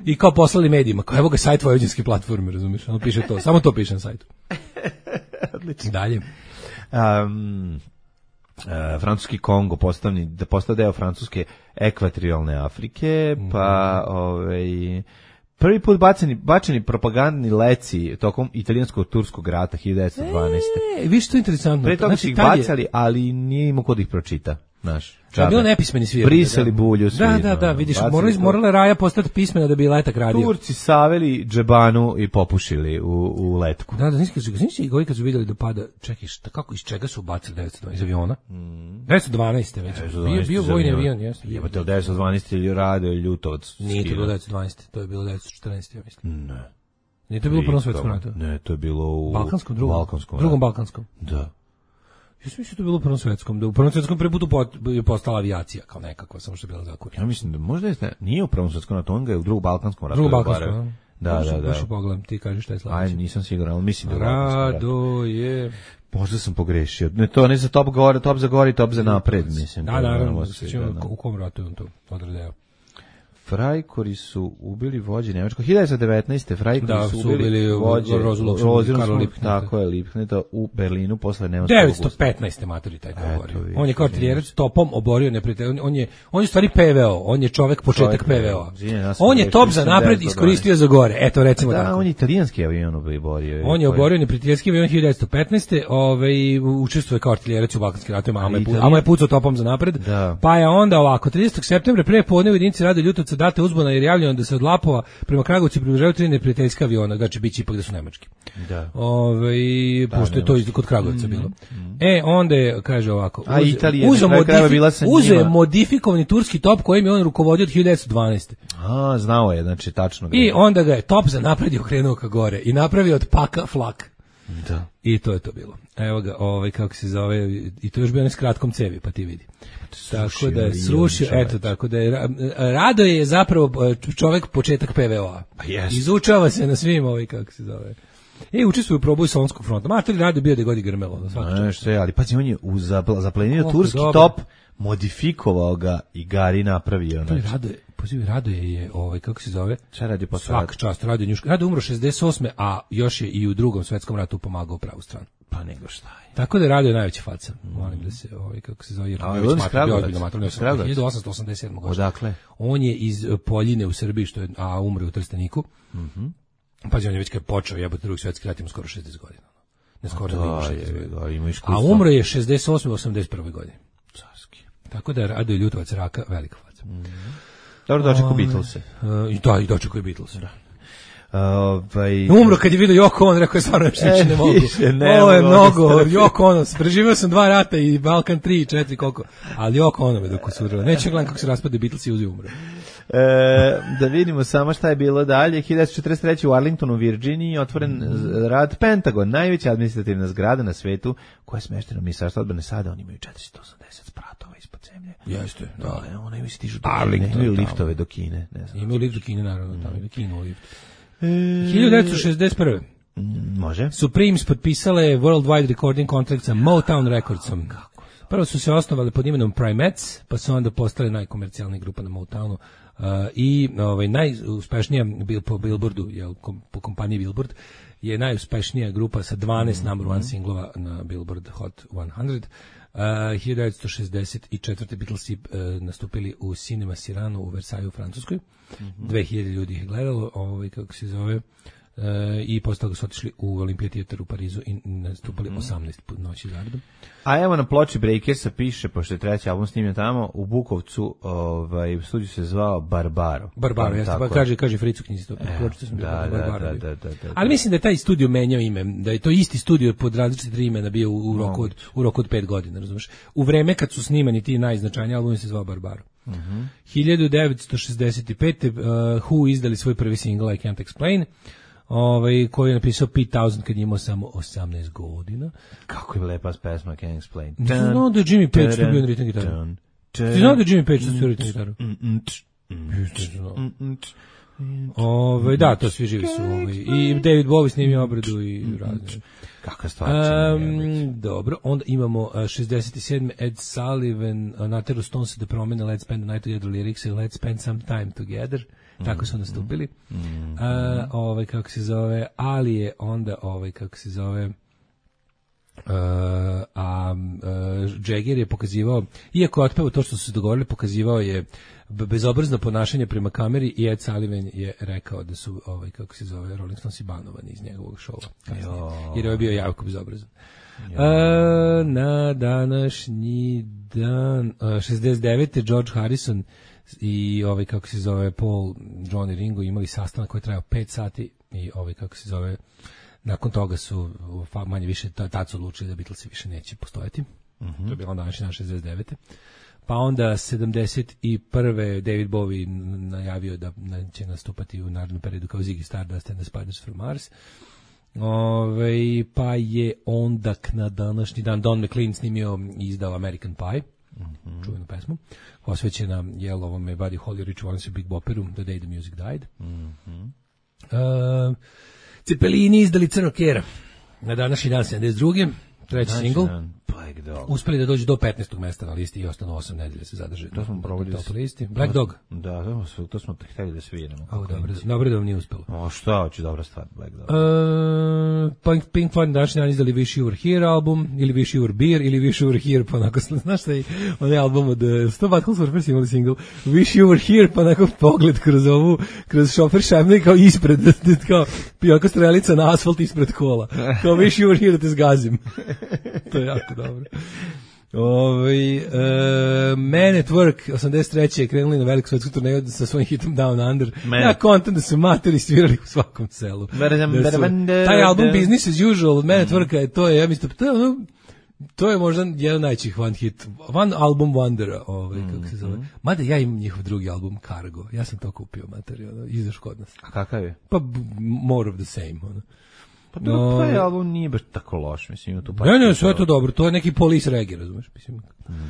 I kao poslali medijima, kao evo ga sajt vojvođanske platforme, razumiješ? On piše to, samo to piše na sajtu. Odlično. Dalje. Um, uh, francuski Kongo postavni, da postao deo francuske ekvatorijalne Afrike, pa mm. ovaj prvi put baceni, bačeni propagandni leci tokom italijansko-turskog rata hiljadu devetsto dvanaeste. E, vi što je interesantno. Pre toga znači, ih bacali, je... ali nije imao ko da ih pročita. Znaš, da, bilo nepismeni svi. Brisali bulju svi. Da, da, da, vidiš, morali, morala Raja postati pismena da bi letak radio. Turci saveli džebanu i popušili u, u letku. Da, da, nisi, nisi i govi kad su vidjeli da pada, čekaj, šta, kako, iz čega su bacili devetsto dvanaeste iz aviona? Mm. devetsto dvanaeste već, bio, bio vojni avion, jeste. Jebate, devetsto dvanaeste ili radio ili Ljutovac. Nije to bilo devetsto dvanaeste, to je bilo devetsto četrnaeste ja mislim. Ne. Nije to bilo u Prvom svetskom ratu? Ne, to je bilo u Balkanskom, drugom, Balkanskom drugom Balkanskom. Da. Ja sam mislio da je bilo u Prvom svetskom, da u Prvom svetskom prvi put je postala avijacija, kao nekako, samo što je bila zakurena. Ja mislim da možda jeste, nije u Prvom svetskom ratu, on ga je u drugom Balkanskom ratu. Drugom Balkanskom, da, da, da. Baš pogledam, ti kažeš šta je sledeće. Aj, nisam siguran, ali mislim da je Rado je... Možda sam pogrešio. Ne, to ne za top gore, top za gore, top za napred, mislim. Da, naravno, u kom ratu je on to odredeo. Frajkori su ubili vođe Nemačkog. hiljadu devetsto devetnaeste Frajkori da, su ubili vođe Rozulov, tako je, Lipkneta u Berlinu posle Nemačkog devetsto petnaeste maturi taj govori. On je kao artiljerac topom oborio neprijatelja. On je on je stvari P V O, on je čovek početak P V O. On je top za napred iskoristio za gore. Eto recimo da. Da, on je italijanski avion oborio. On je oborio neprijateljski avion hiljadu devetsto petnaeste ovaj učestvuje kao artiljerac u Balkanskim ratovima, a mu je pucao topom za napred. Pa je onda ovako tridesetog septembra pre podne u jedinici Rado Ljutovca date uzbuna jer javljeno da se od Lapova prema Kragovcu približavaju tri neprijateljska aviona, znači biće ipak da su nemački. Da. Ove, da, pošto je to iz, kod Kragovca mm, bilo. Mm. E, onda je, kaže ovako, a uz, Italija uzo, modifi, bila uzo je modifikovani turski top kojim je on rukovodio od hiljadu devetsto dvanaeste. A, znao je, znači tačno. I onda ga je top za napred i okrenuo ka gore i napravio od paka flak. Da. I to je to bilo. Evo ga, ovaj, kako se zove, i to je još bio ne s kratkom cevi, pa ti vidi. Tako da je srušio, eto, tako da je, Rado je zapravo čovek početak P V O-a. Pa yes. Izučava se na svim ovaj, kako se zove. E, učestvuje u proboju Solunskog fronta. Mater Rado je bio da godi grmelo. Na svaki ne, što je, ali pazi, on je zaplenio turski dobro. Top, modifikovao ga i Gari napravio. To je Rado je, pozivi, Rado je, je ovaj, kako se zove? Šta radi posle? Svak čast, Rado je njuška. Rado je umro šezdeset osme a još je i u drugom svetskom ratu pomagao pravu stranu. Pa nego šta je. Tako da je Radio najveća faca. Molim da se, ovaj, kako se zove, jer a, je hiljadu osamsto osamdeset sedme godine. Odakle? On je iz Poljine u Srbiji, što je, a umre u Trsteniku. Mhm. Mm Pazi, on je već kad je počeo jebote drugi svetski rat, ima skoro šezdeset godina. Ne skoro da ima šezdeset godina. A umro je šezdeset osme osamdeset prve godine. Carski. Tako da je Radio Ljutovac Raka velika faca. Mm Dobro, dočekao Beatlese. Uh, I da, i dočekao Beatlese, da. Ovaj umro kad je vidio Yoko Ono, rekao je stvarno više e, ne mogu. Ne Ovo je mnogo, Yoko Ono, preživio sam dva rata i Balkan tri i četiri koliko, ali Yoko Ono me dok usurao. Neće gledam kako se raspade Beatles i uzi umro. E, da vidimo samo šta je bilo dalje. hiljadu devetsto četrdeset treće u Arlingtonu, Virginiji, otvoren mm. rad Pentagon, najveća administrativna zgrada na svetu koja je smeštena u Ministarstvu odbrane. Sada oni imaju četiristo osamdeset spratova ispod zemlje. Jeste, da. da oni imaju stižu do Kine, imaju liftove do Kine. Ne znam. Imaju lift do Kine, naravno, mm. tamo je Kino lift. E, hiljadu devetsto šezdeset prve Mm, može. Supremes potpisale worldwide recording contract sa Motown Recordsom. Prvo su se osnovali pod imenom Primates, pa su onda postale najkomercijalnija grupa na Motownu. Uh, i ovaj najuspešnija bil, po Billboardu, je kom, po kompaniji Billboard je najuspešnija grupa sa dvanaest mm-hmm. number one singlova na Billboard Hot sto. Uh, hiljadu devetsto šezdeset četvrte Beatlesi uh, nastupili u Cinema Sirano u Versaju u Francuskoj. Mm-hmm. dve hiljade ljudi ih gledalo, ovaj kako se zove. Uh, i posle toga su otišli u Olympia Theater u Parizu i nastupali mm. osamnaest noći zaredom. A evo na ploči Breakersa piše, pošto je treći album snimljen tamo, u Bukovcu, ovaj, studio se zvao Barbaro. Barbaro, jeste, pa kaže, kaže Fricu knjizi to. E, da, da, da, da, da, da. Ali mislim da je taj studio menjao ime, da je to isti studio pod različite tri imena bio u, u, roku, od, u roku od pet godina, razumiješ? U vreme kad su snimani ti najznačajniji albumi se zvao Barbaro. Mm-hmm. hiljadu devetsto šezdeset pete Uh, Who izdali svoj prvi single I Can't Explain, ovaj, koji je napisao Pete Townshend kad je imao samo osamnaest godina. Kako je lepa pesma, I Can't Explain. Znao da je Jimmy Page što bio na ritam gitaru. Ti znao da je Jimmy Page što bio na ritam gitaru? Ove, da, to svi živi su. Ove. I David Bowie snimio obradu i razne. Kakva stvar. Um, dobro, onda imamo uh, šezdeset sedme Ed Sullivan, uh, nateru Stones da promene Let's Spend the Night Together lyrics i Let's Spend Some Time Together. Tako su nastupili. Mm, mm, uh, ovaj, kako se zove, ali je onda, ovaj, kako se zove, Uh, a uh, Jagger je pokazivao, iako je otpevao to što su se dogovorili, pokazivao je bezobrazno ponašanje prema kameri i Ed Sullivan je rekao da su, ovaj, kako se zove, Rolling Stones banovani iz njegovog šova. Jer je bio jako bezobrazan. Uh, na današnji dan, uh, šezdeset devete George Harrison i ovaj, kako se zove, Paul, John i Ringo imali sastanak koji je trajao pet sati i ovaj, kako se zove, nakon toga su manje više tad su odlučili da Beatlesi više neće postojati. Mm-hmm. To je bilo onda današnji dan šezdeset devete Pa onda sedamdeset prve David Bowie najavio da će nastupati u narednom periodu kao Ziggy Stardust and the Spiders from Mars. Ove, pa je onda na današnji dan Don McLean snimio i izdao American Pie, mm-hmm. čuvenu pesmu, posvećena jel ovome Buddy Holly, Rich Valens i Big Bopperu, The Day the Music Died. Mm-hmm. Uh, Cepelini izdali Crnog Kjera na današnji dan sedamdeset druge treći singl. Uspeli da dođu do petnaestog mesta na listi i ostanu osam nedelja se zadrže. To smo provali top listi. Black Dog. Da, to smo to smo hteli da sviramo. A dobro, dobro da vam nije uspelo. O šta, hoće dobra stvar Black Dog. Uh, Pink, Pink Floyd današnji dan izdali Wish You Were Here album, ili Wish You Were Beer, ili Wish You Were Here, pa onako, znaš šta je onaj album od sto Butthole Surfers imali single Wish You Were Here, pa onako pogled kroz ovu, kroz šofer šajbne kao ispred, kao pijaka strelica na asfalt ispred kola. Kao Wish You Were Here da te zgazim. To je jako dobro. Ovaj uh, Man at Work osamdeset treće je krenuli na veliku svetsku turneju sa svojim hitom Down Under. Man. Ja kontam da su materi svirali u svakom selu. Da su, taj album Business as Usual, Man at Work, je, to je, ja mislim, to je, ono, to je možda jedan najčih one hit, one album wondera, ovaj, mm, kako se zove. Mm. Mada ja imam njihov drugi album Cargo, ja sam to kupio materi, ono, izaš kod nas. A kakav je? Pa more of the same, ono. Pa to no, taj album nije baš tako loš, mislim, tu pa. Ne, ne, sve je to dobro, to je neki Police reggae, razumeš, mislim.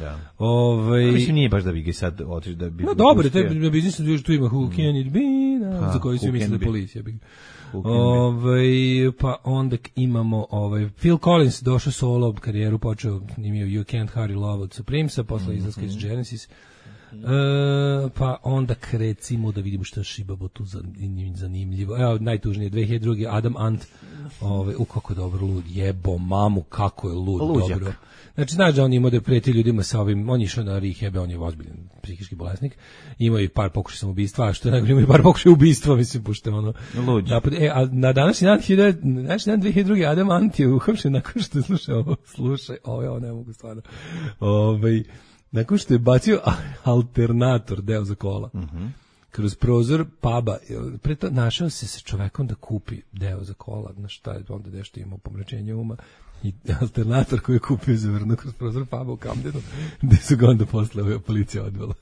Da. Ovaj, mislim nije baš da bi ga sad otiš da bi. No dobro, to je biznis da tu ima Who Can It Be, na, za koji se misli da policija bi. Ovaj, pa onda imamo ovaj Phil Collins došao solo karijeru, počeo snimio You Can't Hurry Love od Supremesa, posle mm-hmm. izlaska iz Genesis. Uh, pa onda recimo da vidimo što je Šibabo tu zanimljivo. Evo, najtužnije, dve hiljade druge Adam Ant, ovaj, u kako dobro lud, jebo mamu, kako je lud, Luđak. Dobro. Znači, znaš da on ima da preti ljudima sa ovim, on je išao na rehab, on je ozbiljan psihički bolesnik, imao i par pokušaja samoubistva, a što je najgore, imao i par pokušaja ubistva, mislim, pošto ono. Napad, e, a na današnji dan, današnji dan dve hiljade druge Adam Ant je uhapšen nakon što je slušao ovo, slušaj, ovo, ovo ne mogu stvarno, ovaj, nakon što je bacio alternator, deo za kola, mm-hmm. kroz prozor puba, preto našao se sa čovekom da kupi deo za kola, na šta je onda nešto imao pomračenje uma, i alternator koji je kupio zavrno kroz prozor puba u Camdenu, gde su ga onda posle policija odvela.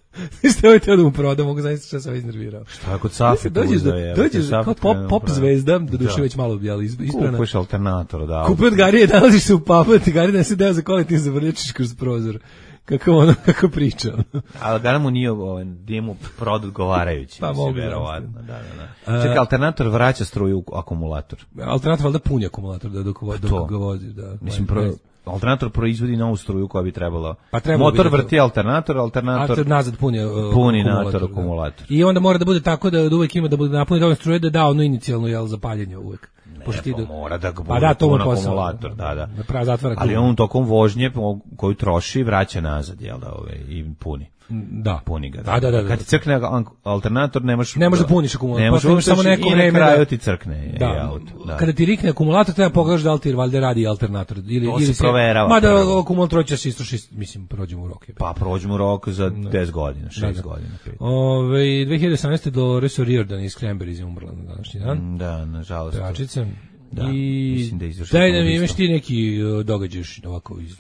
Što je teo da mu proda, mogu zaista što sam ovaj iznervirao. Šta kod Safi dođeš da, dođeš kao pop, pop zvezda, do duše već malo jeli, isprana. Kupiš alternator, da. Kupi od Garije, nalaziš se u pubu, ti Garije da se deo za kola i ti zavrljačiš kroz prozor. Kako ono, kako priča. Ali da mu nije ovaj, nije mu prod odgovarajući. Pa mogu, verovatno. Da, da, da. Čekaj, alternator vraća struju u akumulator. Alternator valjda puni akumulator da dok, dok ga vozi. Da. Mislim, pro, alternator proizvodi novu struju koja bi trebala. Pa motor vrti alternator, alternator... Alternator nazad puni, uh, puni akumulator. akumulator. I onda mora da bude tako da, da uvek ima da bude napuni dovoljno struje da da ono inicijalno jel, zapaljenje uvek. Ne, pa mora da ga bude pa da, to akumulator, da, da. da zatvara ali on tokom vožnje koju troši vraća nazad, jel da, ove, i puni. Da. Puni ga. Da, da, da. Kad ti crkne alternator, nemaš... Ne može da puniš akumulator. Ne možeš samo neko vreme. I na kraju ti crkne da. auto. Da. Kada ti rikne akumulator, treba pogledaš da li ti valjda radi alternator. Ili, to ili se proverava. Mada akumulator će se istroši, mislim, prođemo u rok. Pa prođemo rok za deset godina, šest godina. Ove, dve hiljade osamnaeste Dolores O'Riordan iz Cranberries je umrla na današnji dan. Da, nažalost. Pevačica. Da, I mislim da izvršila. Daj da mi imaš ti neki događaš ovako iz...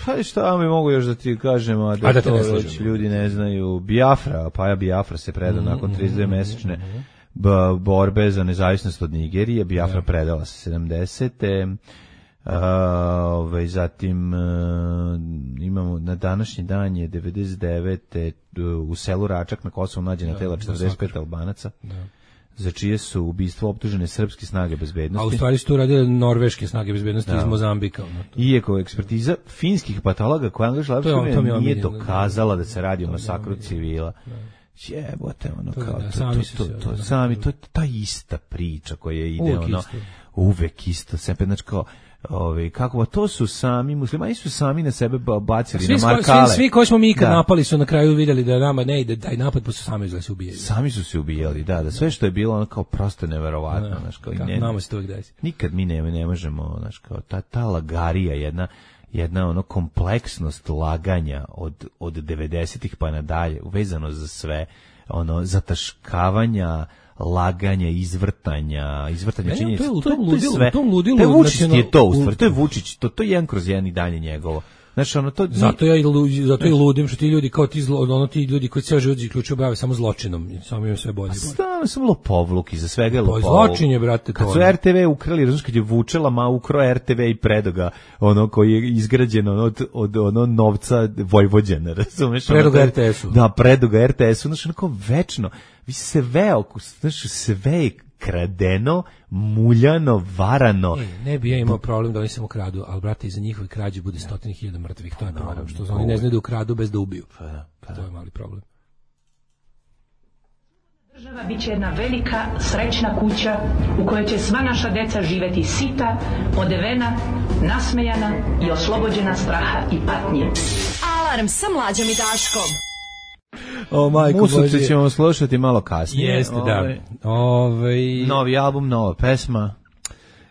Pa šta mi mogu još da ti kažem, a da, a da to ne ljudi ne znaju. Biafra, Paja Biafra se predao mm-hmm. nakon trideset dve mesečne mm-hmm. borbe za nezavisnost od Nigerije. Biafra yeah. predala se sedamdesete Uh, ovaj, zatim uh, imamo na današnji dan je devedeset devete u selu Račak na Kosovu nađena tela četrdeset pet Albanaca. Da. za čije su ubistvo optužene srpske snage bezbednosti. A u stvari su tu radile norveške snage bezbednosti iz Mozambika. Iako ekspertiza finskih patologa koja angažila nije dokazala da se radi o masakru civila. Jebote, ono kao, to, sami to, to, to, sami, to je ta ista priča koja ide, ono, uvek isto, sepe, znači kao, Ove, kako, to su sami, muslimani su sami na sebe bacili svi, na markale. Svi, svi koji smo mi ikad da. napali su na kraju vidjeli da nama ne ide taj napad, pa su sami izgleda se ubijali. Sami su se ubijali, da, da sve što je bilo ono kao prosto neverovatno. Da, znaš, kao, kako, ne, nama se to uvijek desi. Nikad mi ne, ne možemo, znaš, kao, ta, ta lagarija, jedna, jedna ono kompleksnost laganja od, od devedesetih pa nadalje, uvezano za sve, ono, zataškavanja, laganja, izvrtanja, izvrtanja činjenica. To, to, to je sve. U tom ludilu, to je Vučić je to, u stvari, to je Vučić, to, to je jedan kroz jedan i dalje njegovo. Znači, ono, to, zato ja i zato i ludim što ti ljudi kao ti zlo, ono ti ljudi koji ceo život ključu bave samo zločinom, samo im sve bolje. Stvarno samo lopovluk, iza svega je lopovluk. Zločin je, brate, to. Kad su R T V ukrali, razumiješ, kad je Vučela ma ukro R T V i predoga, ono koji je izgrađen ono, od, od ono novca Vojvođana, razumiješ? Predoga R T S-u. Da, predoga R T S-u, znači onako večno. Vi se sve, znači sve je kradeno, muljano, varano. Ne, ne bi ja imao problem da oni samo kradu, ali brate, iza njihove krađe bude stotine hiljada mrtvih, to je problem, što oni ne znaju da ukradu bez da ubiju. Pa da, pa to je mali problem. Država bit će jedna velika, srećna kuća u kojoj će sva naša deca živeti sita, odevena, nasmejana i oslobođena straha i patnje. Alarm sa Mlađom i Daškom. O majko Božje, ćemo slušati malo kasnije. Jeste, da. Ove... Novi album, nova pesma.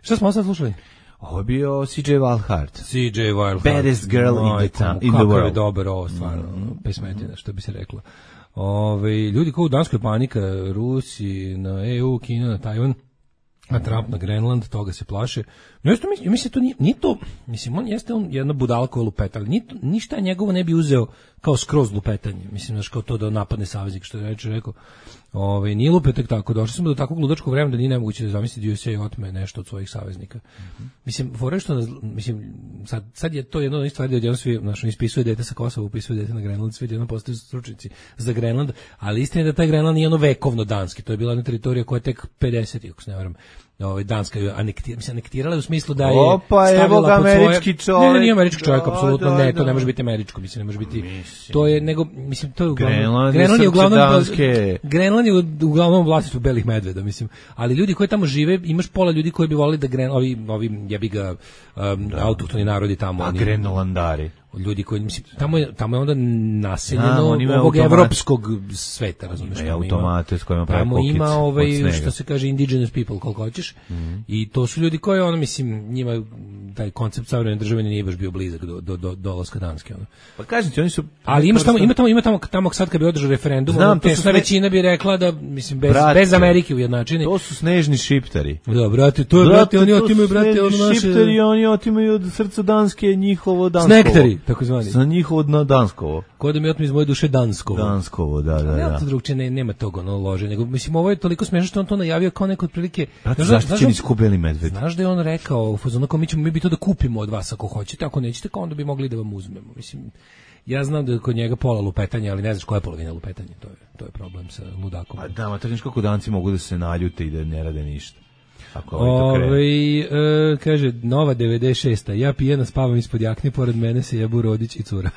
Šta smo sad slušali? Ovo je bio C J Wildheart. C J Wildheart. Baddest girl Moj, in the, town, in the world. Kako je dobar ovo, stvarno. Mm-hmm. Pesmetina, što bi se reklo. Ove, ljudi kao u Danskoj panika, Rusi na E U, Kina na Tajvan, a Trump na Grenland, toga se plaše. No, jeste, mislim, mislim, to nije, nije to, mislim, on jeste on jedna budalka lupeta, ali nije, ništa njegovo ne bi uzeo kao skroz lupetanje. Mislim, znaš, kao to da napadne saveznik, što je reče, rekao. Ove, nije lupetak tako, došli smo do takvog ludačkog vremena da nije nemoguće da zamisliti U S A otme nešto od svojih saveznika. Mm-hmm. Mislim, fore što, mislim, sad, sad je to jedno od stvari da odjedno svi, znaš, ispisuje dete sa Kosova, upisuje dete na Grenland, svi odjedno postaju stručnici za Grenland, ali istina je da taj Grenland nije ono vekovno danski, to je bila jedna teritorija koja je tek pedesetih, ako se ne varam, ovaj Danska je anektirala, mislim, anektirala u smislu da je Opa, stavila pod američki svoje... čovjek. Ne, ne, nije američki čovjek, da, apsolutno da, ne, to da. Ne može biti američko, mislim, ne može biti, mislim. To je, nego, mislim, to je uglavnom, Grenland, Grenland je uglavnom, danske. Grenland je uglavnom vlasništvo belih medveda, mislim, ali ljudi koji tamo žive, imaš pola ljudi koji bi volili da Gren, ovi, ovi jebi ga, um, da. autohtoni narodi tamo. A Grenlandari. Ljudi koji, mislim, tamo je, tamo je onda naseljeno da, ovog evropskog sveta, razumiješ? Ima automate s kojima pravi tamo ima ovaj, što se kaže, indigenous people, koliko hoćeš, mm-hmm. I to su ljudi koji, ono, mislim, njima taj koncept savremene države nije baš bio blizak do, do, do dolaska Danske. Ono. Pa kažem ti, oni su... Ali imaš tamo, ima tamo, ima tamo, tamo sad kad bi održao referendum, znam, ono, tesna sve... većina bi rekla da, mislim, bez, brate, bez Amerike ujednačeni. To su snežni šiptari. Da, brate, to je, brate, brate oni otimaju, brate, ono naše... Šiptari, oni otimaju od srca Danske njihovo Danskovo. Snektari, tako zvani. Za njihovo na Danskovo. Ko da mi otme iz moje duše Danskovo. Danskovo, da, da, da. Nema to drugče, ne, nema toga, ono, lože, nego, mislim, ovo je toliko smiješno što on to najavio kao neko otprilike... Brate, zaštićeni su ko beli medved. Znaš da je on rekao, u fazonu, kao mi ćemo, mi bi to da kupimo od vas ako hoćete, ako nećete, kao onda bi mogli da vam uzmemo. Mislim, ja znam da je kod njega pola lupetanja, ali ne znaš koja je polovina lupetanja, to je, to je problem sa ludakom. Pa da, ma to kako danci mogu da se naljute i da ne rade ništa. Ove, e, kaže, nova devedeset šesta ja pijena spavam ispod jakne, pored mene se jebu Rodić i cura.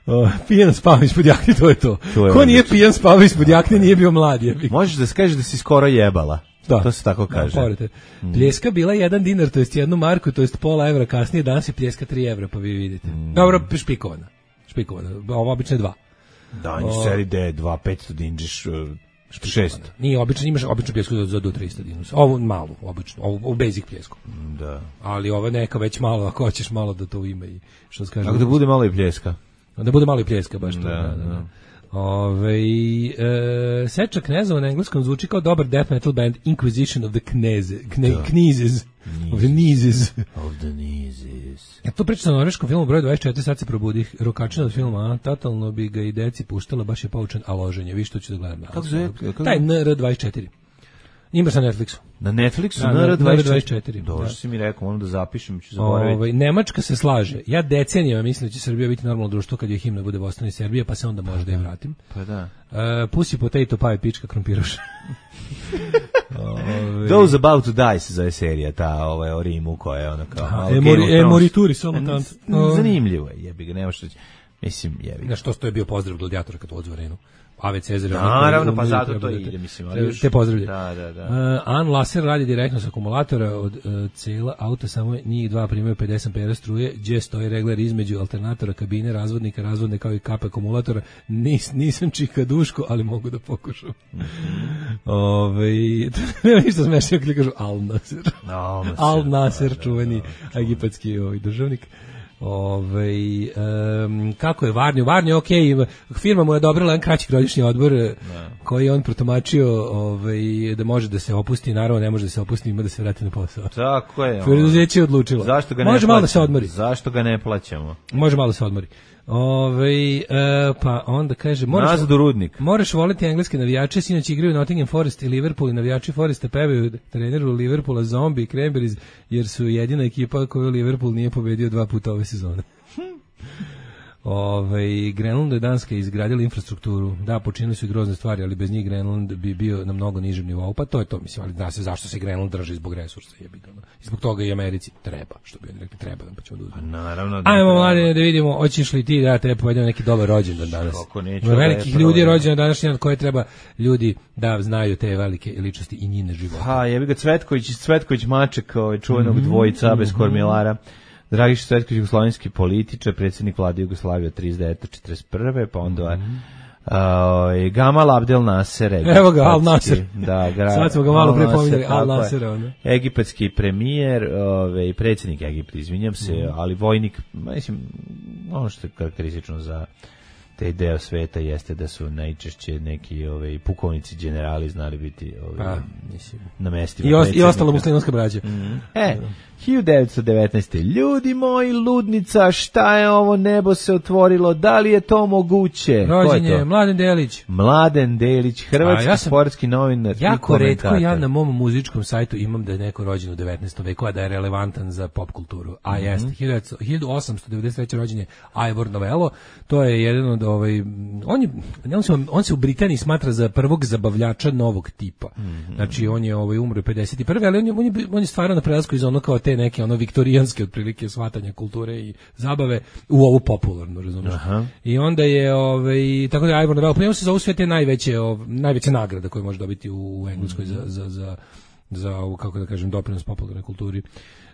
O, pijan spavam ispod jakne, to je to. to je Ko nije pijan spavao ispod jakne, nije bio mlad. Je. Možeš da kažeš da si skoro jebala. Da. To se tako kaže. Da, mm. Pljeska bila jedan dinar, to jest jednu marku, to jest pola evra, kasnije danas je pljeska tri evra, pa vi vidite. Mm. Dobro, špikovana. Špikovana, ovo obično je dva. Da, o, seri D, dva, petsto dinđiš... šest. Nije obično, imaš obično pljesku za, za do tristo dinusa. Ovo malu, obično, ovo, ovo basic pljesku. Da. Ali ovo neka već malo, ako hoćeš malo da to ima i što se kaže. Ako da bude malo i pljeska. Da bude malo i pljeska, baš to. Da, da, da. da. Ove, e, Seča Knezova na engleskom zvuči kao dobar death metal band Inquisition of the Kneze, kne, Knizes, of the Nizes. Of the Nizes. Ja to pričam na norveškom filmu broj dvadeset četiri, sad se probudih, rokačina od filma, a totalno bi ga i deci puštala, baš je poučen, a loženje, vi što ću da gledam. Kako zove? Taj N R dvadeset četiri. Imaš na Netflixu. Na Netflixu, da, na R dvadeset četiri. Dobro da. si mi rekao, moram da zapišem, ću zaboraviti. Ovaj Nemačka se slaže. Ja decenijama mislim da će Srbija biti normalno društvo kad je himna bude Bosna i Serbija, pa se onda možda i vratim. Pa da. Uh, Pussy Potato Pie, pička krompiruš. Ove... Those About to Die se zove serija, ta ovaj, o Rimu koja je ono kao... Aha, emori, emorituri, samo tant. Zanimljivo je, jebi ga, nema što... Mislim, jebi ga. Na što je bio pozdrav gladijatora kad odzu arenu. Ave Cezar. Naravno, pa zato to ide, mislim. Ali te pozdravlja. Da, da, da. Uh, An Laser radi direktno sa akumulatora od uh, cela auta, samo njih dva primaju pedeset ampera struje, gdje stoji regler između alternatora, kabine, razvodnika, razvodne kao i kape akumulatora. Nis, nisam čika duško, ali mogu da pokušam. Mm -hmm. Ove, nema ništa smešno kad kažu Al Nasser. Al Nasser, Al Nasser da, čuveni da, egipatski ovaj, državnik. Ove, um, kako je Varnio? Varnio, ok, firma mu je odobrila jedan kraći godišnji odbor ne. koji je on protumačio ovaj, da može da se opusti, naravno ne može da se opusti, ima da se vrati na posao. Tako je. Preduzeće je odlučilo. Zašto ga ne može malo da se odmori. Zašto ga ne plaćamo? Može malo da se odmori. Ove, e, pa onda kaže moraš, Nazad u Rudnik. Moraš voliti engleske navijače, sinoć igraju Nottingham Forest i Liverpool i navijači Foresta pevaju treneru Liverpoola Zombie i Cranberries jer su jedina ekipa koju Liverpool nije pobedio dva puta ove sezone. Ove, Grenlandu je Danska izgradila infrastrukturu. Da, počinili su i grozne stvari, ali bez njih Grenland bi bio na mnogo nižem nivou. Pa to je to, mislim, ali zna se zašto se Grenland drži zbog resursa. Jebi ga. I zbog toga i Americi treba, što bi oni rekli, treba da pa ćemo da uzmemo. Naravno. Da ajmo, mladine, da vidimo, hoćeš li ti da te povedemo neki dobar rođendan danas? Kako neću. Velikih ljudi rođendan današnji dan koje treba ljudi da znaju te velike ličnosti i njine živote. Ha, jebi ga Cvetković, Cvetković Maček, ovaj čuvenog mm -hmm. dvojica bez kormilara. Dragiša Cvetković, jugoslovenski političar, predsjednik vlade Jugoslavije od trideset devete do četrdeset prve pa onda mm -hmm. uh, Gamal Abdel Nasser. Evo ga, Al Nasser. Da, gra, sad smo ga malo pre pominjali, Al Nasser. Egipatski premijer, ovaj, predsjednik Egipta, izvinjam se, mm. ali vojnik, mislim, ono što je karakteristično za taj deo sveta jeste da su najčešće neki ovaj, pukovnici, generali znali biti ovaj, pa, mislim, na mestima. I, os, i ostala muslimanska braća. Mm -hmm. E, hiljadu devetsto devetnaeste. Ljudi moji, ludnica, šta je ovo, nebo se otvorilo, da li je to moguće? Rođen je Mladen Delić. Mladen Delić, hrvatski ja sportski novinar. Jako retko ja na mom muzičkom sajtu imam da je neko rođen u devetnaestom veku, a da je relevantan za pop kulturu. A mm -hmm. jeste, hiljadu osamsto devedeset treće. rođen je Ivor Novello, to je jedan od ovaj, on, je, on, se, on se u Britaniji smatra za prvog zabavljača novog tipa. Mm -hmm. Znači, on je ovaj, umro pedeset prve. ali on je, on je, on je stvarao na prelasku iz ono kao te neke ono viktorijanske otprilike shvatanja kulture i zabave u ovu popularnu, razumiješ? I onda je, ovaj, tako da je Ivor Novello, pa njemu se zovu sve te najveće, ov, najveće nagrade koje može dobiti u, u Engleskoj mm -hmm. za, za, za, za ovu, kako da kažem, doprinos popularnoj kulturi.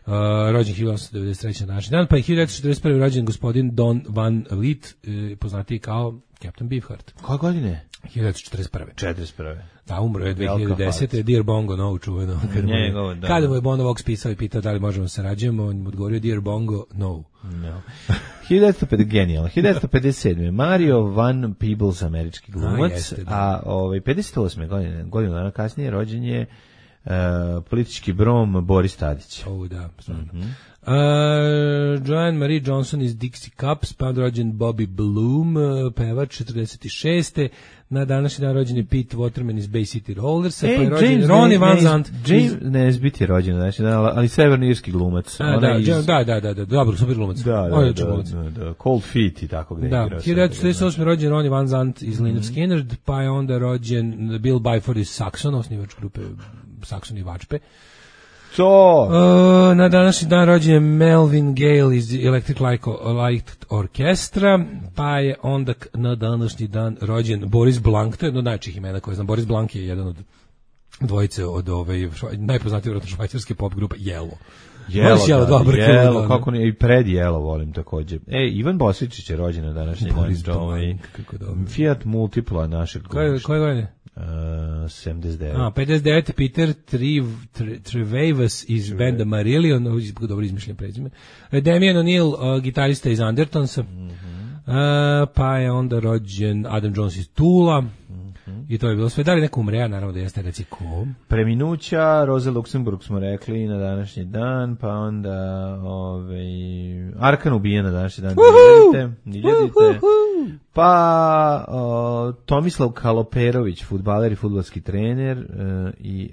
Uh, rođen hiljadu osamsto devedeset treće. današnji dan, pa je hiljadu devetsto četrdeset prve. rođen gospodin Don Van Vliet, eh, poznatiji kao Captain Beefheart. Koje godine? hiljadu devetsto četrdeset prve. četrdeset prve. Da, umro je dve hiljade desete. Dear Bongo, no, čuveno. Kada, Njegov, da, kada mu je Bono Vox pisao i pitao da li možemo se rađujemo, on mu odgovorio Dear Bongo, no. No. hiljadu devetsto pedeset. Genijalno. hiljadu devetsto pedeset sedme. Mario Van Peebles, američki glumac, a, jeste, a ovaj, pedeset osme. godine, godinu dana kasnije, rođen je Uh, politički brom Boris Tadić. Oh, da, stvarno. Mm -hmm. uh, Joanne Marie Johnson iz Dixie Cups, pa rođen Bobby Bloom, uh, pevač četrdeset šeste. Na današnji dan rođen je Pete Waterman iz Bay City Rollersa, e, pa je rođen Ronnie Van Zant. James Nesbitt je rođen, znači, ali severnoirski glumac. A, da, iz... da, da, da, da, dobro, super glumac. Da, da, da, da, da, Cold Feet i tako gde da, igrao. hiljadu devetsto četrdeset osme. rođen Ronnie Van Zant iz mm -hmm. Lynyrd Skynyrd, pa je onda rođen Bill Byford iz Saxon, osnivač grupe Saxon i Vačpe. To. Uh, na današnji dan rođen je Melvin Gale iz Electric Light Orchestra, pa je onda na današnji dan rođen Boris Blanc, to je jedno od najčih imena koje znam. Boris Blanc je jedan od dvojice od ove najpoznatije vjerojatno švajcarske pop grupe Yellow. Jelo, jelo, da, dobro, jelo, kako ne, i pred jelo volim takođe. E, Ivan Bosvičić je rođen na današnji dan. Ovaj, Fiat Multipla našeg glumišta. Koje godine? Uh, sedamdeset devet. A, pedeset devet. Peter Trevavas iz benda Marillion, dobro izmišljam prezime. Damian O'Neill, uh, gitarista iz Undertonsa. Mm -hmm. uh, pa je onda rođen Adam Jones iz Tula. Mm -hmm. I to je bilo sve. Da li neko umre, naravno da jeste, reci ko? Preminuća, Roza Luxemburg smo rekli na današnji dan, pa onda ovaj, Arkan ubijen na današnji dan. Niljadite. Pa o, Tomislav Kaloperović, fudbaler i fudbalski trener, e, i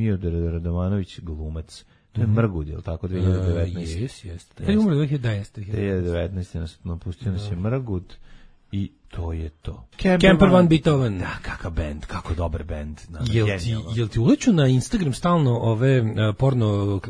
Miodor Radovanović, glumac. To je Mrgud, je li tako, dve hiljade devetnaeste. Jes, jes. Kad je umro dve hiljade devetnaeste. dve hiljade devetnaeste nas napustio nas je Mrgud i to je to. Kemper Van Beethoven. Da, kakav bend, kako dobar bend. Jel ti, jel ti uleću na Instagram stalno ove uh, porno uh,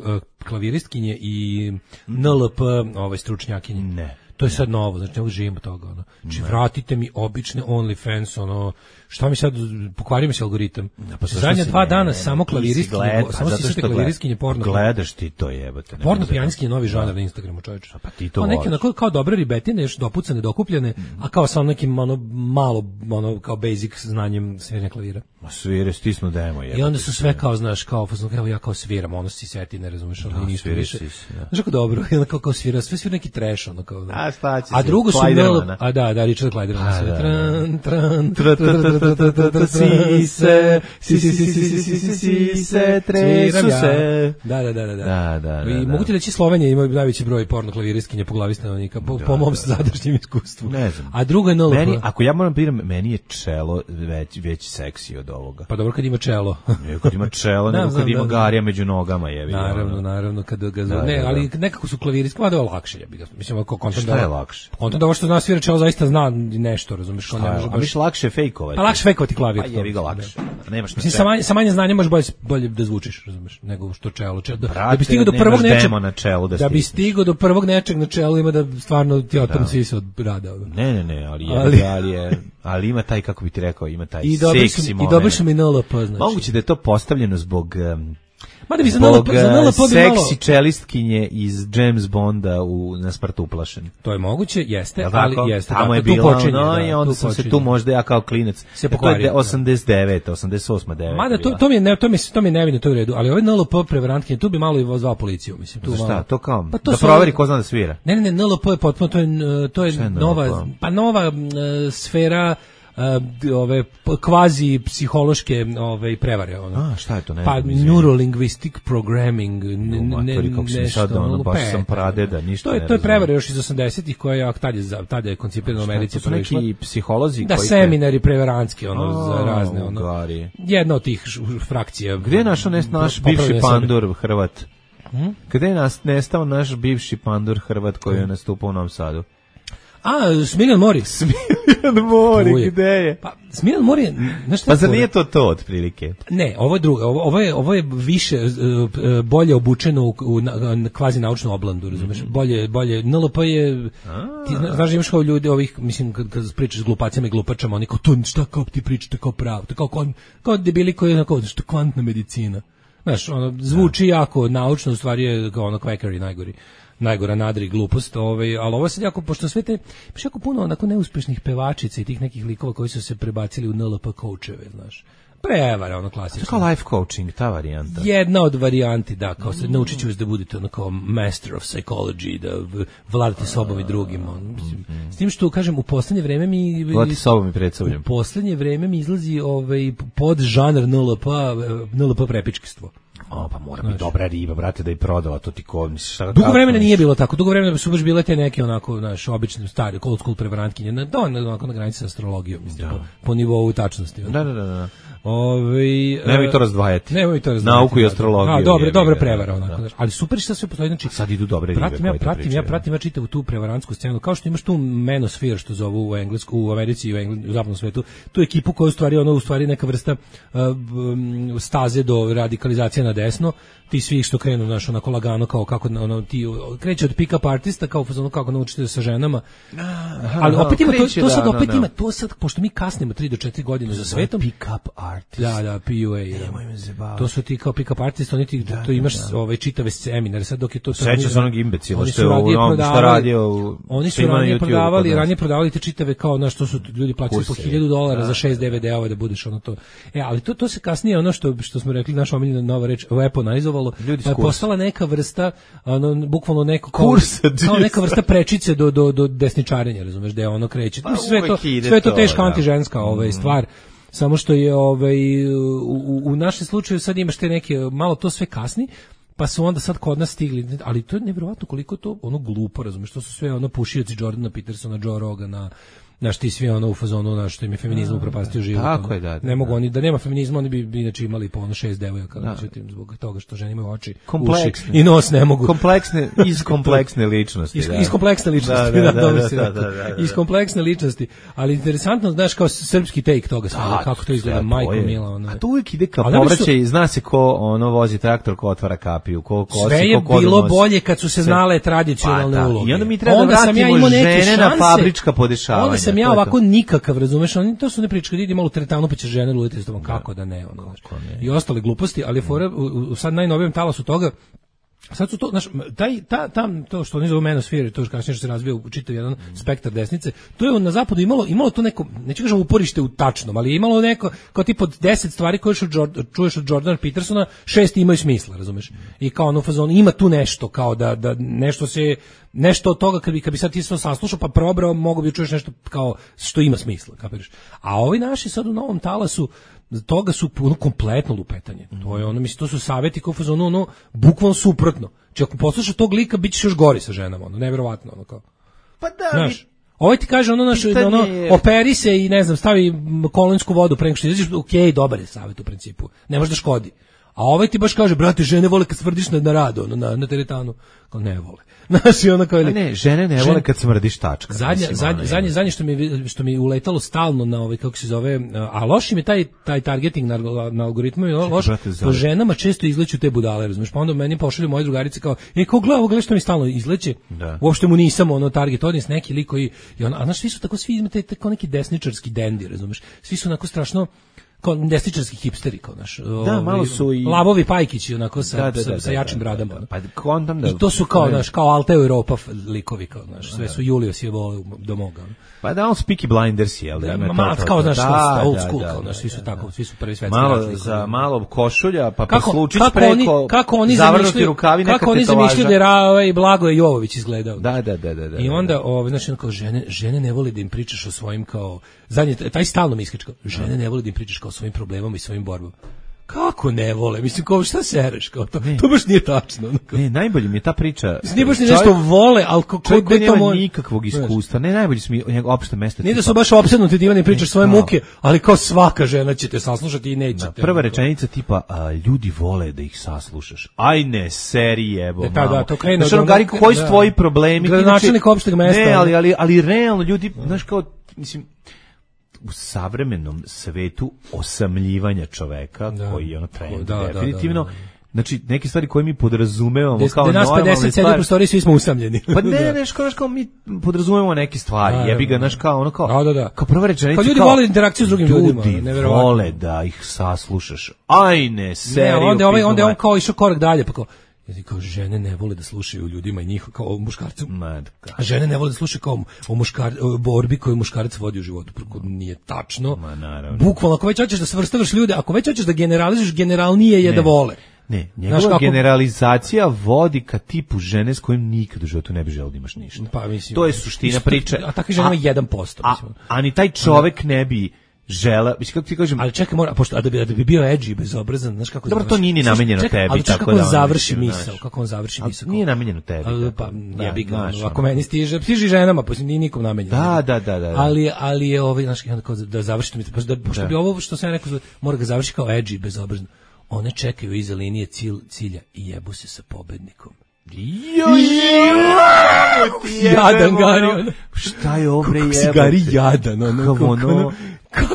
klaviristkinje i N L P ove stručnjakinje? Ne. To je sad novo, znači ne živimo toga. Ono. Znači, vratite mi obične OnlyFans, ono, šta mi sad, pokvari mi se algoritam. Da, pa zadnja dva dana ne, samo klaviristkinje, gled, samo si klaviristkinje porno. Gledaš ti to jebate. Porno pijanskinje novi žanar na Instagramu, čovječe. Pa ti to voliš. Neki onako kao dobre ribetine, još dopucane, dokupljene, mm. a kao sa nekim ono, malo, ono, kao basic znanjem sviranja klavira. Ma svire, stisnu demo, jebate. I onda su sve kao, znaš, kao, evo ja kao sviram, ono si seti, ne razumeš, ono ništa više. Znaš kako dobro, i onda kao, kao svira, sve svira neki trash, ono kao. A šta će a drugo su Mel, a da, da, Richard Clayderman sve. Tran, tran, tran, si se, si si si si si si si se, tresu se. Da, da, da, da. Da, da. I mogu ti reći Slovenija ima najveći broj porno klaviristkinja po glavi stanovnika, po, po mom sadašnjem iskustvu. Ne znam. A drugo je N L P. Meni, ako ja moram piram, meni je čelo već, već seksi od ovoga. Pa dobro kad ima čelo. Ne, kad ima čelo, nego kad ima garija među nogama, jebi. Naravno, naravno, kad ga ne, ali nekako su klaviristki, mada je lakše, jebi ga. Mislim, ako kontent da je lakše. Kontent da ovo što zna svira čelo zaista zna nešto, razumeš, što ne može baš. A miš lakše fejkovati. Pa lakše fejkovati klavir. Pa jebi ga lakše. Nemaš. Mislim sa manje sa manje znanja možeš bolje bolje da zvučiš, razumeš, nego što čelo, čelo. Da, da bi stigao do prvog nečeg na čelu da, da bi stigao do prvog nečeg na čelu ima da stvarno ti otom svi se od rada. Ne, ne, ne, ali je, ali, ali je, ali ima taj, kako bi ti rekao, ima taj seksi moment. I dobro su mi N L P, znači. Moguće da je to postavljeno zbog um, Mada bi za N L P, za N L P bi malo seksi čelistkinje iz James Bonda u Na smrt uplašen. To je moguće, jeste, ali jeste. Tamo je bilo, no, i onda sam se tu možda ja kao klinac. Se pokvario. osamdeset devete, osamdeset osam, devete. Mada to to mi je ne, to mi to mi nevino, to je u redu, ali ovaj N L P prevarantkinje tu bi malo i zvao policiju, mislim, tu. Šta, to kao? Da proveri ko zna da svira. Ne, ne, ne, N L P je potpuno, to je to je nova, pa nova sfera Uh, ove kvazi psihološke ove prevare ono. A šta je to, ne? Pa neurolinguistic programming, ne, ne, nešto, ono, baš sam pradeda, ništa. To je to je prevara još iz osamdesetih koja je tad je tad je koncipirana u Americi, to su neki psiholozi da koji seminari prevarantski ono za razne ono. Gari. Jedna od tih frakcija. Gde je našao naš bivši pandur Hrvat? Hmm? Gde je nas nestao naš bivši pandur Hrvat koji je nastupao u Novom Sadu? A, Smiljan Mori. Smiljan Mori, gde je? Pa, Smiljan Mori je... Pa zar nije to to, otprilike? Ne, ovo je drugo. Ovo, ovo, je, ovo je više, bolje obučeno u, u, u kvazi naučnu oblandu, razumeš? Bolje, bolje. N L P je... Ti znaš, imaš kao ljudi ovih, mislim, kad, kad pričaš s glupacima i glupačama, oni kao, to šta kao ti pričate kao pravo, to kao, kao debili koji je kao, što kvantna medicina. Znaš, ono, zvuči jako naučno, u stvari je kao ono kvekari najgori. Najgora nadri glupost, ovaj, ali ovo sad jako, pošto sve te, baš jako puno onako neuspešnih pevačica i tih nekih likova koji su se prebacili u N L P coacheve, znaš. Prevara, ono klasično. To kao life coaching, ta varijanta. Jedna od varijanti, da, kao se, naučit ću vas da budete ono kao master of psychology, da vladate sobom i drugim. On, mislim, s tim što, kažem, u poslednje vreme mi... Vladate sobom i pred sobom. U poslednje vreme mi izlazi ovaj, pod žanr N L P, N L P prepičkistvo. O, pa mora biti dobra riba, brate, da i prodala to ti ko, misliš, šta... Dugo vremena nije bilo tako, dugo vremena su baš bile te neke onako, znaš, obične, stare, old school prevarantkinje, na, da, onako na granici sa astrologijom, mislim, po, po nivou tačnosti. Da, da, da, da. Ove, nemoj to razdvajati. Nemoj to razdvajati. Nauku i astrologiju. A, dobro, dobra prevara, onako, znaš, ali super što sve postoji, znači... Sad idu dobre ribe pratim, ja, pratim, ja pratim, ja čitavu tu prevarantsku scenu, kao što imaš tu manosphere, što zovu u Englesku, u Americi i u, Engl, u zapadnom svetu, tu ekipu koja u stvari, ono, u stvari neka vrsta uh, staze do radikalizacije na desno, ti svi što krenu, znaš, onako lagano, kao kako, ono, ti kreće od pick-up artista, kao ono, kako naučite sa ženama, aha, ali opet ima, to, to sad opet da, ima, to sad, pošto mi kasnimo tri do četiri godine za svetom, pick-up artist, da, da, P U A, to su ti kao pick-up artist, oni ti, da, to imaš da, ovaj, čitave seminare, sad dok je to... Seća se onog imbecila, što je ono, šta radio, oni su ranije prodavali, ranije prodavali te čitave, kao, znaš, što su ljudi plaćali po hiljadu dolara za šest D V D-ova da budeš ono to, e, ali to, to se kasnije, ono što, što smo rekli, naša omiljena nova reč, weaponizovalo, pa je postala neka vrsta, ono, bukvalno neko kao, kao neka vrsta prečice do, do, do desničarenja, razumeš, da je ono kreće. Pa, sve to, sve to teška antiženska ovaj, stvar, samo što je ovaj, u, u našem slučaju sad imaš te neke, malo to sve kasni, pa su onda sad kod nas stigli, ali to je nevjerovatno koliko to ono glupo, razumeš, to su sve ono pušioci Jordana Petersona, Joe Rogana, Znaš, ti svi ono u fazonu, znaš, što im je feminizam upropastio život. Tako je, da, da. Ne mogu oni, da nema feminizma, oni bi, bi inače imali po ono šest devojaka, međutim, zbog toga što žene imaju oči, uši i nos ne mogu. Kompleksne, iz kompleksne ličnosti. Iz, da. iz kompleksne ličnosti, da, da, da, da, dobro da, si da, rekao. da, da, da. Iz kompleksne ličnosti, ali interesantno, znaš, kao srpski take toga svega, kako to izgleda, majko mila. Ono. A to uvijek ide kao povraćaj, su... zna se ko ono vozi traktor, ko otvara kapiju, ko kosi, sve je ko bilo bolje kad su se znale tradicionalne pa, uloge. I onda mi treba onda da vratimo ja žene na fabrička podešavanja. Onda sam ja ovako nikakav, razumeš, oni to su ne priče, kad idi malo u teretanu pa će žene luditi s tobom, kako da ne, ono, kako ne. I ostale gluposti, ali fora, u, u sad najnovijem talasu toga, sad su to, znaš, taj, ta, tam, to što oni zovu Manosphere, to što kasnije što se razvija u čitav jedan spektar desnice, to je na zapadu imalo, imalo to neko, neću kažem uporište u tačnom, ali je imalo neko, kao tip od deset stvari koje čuješ od Jordana Petersona, šest imaju smisla, razumeš? I kao ono u fazonu, ima tu nešto, kao da, da nešto se, nešto od toga, kad bi, kad bi sad ti sve saslušao, pa probrao, mogo bi čuješ nešto kao što ima smisla, kapiraš? A ovi naši sad u novom talasu, toga su ono kompletno lupetanje. Mm. To je ono, mislim, to su savjeti kao fazonu, ono, bukvalno suprotno. Či ako poslušaš tog lika, bit ćeš još gori sa ženama, ono, nevjerovatno, ono kao. Pa da, znaš, ovaj ti kaže ono, naš, ono, operi se i ne znam, stavi kolonsku vodu pre nego što izađeš, okej, okay, dobar je savjet u principu, ne može da škodi. A ovaj ti baš kaže, brate, žene vole kad smrdiš na, na radu, ono, na, na teretanu. Kao ne vole. Znaš, i ono kao... A ne, žene ne vole kad smrdiš tačka. Zadnje, zadnje, zadnje, zadnje što mi, što mi uletalo stalno na ovaj, kako se zove, a loš im je taj, taj targeting na, na algoritmu, je loš, po ženama često izleću te budale, razumiješ, pa onda meni pošalju moje drugarice kao, e, kao gleda, gleda što mi stalno izleće, da. Uopšte mu nisam ono target audience, neki lik koji, i on, a znaš, svi su tako, svi imate tako neki desničarski dendi, razumiješ, svi su onako strašno, kao desničarski hipsteri, kao naš. Da, malo su i Lavovi Pajkići, onako sa, da, da, sa, da, sa jačim da, bradama. Da, da. Pa kontam da. I to su kao, naš, kao Alta Europa likovi, kao naš, sve su Julius je volio do moga. Pa da, on Peaky Blinders, jel? Da, ma, kao, znaš, da, old school, kao, naš, svi su tako, svi su prvi svetski malo račli. Za malo košulja, pa kako, poslučić kako preko, oni, kako oni zavrnuti rukavi, neka kako oni zamišljaju da je Rava i Blagoje Jovović izgledao. Da, da, da, da, da. I onda, ovaj, znači, kao žene, žene ne vole da im pričaš o svojim, kao, zadnje, taj stalno mi iskače, kao, žene ne vole da im pričaš kao o svojim problemama i svojim borbama. Kako ne vole? Mislim, kao šta sereš? Kao to, to baš nije tačno. Ne, najbolje mi je ta priča. Nije baš ni nešto vole, ali kako da to nema nikakvog iskustva. Ne, najbolje su mi njegov opšte mesto. Nije da su baš opsednuti da ne pričaš svoje muke, ali kao svaka žena će te saslušati i neće te. Prva rečenica tipa, a, ljudi vole da ih saslušaš. Aj ne, serije, bo, da, da, to krene. Znaš, ono, Gari, koji su tvoji problemi? Gradonačelnik opšteg mesta. Ne, ali, ali, ali realno ljudi, znaš, kao, mislim, u savremenom svetu osamljivanja čoveka, da, koji je ono trend, da, definitivno, da, da, da. Znači, neke stvari koje mi podrazumevamo Des, kao normalne stvari. Da nas pedeset sedi u prostoriji, svi smo usamljeni. Pa ne, neš, kao, kao mi podrazumevamo neke stvari, da, jebi ga, znaš, kao ono kao, da, da, da. kao prva rečenica, kao ljudi kao, vole interakciju s drugim ljudima. Ljudi vole da ih saslušaš. Ajne, seriju. Ne, onda, ovaj, onda je on kao išao korak dalje, pa kao, jer kao žene ne vole da slušaju ljudima i njih kao o muškarcu. A žene ne vole da slušaju kao o, muškar, o borbi koju muškarac vodi u životu. Preko nije tačno. Bukvalno, ako već hoćeš da svrstavaš ljude, ako već hoćeš da generalizuješ, generalnije je ne. Da vole. Ne, njegova kako... generalizacija vodi ka tipu žene s kojim nikad u životu ne bi želeo da imaš ništa. Pa, mislim, to je suština isto, priče. A takvi žena ima jedan posto. A, a ni taj čovek ne bi žela, mislim kako ti kažem, ali čekaj, mora, pošto a da bi da bi bio edgy bezobrazan, znaš kako. Dobro, to nije ni namenjeno tebi, ali tako kako da. On završi misao, kako on završi misao. Nije namenjeno tebi. Ali, pa ja bih ako meni stiže, stiže ženama, pa nije nikom namenjeno. Da, da, da, da. Ali ali je ovaj, znaš kako da završi mi, pa da pošto bi ovo što sam rekao, mora ga završiti kao edgy bezobrazan. One čekaju iza linije cilj, cilja i jebu se sa pobednikom. Jo, jadan Gari. Šta je ovo bre jebote? Kako si Gari jadan, ono, kako ono,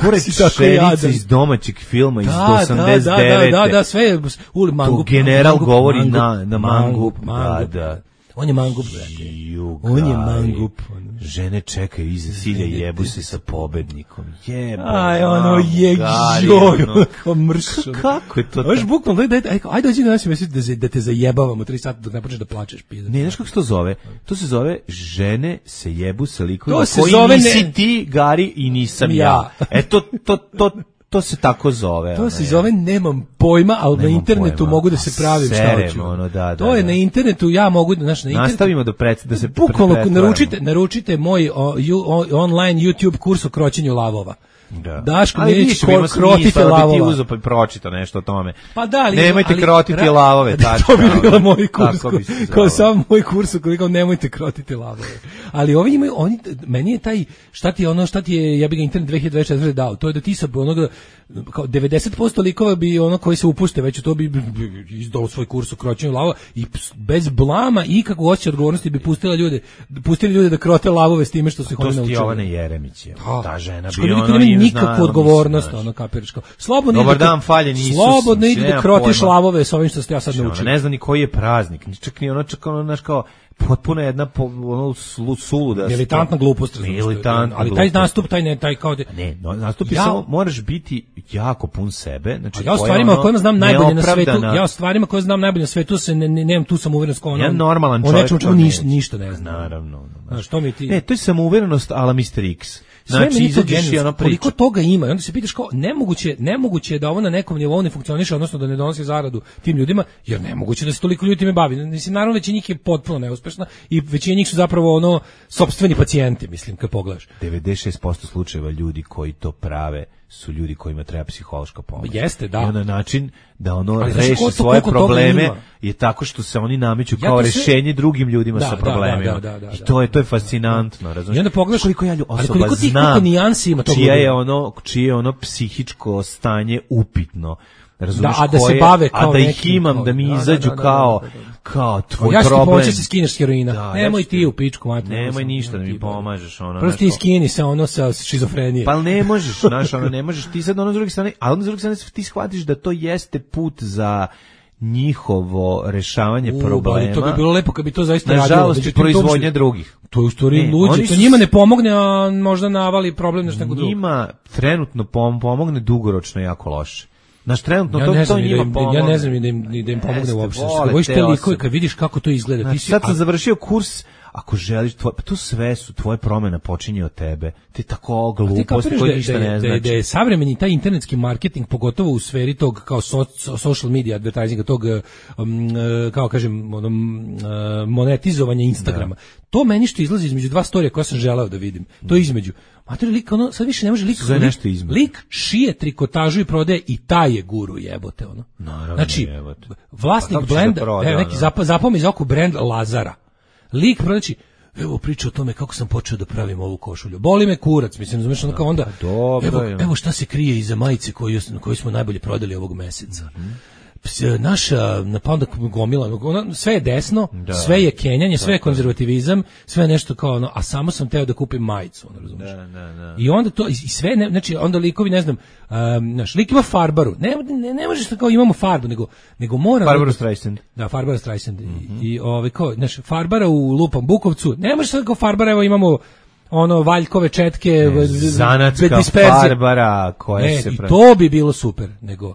pored šerice iz domaćeg filma iz osamdeset devete. Da, da, da, sve je u mangup. General govori na na mangup, da, da. On je mangup, brate. On je mangup. Žene čekaju iza cilja i jebu se sa pobednikom. Jebo. Aj, ono je joj, kako mršo. Kako je to? Baš bukvalno, ajde, ajde, ajde dođi na nas i misli da, da te zajebavamo tri sata dok ne počneš da plačeš. Pizda. Ne, znaš kako se to zove? To se zove žene se jebu sa likovima koji nisi ne... ti, Gari, i nisam ja. ja. E, to, to, to, to se tako zove. To ona, se je. zove nemam pojma, ali nemam na internetu pojma. Mogu da se pravim Serem, šta hoću. Ono, da, da, to je da. Na internetu, ja mogu, znaš, na internetu. Nastavimo da, pred, da se bukvalno naručite, naručite moj o, ju, o, online YouTube kurs o kroćenju lavova. Da. Daško ali neće ko, krotite lavova. Ti uzo pa pročitao nešto o tome. Pa da, ali, nemojte ali, krotiti ra, lavove. Tačka, to bi bilo moj kurs. Ko, kao sam moj kurs koliko nemojte krotiti lavove. Ali ovi imaju, oni, meni je taj, šta ti je ono, šta ti je, ja bih ga internet dve hiljade dvadeset četvrte dao, to je da ti sa onoga, kao devedeset posto likova bi ono koji se upušte, već to bi, bi, bi izdao svoj kurs u kroćenju lavova i bez blama i kakvu osjećaj odgovornosti bi pustila ljude, pustili ljude da krote lavove s time što su ih oni naučili. To sti Jovana Jeremić je, ta žena bi ono ima nikakvu odgovornost, ono kapiraš kao. Slobodno Dobar dan, faljen Isus. Slobodno idi da krotiš lavove sa ovim što ste ja sad naučio. Ne zna ni koji je praznik, ni čak ni ono čak ono naš kao potpuno jedna ono suluda militantna glupost, militantna, ali taj nastup taj ne taj kao ne, no, nastup je ja, samo moraš biti jako pun sebe, znači ja o stvarima ono, kojima znam najbolje na svetu, ja o stvarima koje znam najbolje na svetu se ne, ne, nemam tu samouverenost kao ono. Ja normalan čovjek, o nečemu ništa, ništa ne znam. Naravno. No, što mi ti? Ne, to je samouverenost ala mister X. Znači, izađeš i ono priča. Koliko toga ima, i onda se pitaš kao, nemoguće, nemoguće je da ovo na nekom nivou ne funkcioniše, odnosno da ne donosi zaradu tim ljudima, jer nemoguće da se toliko ljudi time bavi. Mislim, naravno, većina njih je potpuno neuspešna i većina njih su zapravo ono, sopstveni pacijenti, mislim, kad pogledaš. devedeset šest posto slučajeva ljudi koji to prave su ljudi kojima treba psihološka pomoć. Jeste, da. I na način da ono reši svoje probleme je tako što se oni nameću kao ja rešenje se... drugim ljudima da, sa problemima. Da, da, da, da, I to je to je fascinantno, razumiješ? I onda pogledaš koliko ja osoba ali koliko ti, zna koliko nijansi ima tog čije je ono, čije je ono psihičko stanje upitno. Razumiješ, da, a da se bave kao a da neki, ih imam, da mi izađu da, da, da, kao da, da, da. kao tvoj ja problem. Ja ću ti pomoći se skineš s heroina. Da, nemoj ja ti u pičku mati. Nemoj ništa da mi pomažeš. Ono, prosto ti skini se ono sa šizofrenije. Pa ne možeš, znaš, ono, ne možeš. Ti sad ono s druge strane, a onda s druge strane ti shvatiš da to jeste put za njihovo rešavanje U, problema. To bi bilo lepo kad bi to zaista radilo. Nažalost, proizvodnja drugih. To je u stvari luđe. To njima ne pomogne, a možda navali problem nešto drugo. Njima trenutno pomogne dugoročno jako loše. Naš trenutno ja to, ne znam, to njima da im, pomogne. Ja ne znam da im, da im pomogne uopšte. Hoćeš te likove kad vidiš kako to izgleda. Znači, ti si, sad sam a... završio kurs, ako želiš, tvoj, pa to sve su, tvoje promjena počinje od tebe. Ti tako glupost koji ništa da, ne znači. Da je savremeni taj internetski marketing, pogotovo u sferi tog kao so, social media advertisinga, tog, um, kao kažem, um, monetizovanja Instagrama. Da. To meni što izlazi između dva storija koja sam želeo da vidim. To je između. Mater, lik, ono, sad više ne može lik, lik, lik šije trikotažu i prodaje i taj je guru jebote, ono. Naravno, znači, jebote. vlasnik pa blenda, da proda, evo neki zap, zapome iz oko brend Lazara. Lik prodaći, evo priča o tome kako sam počeo da pravim ovu košulju. Boli me kurac, mislim, znaš, ono kao onda, dobro, evo, evo šta se krije iza majice koju, koju smo najbolje prodali ovog meseca. Mm-hmm. Naša, pa onda gomila, ona, sve je desno, da, sve je kenjanje, sve je konzervativizam, sve je nešto kao ono, a samo sam teo da kupim majicu, ono, razumiješ? Da, da, da. I onda to, i sve, ne, znači, onda likovi, ne znam, um, znaš, lik ima Farbaru, ne, ne, ne možeš da kao imamo Farbu, nego, nego mora... Farbaru Streisand. Da, Farbaru Streisand. Mm-hmm. I, i ovaj, kao, znaš, Farbara u Lupom Bukovcu, ne možeš da kao Farbara, evo imamo ono, valjkove četke, ne, zanatska Farbara koja ne, se... i to bi bilo super, nego...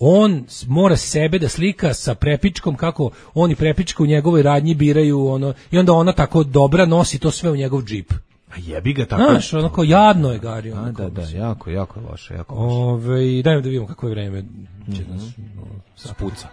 On mora sebe da slika sa prepičkom kako oni prepička u njegovoj radnji biraju ono i onda ona tako dobra nosi to sve u njegov džip. A jebi ga tako. Znaš, ono kao jadno je Gari. Da, da, da, jako, jako je loše, jako loše. Ove, dajmo da vidimo kako je vreme. Će mm-hmm. nas no, spuca.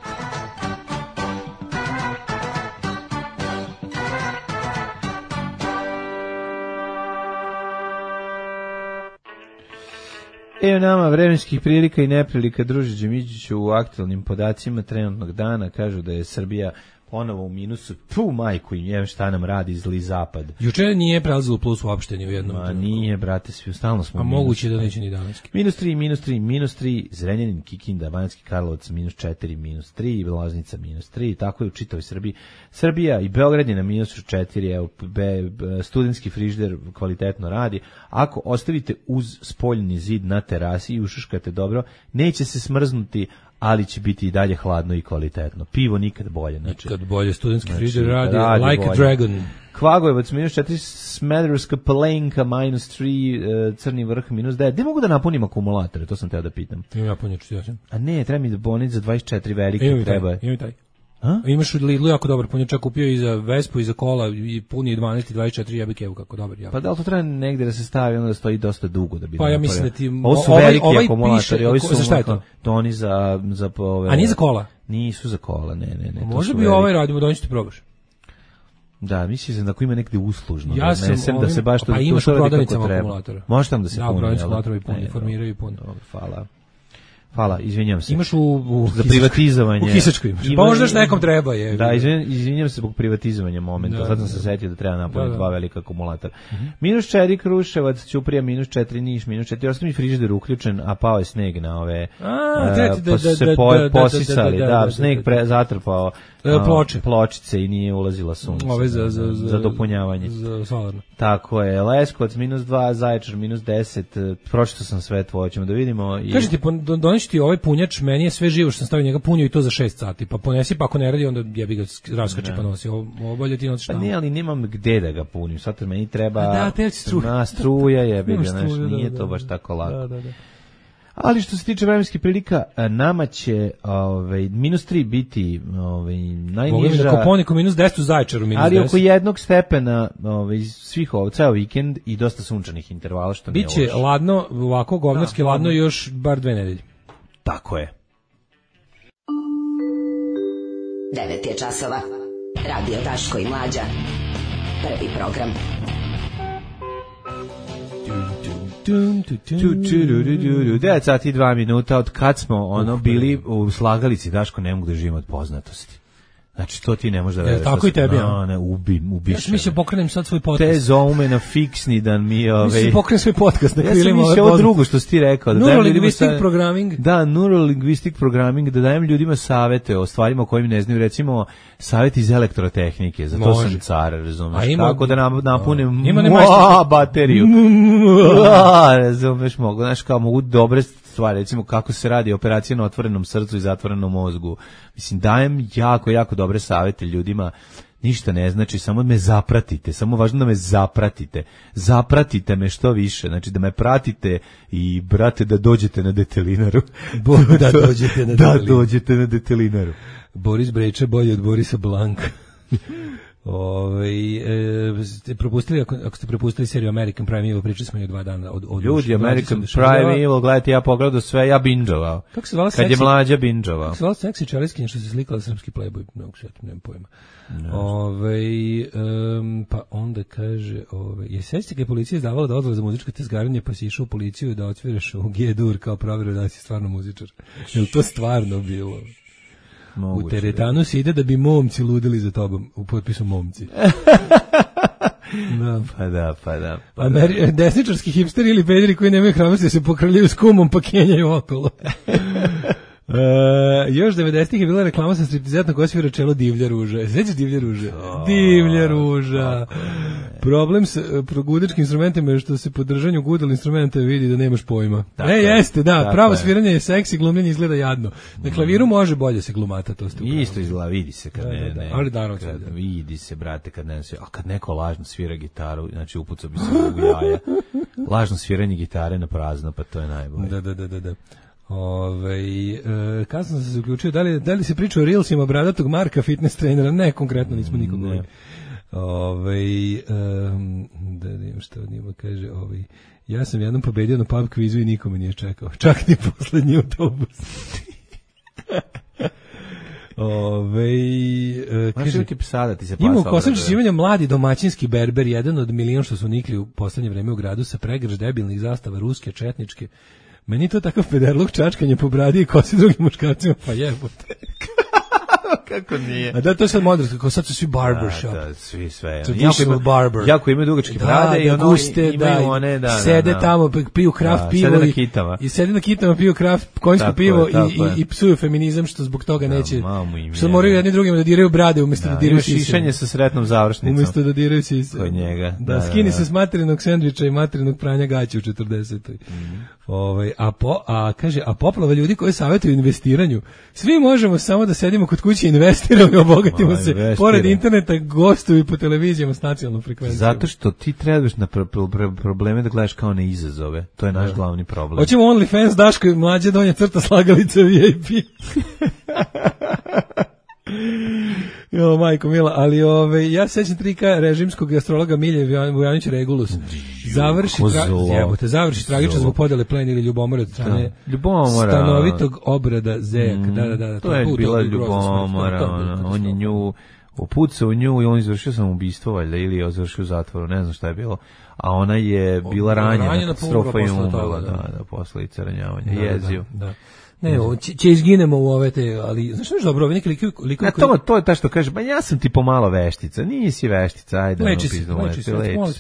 Evo nama vremenskih prilika i neprilika, druže Đemiđiću, u aktualnim podacima trenutnog dana kažu da je Srbija ponovo u minusu. Tu majku im je, šta nam radi zli zapad. Juče nije prelazilo plus uopšte ni u jednom. Ma nije, brate, svi stalno smo u minusu. A moguće da neće ni danas. Minus tri, minus tri, minus tri, Zrenjanin, Kikinda, Banjski Karlovac, minus četiri, minus tri, Loznica, minus tri, tako je u čitavoj Srbiji. Srbija i Beograd je na minusu četiri, evo, be, studentski frižider kvalitetno radi. Ako ostavite uz spoljni zid na terasi i ušuškate dobro, neće se smrznuti, ali će biti i dalje hladno i kvalitetno. Pivo nikad bolje. Znači, nikad bolje, studentski znači, frižider radi, radi like bolje. A dragon. Kvagojevac minus četiri, Smederevska Palenka minus tri, Crni vrh minus devet. Gde mogu da napunim akumulatore? To sam teo da pitam. Imam napunjač, ja sam. A ne, treba mi da boniti za dvadeset četiri velike. Imam treba. Taj, imam taj. A? Imaš u Lidlu jako dobar punjačak, kupio i za Vespu i za kola i puni dvanaest i dvadeset četiri jebike, evo kako dobar. Jako. Pa da li to treba negde da se stavi, onda da stoji dosta dugo da bi... Pa ja mislim da ti... Ovo su ovaj, veliki ovaj akumulatori, ovi su... Za šta je to? To oni za... za ove, a nije za kola? Nisu za kola, ne, ne, ne. Možda bi ovaj radimo, da on ću ti probaš. Da, mislim da ako ima negde uslužno, ja da odnesem ovim, da se baš to, pa imaš to u prodavnicama treba. akumulatora. Može tamo da se da, puni. Da, prodavnice akumulatora puni, formiraju i puni. Hvala. Hvala, izvinjam se. Imaš u, u za privatizovanje. U Kisačkoj imaš. Pa možda što nekom treba je. Da, izvinjam, izvinjam se zbog privatizovanja momenta. Da, sad sam da, se setio da treba napuniti da, da. dva velika akumulatora. Mm-hmm. Minus četiri Kruševac, Ćuprija, minus četiri Niš, minus četiri. Ostao mi frižider uključen, a pao je sneg na ove. A, uh, pa su se po, posisali. Da, sneg pre, zatrpao uh, ploče. pločice i nije ulazila sunce. Ove za, za, za, za dopunjavanje. Za solarno. Tako je. Leskovac, minus dva, Zaječar, minus deset. Pročito sam sve tvoje, ćemo da vidimo. I... Kažete, donesi ti ovaj punjač, meni je sve živo što sam stavio njega punio i to za šest sati, pa ponesi, pa ako ne radi, onda jebi ga raskače pa nosi. Ovo bolje ti nosiš tamo. Pa ne, ali nemam gde da ga punim, sad meni treba da, te struja. Na struja jebi ga, znaš, nije da, to baš tako lako. Da, da, da. Ali što se tiče vremenskih prilika, nama će ovaj, minus tri biti ovaj, najniža. Na Koponiku minus deset, u Zaječaru minus ali deset. Ali oko jednog stepena ovaj, svih ovo, ceo vikend i dosta sunčanih intervala, što nije biće loše. Ladno, ovako govnarski da, ladno još bar dve nedelje. Tako je. devet je časova. Radio Daško i Mlađa. Prvi program. devet sati i dva minuta od kad smo ono bili u slagalici, Daško, ne mogu da živim od poznatosti. Znači, to ti ne može da veruješ. Tako i tebi, no, ne, ubim, ubiš. Ja sam mislio pokrenem sad svoj podcast. Te zoume na fiksni dan mi ove. Mislim pokrenem svoj podcast na krilima. Ja sam mislio ovo drugo što si ti rekao. Da Neurolinguistic programming. Da, neurolinguistic programming, da dajem ljudima savete o stvarima o kojim ne znaju, recimo savjet iz elektrotehnike, za to sam car, razumeš, kako da nam napunem bateriju. Razumeš, mogu, znaš, kao mogu dobre stvari, recimo kako se radi operacija na otvorenom srcu i zatvorenom mozgu. Mislim, dajem jako, jako dobre savete ljudima, ništa ne znači, samo me zapratite, samo važno da me zapratite, zapratite me što više, znači da me pratite i, brate, da dođete na detelinaru. Da dođete na detelinaru. Da dođete na detelinaru. Boris Brejče bolje od Borisa Blanka. Ove, e, ste propustili, ako, ako ste propustili seriju American Prime Evil, pričali smo je dva dana od, od ljudi, American Prime Evil, gledajte, ja pogledao sve, ja binđovao. Kako se zvala kad seksi, je mlađa binđovao. Kako se zvala seksi čeliskinja što se slikala srpski Playboy, mnogo svetim, nemam pojma. Ove, um, pa onda kaže, ove, je sećate kad je policija izdavala dozvolu za muzičko tezgarenje, pa si išao u policiju da otviraš u G-dur kao provjeru da si stvarno muzičar. Je li to stvarno bilo? Moguće, u teretanu se ide da bi momci ludili za tobom, u potpisu momci. Da. Pa da, pa da. Pa Ameri- da. Desničarski hipsteri ili pederi koji nemaju hrabrosti da se pokrljaju s kumom pa kenjaju okolo. Uh, još devedesetih je bila reklama sa striptizetnom koja svira čelo Divlja ruža. Sećaš Divlja ruža? Oh, Divlja ruža. Problem sa progudačkim instrumentima je što se po držanju gudal instrumenta vidi da nemaš pojma. Tako e, jeste, da, pravo je. Sviranje je seksi, glumljenje izgleda jadno. Na klaviru može bolje se glumata, to ste upravo. Isto izgleda, vidi se kad da, ne, da, ne. Ali da, kad, vidi se, brate, kad ne, a kad neko lažno svira gitaru, znači upucao bi se u jaja. Lažno sviranje gitare na prazno, pa to je najbolje. Da, da, da, da, da. Ove, e, kad sam se uključio, da li, da li se priča o Reelsima bradatog Marka, fitness trenera? Ne, konkretno nismo nikog gledali. Ove, um, da vidim što od njima kaže. Ove, ja sam jednom pobedio na pub kvizu i nikome nije čekao. Čak ni poslednji autobus. Ove, e, kaže, ti psada, ti se ima u Kosovču živanja mladi domaćinski berber, jedan od milion što su nikli u poslednje vreme u gradu sa pregrž debilnih zastava ruske, četničke. Meni to takav pederluk čačkanje po bradi i kosi drugim muškarcima, pa jebote. Kako nije? A da, to je sad moderno, kako sad su svi barbershop. Da, da, svi sve. Traditional barber. Jako imaju dugačke brade da, i ono guste, imaju da, one, da, sede da, tamo, piju kraft da, pivo. Sede na kitama. I, i sede na kitama, piju kraft, konjsko pivo je, i, i, i psuju feminizam, što zbog toga da, neće. Što moraju jedni drugima da diraju brade umjesto da, da diraju sise. Šišanje sa sretnom završnicom. Umjesto da diraju sise. Kod njega. Da, da skini da, se s materinog sendviča i materinog pranja gaća u četrdesetoj. Mm. Ovaj, a, po, a kaže, a poplava ljudi koji savjetuju investiranju, svi možemo samo da sedimo kod kuće i investiramo i obogatimo se. Investira. Pored interneta gostuju po televizijama s nacionalnom frekvencijom. Zato što ti trebaš na pro, pro, pro, probleme da gledaš kao na izazove. To je naš da. glavni problem. Hoćemo OnlyFans, Daško i Mlađe, donja crta slagalica V I P. Jo, majko mila, ali ove, ja sećam tri K režimskog astrologa Milje Vujanić Regulus. završi tra- jebote, završi tragično zbog podele plena ili ljubomore od strane ljubomora stanovitog obrada Zejak. Mm, da, da, da. To, to je to, bila ljubomora, on je nju upucao u nju i on izvršio samoubistvo, valjda, ili je završio u zatvoru, ne znam šta je bilo. A ona je bila ranjena, katastrofa i umrla, da, da, posledica ranjavanja, jezio. Da, da. Ne, o, će, će izginemo u ove te, ali znaš što je dobro, neki likovi... likovi koji... to, to je ta što kaže, ba ja sam ti pomalo veštica, nisi veštica, ajde. Leči se, leči se,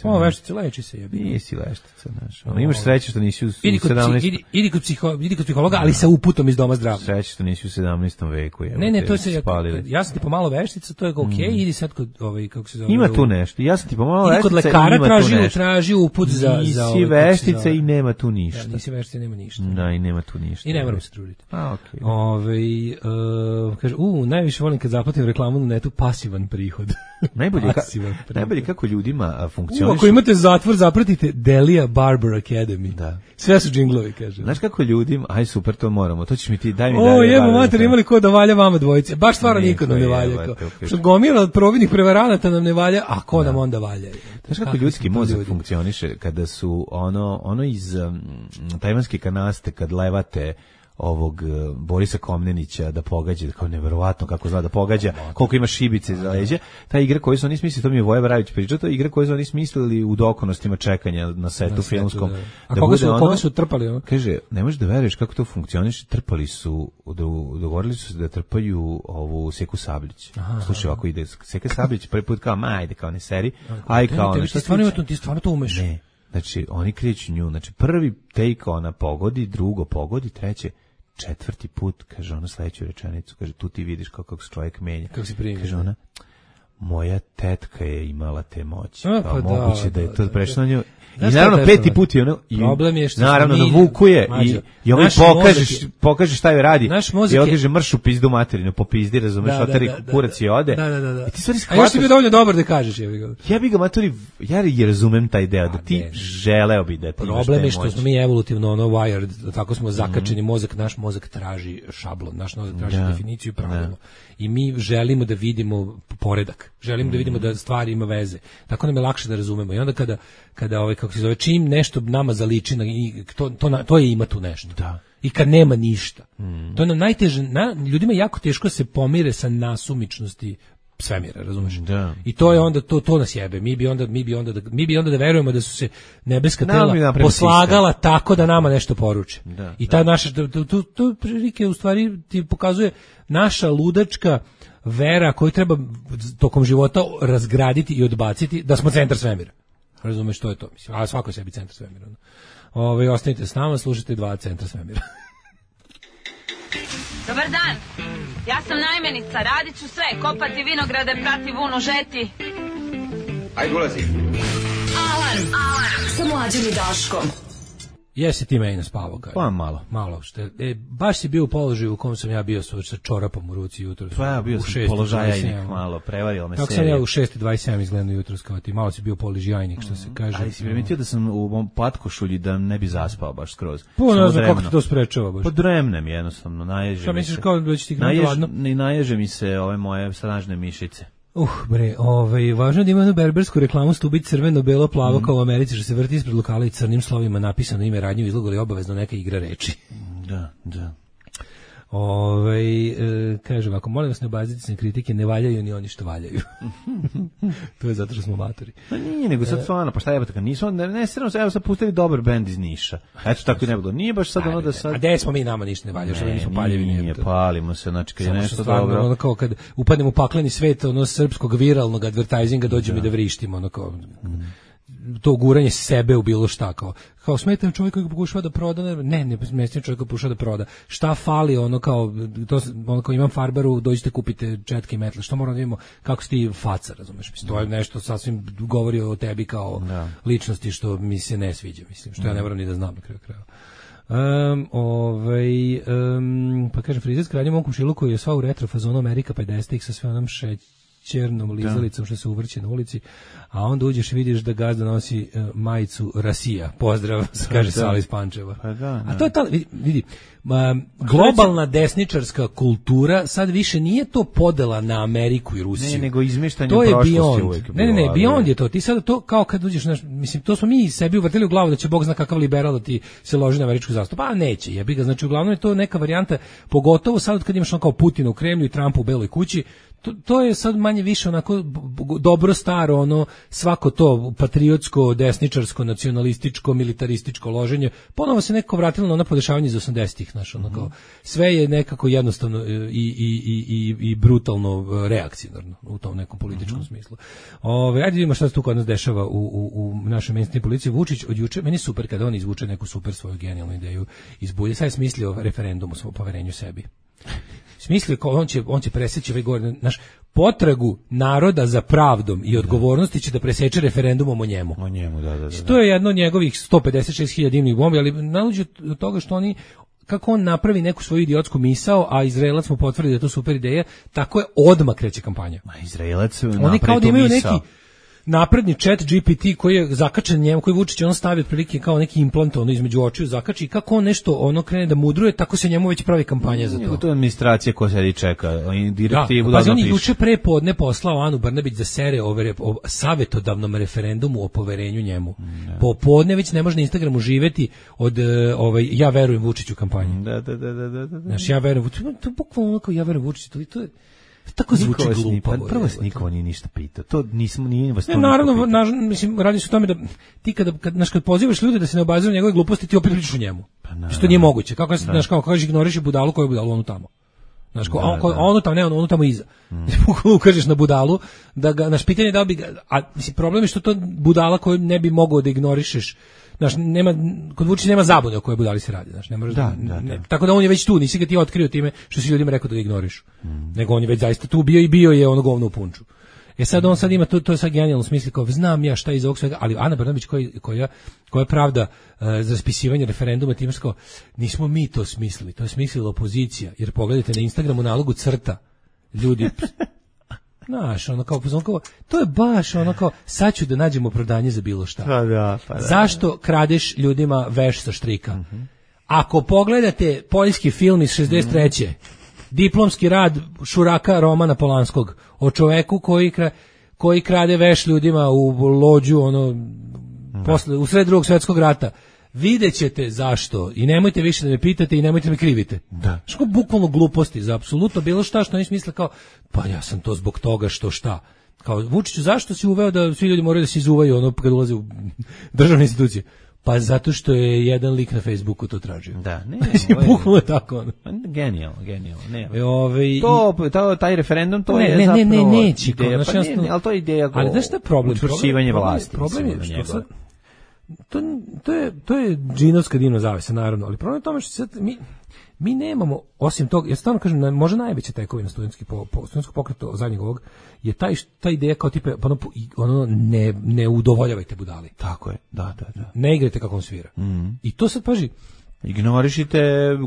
pomalo veštica, leči se. Jebi. Nisi veštica, znaš. Ono, imaš sreće što nisi u sedamnaestom... Idi, idi, kod psiho, idi kod psihologa, ali sa uputom iz doma zdravlja. Sreće što nisi u sedamnaestom veku. Je, ne, ne, to se, ja, ja sam ti pomalo veštica, to je okej, okay, mm. idi sad kod, ovaj, kako se zove... Ima tu nešto, ja sam ti pomalo veštica, kod lekara traži, traži uput za... Nisi veštica i nema tu ništa. Nisi veštica i nema ništa. Da, i nema tu ništa. I ne moram se truditi. A, okej. Ove, uh, kaže, u, najviše volim kad zaplatim reklamu na netu, pasivan prihod. Najbolje, ka, najbolje kako ljudima funkcioniše. Ako imate zatvor, zapratite Delia Barber Academy. Da. Sve su džinglovi, kaže. Znaš kako ljudima, aj super, to moramo, to ćeš mi ti, daj mi o, Delia Barber. O, jebo mater, imali ko da valja vama dvojice. Baš stvarno niko nam ne valja. Što gomila od providnih prevaranata nam ne valja, a ko da. nam onda valja? Znaš kako ljudski mozak funkcioniše kada su ono, ono iz um, tajvanske kanaste, kad levate ovog uh, Borisa Komnenića da pogađa, kao neverovatno kako zna da pogađa, koliko ima šibice za leđa. Ta igra koju su oni smislili, to mi je Voja Bravić pričao, to je igra koju su oni smislili u dokonostima čekanja na setu na filmskom. Setu, da. A da koga, su, ono, koga su trpali? Ono? Kaže, ne možeš da veruješ kako to funkcioniše, trpali su, dogovorili su se da trpaju ovu Seku Sablić. Aha, slušaj, ovako ide Seka Sablić, prvi put kao, ma, ajde, kao ne seri, aj kao ne. Ti stvarno, ti stvarno to umeš? Ne, znači, oni kreću nju, znači, prvi take ona pogodi, drugo pogodi, treće, četvrti put, kaže ona sledeću rečenicu, kaže, tu ti vidiš kako se čovjek menja. Kako se primi. Kaže ona, moja tetka je imala te moći. A, pa da, moguće da, da je to da, prešlo na nju. I naravno peti put je ono, i, problem je što naravno mi, navukuje i, i ovaj pokažeš, je, pokaže šta joj radi. I je, on kaže mršu pizdu materinu, popizdi, razumeš, da, otari da, da, kurac i ode. Da, da, da, da. I ti stvari shvataš. A još ti bio dovoljno dobar da kažeš. Ja bih ga. Ja bih ga maturi, ja je razumem taj deo, da ti ne, želeo bi da ti imaš problem je što smo mi evolutivno ono wired, tako smo zakačeni, mm. mozak, naš mozak traži šablon, naš mozak traži da, definiciju i pravilo. I mi želimo da vidimo poredak. Želimo mm. da vidimo da stvari ima veze. Tako nam je lakše da razumemo. I onda kada kada ovaj kako se zove čim nešto nama zaliči na to to to je ima tu nešto. Da. I kad nema ništa. Mm. To je nam najteže, na, ljudima jako teško se pomire sa nasumičnosti svemira, razumeš? Da. I to je onda to to nas jebe. Mi bi onda mi bi onda da, mi bi onda da verujemo da su se nebeska tela poslagala sistem. Tako da nama nešto poruče. Da, I ta da. naša to to, to prilike u stvari ti pokazuje naša ludačka vera koju treba tokom života razgraditi i odbaciti da smo centar svemira. Razumeš što je to, mislim. A svako je sebi centar svemira. Ove, ostanite s nama, slušajte dva centra svemira. Dobar dan, ja sam najmenica, radit ću sve, kopati vinograde, prati vunu, žeti. Ajde, ulazi. Alarm, alarm, sa Mlađom i Daškom. Jesi ti meni naspavao, kaj? Pa malo. Malo, što je, e, baš si bio u položaju u kom sam ja bio sa čorapom u ruci jutros. Pa ja bio sam položajnik malo, prevarilo me serija. Tako sam ja u šest i dvadeset sedam izgledao jutros kao ti, malo si bio položajnik, što se kaže. Ali si primetio da sam u mom patkošulji da ne bi zaspao baš skroz. Pa ne znam kako ti to sprečava baš. Podremnem jednostavno, naježe. Šta misliš kao da će ti gledati ladno? I naježe mi se ove moje snažne mišice. Uh, bre, ovaj, važno je da ima jednu berbersku reklamu stubić crveno, belo, plavo, mm. kao u Americi, što se vrti ispred lokala i crnim slovima napisano ime radnje, izlogali obavezno neka igra reči. Da, da. Ovaj e, kažem, ako molim vas ne obazite se na kritike, ne valjaju ni oni što valjaju. To je zato što smo matori. Pa nije, nego sad stvarno, pa šta jebate, kad nisu, ne, ne, stvarno, evo sad pustili dobar bend iz Niša. Eto, tako i ne bilo. Nije baš sad ono da sad... A gde smo mi, nama ništa ne valja, što mi nismo paljevi. Nije, palimo se, znači kad je nešto dobro. Ono kao kad upadnemo u pakleni svet, ono srpskog viralnog advertisinga, dođemo i da vrištimo, ono kao... to guranje sebe u bilo šta kao kao smetam čovjek koji pokušava da proda ne ne smetam čovjek koji pokušava da proda šta fali ono kao to ono kao imam farbaru dođite kupite četke i metle što moramo da vidimo kako si ti faca razumeš mislim to je nešto sasvim govori o tebi kao da. Ličnosti što mi se ne sviđa mislim što ja ne moram ni da znam na kraju krajeva. Um, ovaj, um, pa kažem frizerska radnja u mom komšiluku je sva u retro fazonu Amerika pedesetih sa sve onom šeć ćernom lizalicom što se uvrće na ulici, a onda uđeš i vidiš da gazda nosi uh, majicu Rasija. Pozdrav, kaže Sala iz Pančeva. Pa da, da. A to je ta, vidi, vidi um, globalna desničarska kultura sad više nije to podela na Ameriku i Rusiju. Ne, nego izmeštanje to je prošlosti beyond. uvijek. Ne, ne, ne, beyond je to. Ti sad to kao kad uđeš, naš, mislim, to smo mi sebi uvrtili u glavu da će Bog zna kakav liberal da ti se loži na američku zastavu. Pa neće, jebi ga. Znači, uglavnom je to neka varijanta, pogotovo sad kad imaš on kao Putina u Kremlju i Trumpa u Beloj kući. To, to je sad manje više onako dobro staro, ono svako to patriotsko, desničarsko, nacionalističko, militarističko loženje. Ponovo se nekako vratilo na ona podešavanja iz osamdesetih, znaš, ono kao sve je nekako jednostavno i, i, i, i, i brutalno reakcionarno u tom nekom političkom mm-hmm. smislu. Ove, ajde vidimo šta se tu kod nas dešava u, u, u našoj mainstream policiji. Vučić od juče, meni je super kada on izvuče neku super svoju genijalnu ideju iz bulje. Sad je smislio referendum o poverenju sebi. Smislio kao on će on će preseći ovaj gore naš potragu naroda za pravdom i odgovornosti će da preseče referendumom o njemu. O njemu, da, da, da. To je jedno od njegovih sto pedeset šest hiljada dimnih bombi, ali naluđe od toga što oni kako on napravi neku svoju idiotsku misao, a Izraelac mu potvrdi da je to super ideja, tako je odmah kreće kampanja. Ma Izraelac oni kao da imaju neki napredni chat G P T koji je zakačen njemu, koji Vučić on stavi otprilike kao neki implant ono između očiju zakači i kako on nešto ono krene da mudruje, tako se njemu već pravi kampanja za to. To je administracija koja sedi čeka, oni direktivu da, da on je juče pre podne poslao Anu Brnabić da sere o, o savjetodavnom referendumu o poverenju njemu. Ne. Po podne već ne može na Instagramu živeti od ovaj ja verujem Vučiću kampanji. Da, da, da, da, da. Znaš, ja verujem Vučiću, to bukvalno kao ja verujem Vučiću, to, to je tako zvuči glupo. Pa prvo se niko nije ništa pitao. To nismo nije vas to. Ne, naravno, naž, mislim radi se o tome da ti kada kad naš kad pozivaš ljude da se ne obaziru njegove gluposti, ti opet pričaš o njemu. Pa što nije moguće. Kako se znaš kako kažeš ignoriš budalu koju budalu onu tamo. Znaš, ko, da, on, da. ono tamo ne, ono, ono tamo iza. Mm. Ukažeš na budalu da ga naš pitanje da bi ga, a mislim problem je što to budala koju ne bi mogao da ignorišeš. Znaš, nema, kod Vučića nema zabune o kojoj budali se radi, znaš, ne možeš da, da, ne, da. Tako da on je već tu, nisi ga ti otkrio time što si ljudima rekao da ga ignoriš. Mm. Nego on je već zaista tu bio i bio je ono govno u punču. E sad on sad ima, to, to je sad genijalno smisli, kao znam ja šta iz ovog svega, ali Ana Brnabić koja, koja, koja pravda uh, za raspisivanje referenduma time kao, nismo mi to smislili, to je smislila opozicija, jer pogledajte na Instagramu nalogu crta, ljudi... Znaš, ono kao, kao, to je baš ono kao, sad ću da nađemo opravdanje za bilo šta. Pa da, pa da. Zašto kradeš ljudima veš sa štrika? Uh-huh. Ako pogledate poljski film iz šezdeset treće Uh-huh. diplomski rad Šuraka Romana Polanskog o čoveku koji, kra, koji krade veš ljudima u lođu, ono, uh-huh. posle, u sred drugog svjetskog rata, vidjet ćete zašto i nemojte više da me pitate i nemojte me krivite. Da. Što bukvalno gluposti za apsolutno bilo šta što oni smisle kao pa ja sam to zbog toga što šta. Kao Vučiću zašto si uveo da svi ljudi moraju da se izuvaju ono kad ulaze u državne institucije? Pa zato što je jedan lik na Facebooku to tražio. Da, ne. Bukvalno je tako ono. Genijalno, genijalno. Ne. E, ove, to, to, taj referendum, to ne, je ne, zapravo ne, ne, neći, ideja, pa ne, ne, ali to je ideja ali znaš šta je problem? Učvršćivanje vlasti. Problem je što sad, to, to je, to je džinovska divna zavesa, naravno, ali problem je tome što sad mi, mi nemamo, osim toga, ja stvarno kažem, možda najveća tekovina studentski po, po, studentskog pokreta zadnjeg ovog, je taj, ta ideja kao tipe, ono, ono ne, ne udovoljavajte budali. Tako je, da, da, da. Ne igrajte kako on svira. Mm-hmm. I to sad, paži, ignorišite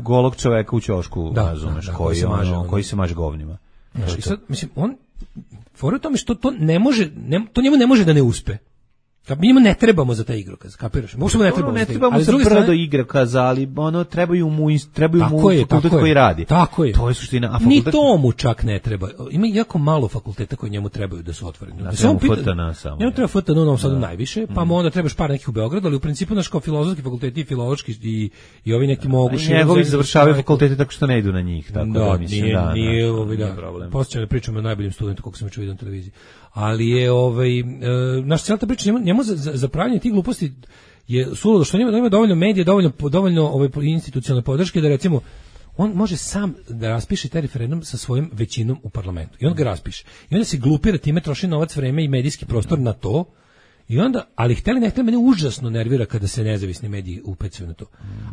golog čoveka u ćošku, da, razumeš, da, da, koji, koji, se maže, ono, koji se maže govnima. Znaš, i sad, mislim, on, fora u tome što to ne može, ne, to njemu ne može da ne uspe. Kad mi njima ne trebamo za taj igrokaz, kapiraš? Možemo ne trebamo, ne trebamo za brdo igrokaza, ali ono trebaju mu trebaju mu fakultet koji radi. Tako je. To je suština. A fakultet... Ni to mu čak ne treba. Ima jako malo fakulteta koji njemu trebaju da su otvoreni. Da se on pita, F T N samo. Njemu treba F T N u Novom Sadu najviše, pa mu onda trebaš par nekih u Beogradu, ali u principu naš kao filozofski fakulteti i filološki i i ovi neki mogu šire. Njegovi završavaju fakultete tako što ne idu na njih, tako da mislim da. Nije, ovaj da. Posle pričamo o najboljim studentu koliko sam čuo na televiziji. Ali je ovaj e, naš celta priča njemu, njemu za, za, za pravljanje tih gluposti je suludo što njima ima dovoljno medija, dovoljno dovoljno ovaj institucionalne podrške da recimo on može sam da raspiše taj referendum sa svojom većinom u parlamentu. I on ga raspiše. I onda se glupira time, troši novac, vreme i medijski prostor na to. I onda, ali hteli ne hteli, mene užasno nervira kada se nezavisni mediji upecaju na to.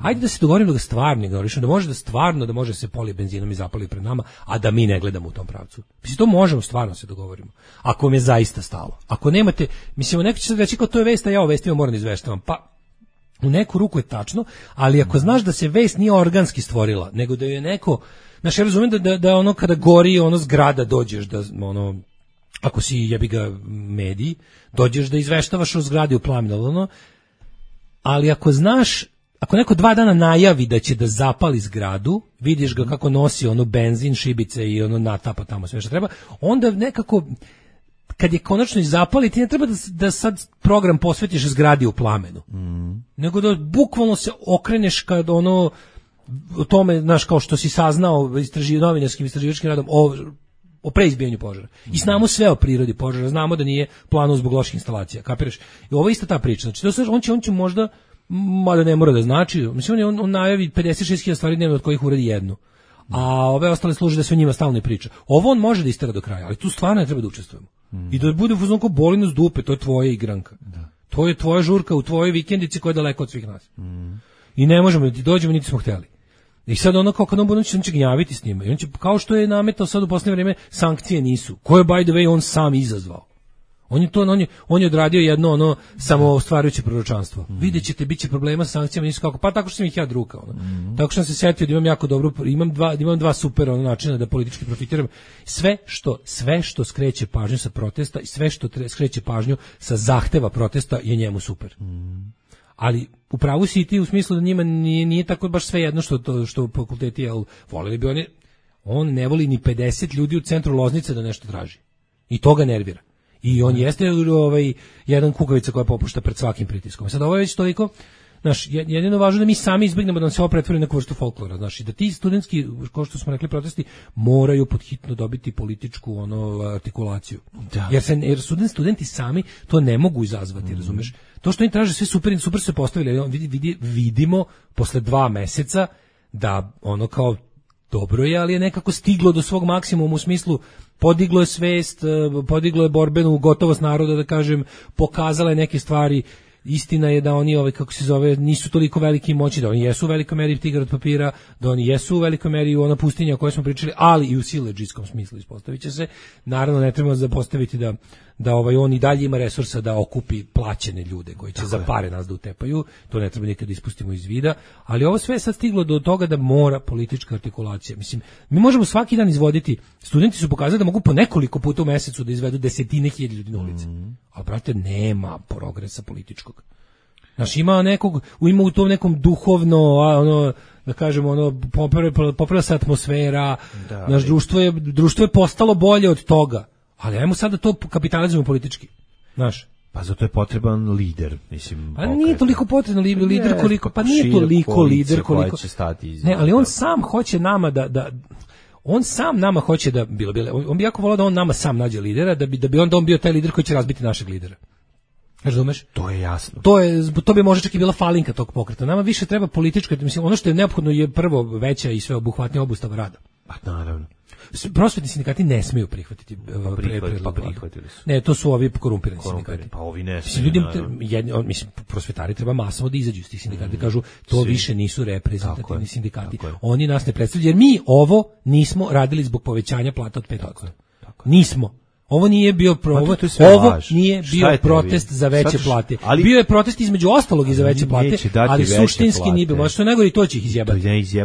Ajde da se dogovorimo da ga stvarno ignorišemo, da može da stvarno da može se poli benzinom i zapali pred nama, a da mi ne gledamo u tom pravcu. Mislim, to možemo stvarno se dogovorimo. Ako vam je zaista stalo. Ako nemate, mislim, neko će sad reći kao to je vest, a ja o vestima moram da izveštavam. Pa, u neku ruku je tačno, ali ako znaš da se vest nije organski stvorila, nego da je neko, znaš, ja razumijem da, da, da ono kada gori ono zgrada dođeš, da ono, ako si jebi ga medij, dođeš da izveštavaš o zgradi u plamenu, ono, ali ako znaš, ako neko dva dana najavi da će da zapali zgradu, vidiš ga kako nosi ono benzin, šibice i ono natapa tamo sve što treba, onda nekako, kad je konačno i zapali, ti ne treba da, da sad program posvetiš zgradi u plamenu, mm. nego da bukvalno se okreneš kad ono, o tome, znaš, kao što si saznao istraži, novinarskim istraživačkim radom o, o preizbijanju požara. I znamo sve o prirodi požara, znamo da nije plano zbog loših instalacija, kapiraš? I ovo je ista ta priča. Znači, to, on, će, on će možda, mada ne mora da znači, mislim, on, on najavi pedeset šest hiljada stvari dnevno od kojih uradi jednu. A ove ostale služe da se o njima stalno i priča. Ovo on može da istera do kraja, ali tu stvarno ne treba da učestvujemo. Mm. I da bude u fazonu boli nas dupe, to je tvoja igranka. Da. To je tvoja žurka u tvojoj vikendici koja je daleko od svih nas. Mm. I ne možemo da ti dođemo, niti smo hteli. I sad ono kao kad on bude, on će gnjaviti s njima. I on će, kao što je nametao sad u posljednje vrijeme, sankcije nisu. Koje, by the way, on sam izazvao. On je to, on je, on je odradio jedno ono samo ostvarujuće proročanstvo. Mm. Vidjet ćete, bit će problema sa sankcijama, nisu kako, pa tako što sam ih ja drukao. Ono. Mm. Tako što sam se setio da imam jako dobro, imam dva, imam dva super ono, načina da politički profitiram. Sve što, sve što skreće pažnju sa protesta i sve što tre, skreće pažnju sa zahteva protesta je njemu super. Mm. Ali u pravu si i ti u smislu da njima nije, nije tako baš sve jedno što, to, što fakulteti, jel, volili bi oni, on ne voli ni pedeset ljudi u centru Loznice da nešto traži. I to ga nervira. I on jeste ovaj, jedan kukavica koja popušta pred svakim pritiskom. Sad ovo je već toliko, znaš, jedino važno da mi sami izbjegnemo da nam se ovo pretvori neku vrstu folklora, znaš, i da ti studentski, kao što smo rekli, protesti moraju podhitno dobiti političku ono artikulaciju. Da. Jer se jer student, studenti sami to ne mogu izazvati, mm. razumeš? To što oni traže sve super, super se postavili, vidi, vidi, vidimo posle dva meseca da ono kao dobro je, ali je nekako stiglo do svog maksimuma u smislu podiglo je svest, podiglo je borbenu gotovost naroda, da kažem, pokazala je neke stvari. Istina je da oni, ovaj, kako se zove, nisu toliko veliki moći, da oni jesu u velikoj meri tigar od papira, da oni jesu u velikoj meri u ona pustinja o kojoj smo pričali, ali i u siledžijskom smislu ispostavit će se. Naravno, ne trebamo zapostaviti da, da ovaj, on i dalje ima resursa da okupi plaćene ljude koji će tako za pare je. Nas da utepaju, to ne treba nikad ispustimo iz vida, ali ovo sve je sad stiglo do toga da mora politička artikulacija. Mislim, mi možemo svaki dan izvoditi, studenti su pokazali da mogu po nekoliko puta u mesecu da izvedu desetine hiljada ljudi na ulici, mm. ali brate, nema progresa političkog. Znaš, ima nekog, ima u tom nekom duhovno, ono, da kažemo, ono, popravlja se atmosfera, da, naš društvo je, društvo je postalo bolje od toga, ali ajmo sad da to kapitalizujemo politički, znaš. Pa zato je potreban lider, mislim. Pa nije toliko potreban lider, lider koliko, pa nije toliko lider koliko. Će stati iz ne, ali on sam hoće nama da, da, on sam nama hoće da, bilo, bilo, on bi jako volao da on nama sam nađe lidera, da bi, da bi onda on bio taj lider koji će razbiti našeg lidera. Razumeš? To je jasno. To je to bi možda čak i bila falinka tog pokreta. Nama više treba politička, mislim, ono što je neophodno je prvo veća i sveobuhvatnija obustava rada. Pa naravno. Prosvetni sindikati ne smiju prihvatiti pa prihvatili, pa prihvatili su. Ne, to su ovi korumpirani sindikati. Pa ovi ne smiju. Ljudi, jedni, mislim, prosvetari treba masovno da izađu iz tih sindikata, mm, kažu to svi. Više nisu reprezentativni sindikati. Oni nas ne predstavljaju, jer mi ovo nismo radili zbog povećanja plata od pet posto. Nismo. Ovo nije bio pro, ovo, ovo nije bio protest za veće plate. Ali, bio je protest između ostalog i za veće plate, ali suštinski nije bilo. Što najgore i to će ih izjebati.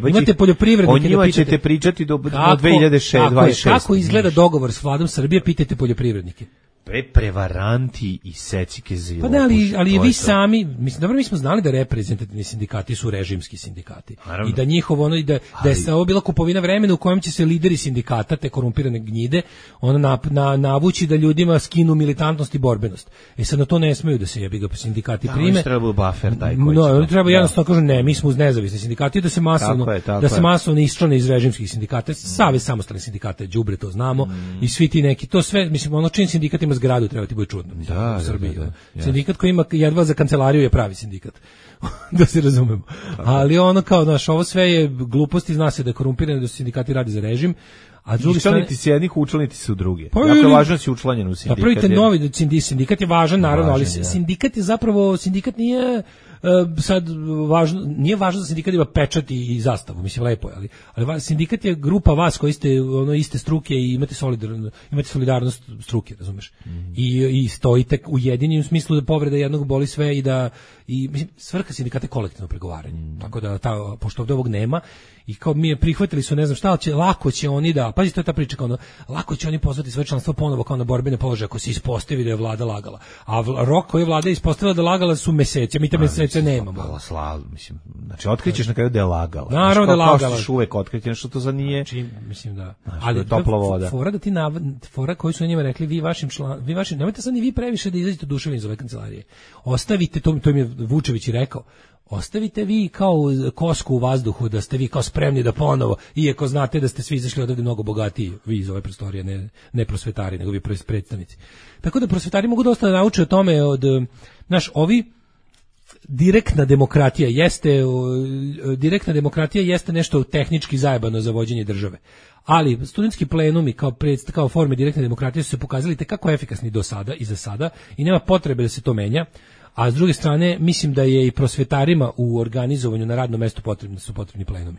Imate poljoprivrednike, o njima ćete pričati do, do dve hiljade dvadeset šeste. Kako izgleda dogovor s vladom Srbije, pitajte poljoprivrednike. Pre prevaranti i secike za Pa ne, ali, ali vi sami, mislim, dobro, mi smo znali da reprezentativni sindikati su režimski sindikati. Naravno. I da njihovo ono, i da, da je ovo bila kupovina vremena u kojem će se lideri sindikata, te korumpirane gnjide, ona na, na, navući da ljudima skinu militantnost i borbenost. E sad na to ne smeju da se jebi ga sindikati da, prime. Da, treba buffer taj koji no, oni treba jednostavno kažu ne, mi smo uz nezavisni sindikati, da se masovno, tako je, tako da se masovno isčlane iz režimskih sindikata. Mm. Savez samostalnih sindikata je đubre, to znamo. Mm. I svi ti neki, to sve, mislim, ono čini sindikatima zgradu treba ti bude čudno. Da, u Srbiji. Da, da, da, sindikat koji ima jedva za kancelariju je pravi sindikat. Da se razumemo. Ali ono kao, znaš, ovo sve je gluposti, zna se da je korumpirano, da su sindikati radi za režim. A drugi učlaniti se jednih, učlaniti se u druge. Pa, jako je važno da si učlanjen u sindikat. Pa prvite novi sindikat je važan, naravno, važan, ali ja. Sindikat je zapravo, sindikat nije sad važno, nije važno da sindikat ima pečat i zastavu, mislim lepo je, ali, ali sindikat je grupa vas koji ste ono iste struke i imate solidarno, imate solidarnost struke, razumeš? Mm. I i stojite ujedinjeni u smislu da povreda jednog boli sve i da i mislim svrha sindikata je kolektivno pregovaranje. Mm. Tako da ta pošto ovdje ovog nema i kao mi je prihvatili su ne znam šta, će lako će oni da, pazi to je ta priča kao ono, lako će oni pozvati svoje članstvo ponovo kao na borbene položaje ako se ispostavi da je vlada lagala. A vla, rok koji je vlada ispostavila da lagala su meseci, mi te mesece nemamo. Lagala, sla, mislim, znači otkrićeš na kraju da je lagala. Naravno da je lagala. Što uvek otkriti nešto to za nije. Znači, mislim da. Znači, ali je topla voda. Fora da ti nav, fora koji su njima rekli vi vašim član, vi vašim, nemojte sad ni vi previše da izađete oduševljeni iz ove kancelarije. Ostavite to, to im je Vučević i rekao. Ostavite vi kao kosku u vazduhu da ste vi kao spremni da ponovo, iako znate da ste svi izašli odavde mnogo bogatiji, vi iz ove prostorije, ne, ne prosvetari, nego vi predstavnici. Tako da prosvetari mogu dosta da nauče o tome od, znaš, ovi direktna demokratija jeste, direktna demokratija jeste nešto tehnički zajebano za vođenje države. Ali studentski plenumi kao predst, kao forme direktne demokratije su se pokazali tekako efikasni do sada i za sada i nema potrebe da se to menja. A s druge strane, mislim da je i prosvetarima u organizovanju na radnom mestu potrebni su potrebni plenumi.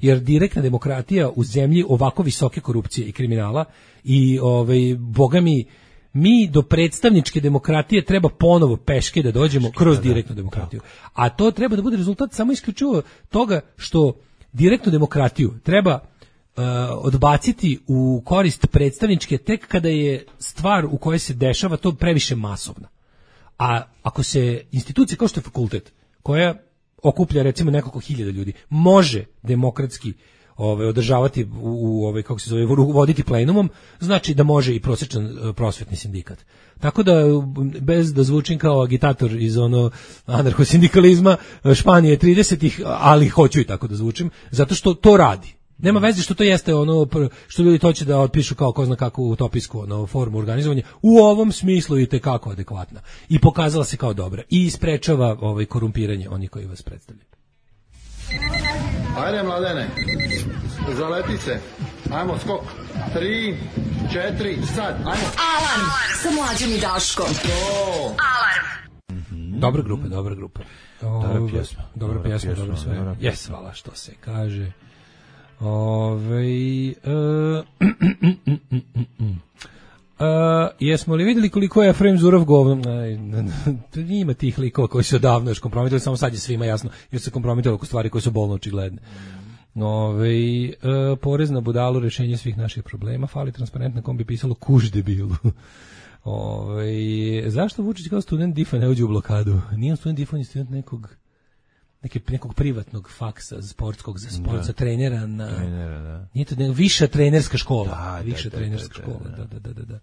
Jer direktna demokratija u zemlji ovako visoke korupcije i kriminala i ovaj bogami mi do predstavničke demokratije treba ponovo peške da dođemo kroz direktnu demokratiju. A to treba da bude rezultat samo isključivo toga što direktnu demokratiju treba uh, odbaciti u korist predstavničke tek kada je stvar u kojoj se dešava to previše masovna. A ako se institucija kao što je fakultet, koja okuplja recimo nekoliko hiljada ljudi, može demokratski ovaj održavati u, u ovaj kako se zove voditi plenumom, znači da može i prosječan prosvetni sindikat. Tako da bez da zvučim kao agitator iz ono anarhosindikalizma Španije tridesetih, ali hoću i tako da zvučim, zato što to radi. Nema veze što to jeste ono što ljudi hoće da otpišu kao ko zna kakvu utopijsku ono, formu organizovanja. U ovom smislu je tekako adekvatna. I pokazala se kao dobra. I sprečava ovaj, korumpiranje onih koji vas predstavljaju. Ajde, mladene, zaleti se. Ajmo, skok. Tri, četiri, sad. Ajmo. Alarm sa Mlađom i Daškom. Alarm. Mm-hmm. Dobra grupa, dobra grupa. Dobra pjesma. Dobra pjesma, dobro sve. Jes, hvala što se kaže. Ove, uh, uh, jesmo li vidjeli koliko je Efrem Zurov govno? Ima tih likova koji se odavno još kompromitali, samo sad je svima jasno, jer se kompromitali oko stvari koje su bolno očigledne. Ove, uh, porez na budalu, rješenje svih naših problema, fali transparentna kom bi pisalo kuž debilu. Ove, zašto Vučić kao student difa ne uđe u blokadu? Nije on student difa, on je student nekog Neki, nekog privatnog faksa sportskog za sport, za trenera na trenera, da. Nije to ne, viša trenerska škola, da, viša da, da, trenerska da, škola, da, da, da, da, da.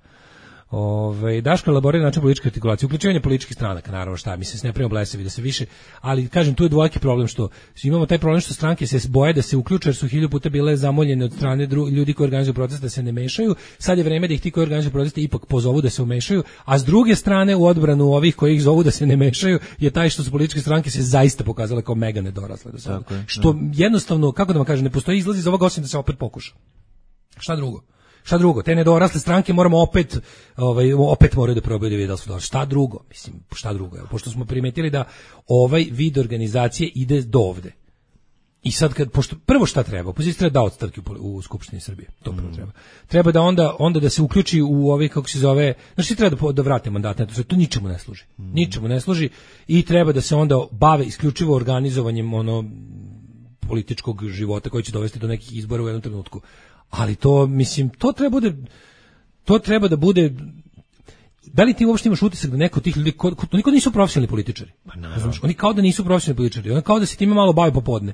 Ove, Daško elaborira način političke artikulacije, uključivanje političkih stranaka, naravno šta, mislim se ne primamo blesevi da se više, ali kažem tu je dvojaki problem što imamo taj problem što stranke se boje da se uključe jer su hiljadu puta bile zamoljene od strane dru, ljudi koji organizuju proteste da se ne mešaju, sad je vreme da ih ti koji organizuju proteste ipak pozovu da se umešaju, a s druge strane u odbranu ovih koji ih zovu da se ne mešaju je taj što su političke stranke se zaista pokazale kao mega nedorasle do sada, što ne. Jednostavno, kako da vam kažem, ne postoji izlaz iz ovoga osim da se opet pokuša. Šta drugo? Šta drugo? Te nedorasle stranke moramo opet, ovaj, opet moraju da probaju da vide da su dorasle. Šta drugo? Mislim, šta drugo? Evo, pošto smo primetili da ovaj vid organizacije ide do ovde. I sad, kad, pošto, prvo šta treba? Opozicija treba da odstrki u, u Skupštini Srbije. To prvo treba. Treba da onda, onda da se uključi u ove, kako se zove, znači treba da, da vrate mandate. To, to ničemu ne služi. Ničemu ne služi i treba da se onda bave isključivo organizovanjem ono političkog života koji će dovesti do nekih izbora u jednom trenutku. Ali to, mislim, to treba bude, to treba da bude, da li ti uopšte imaš utisak da neko od tih ljudi, ko, ko, niko nisu profesionalni političari? Pa znaš, oni kao da nisu profesionalni političari, oni kao da se time malo bave popodne.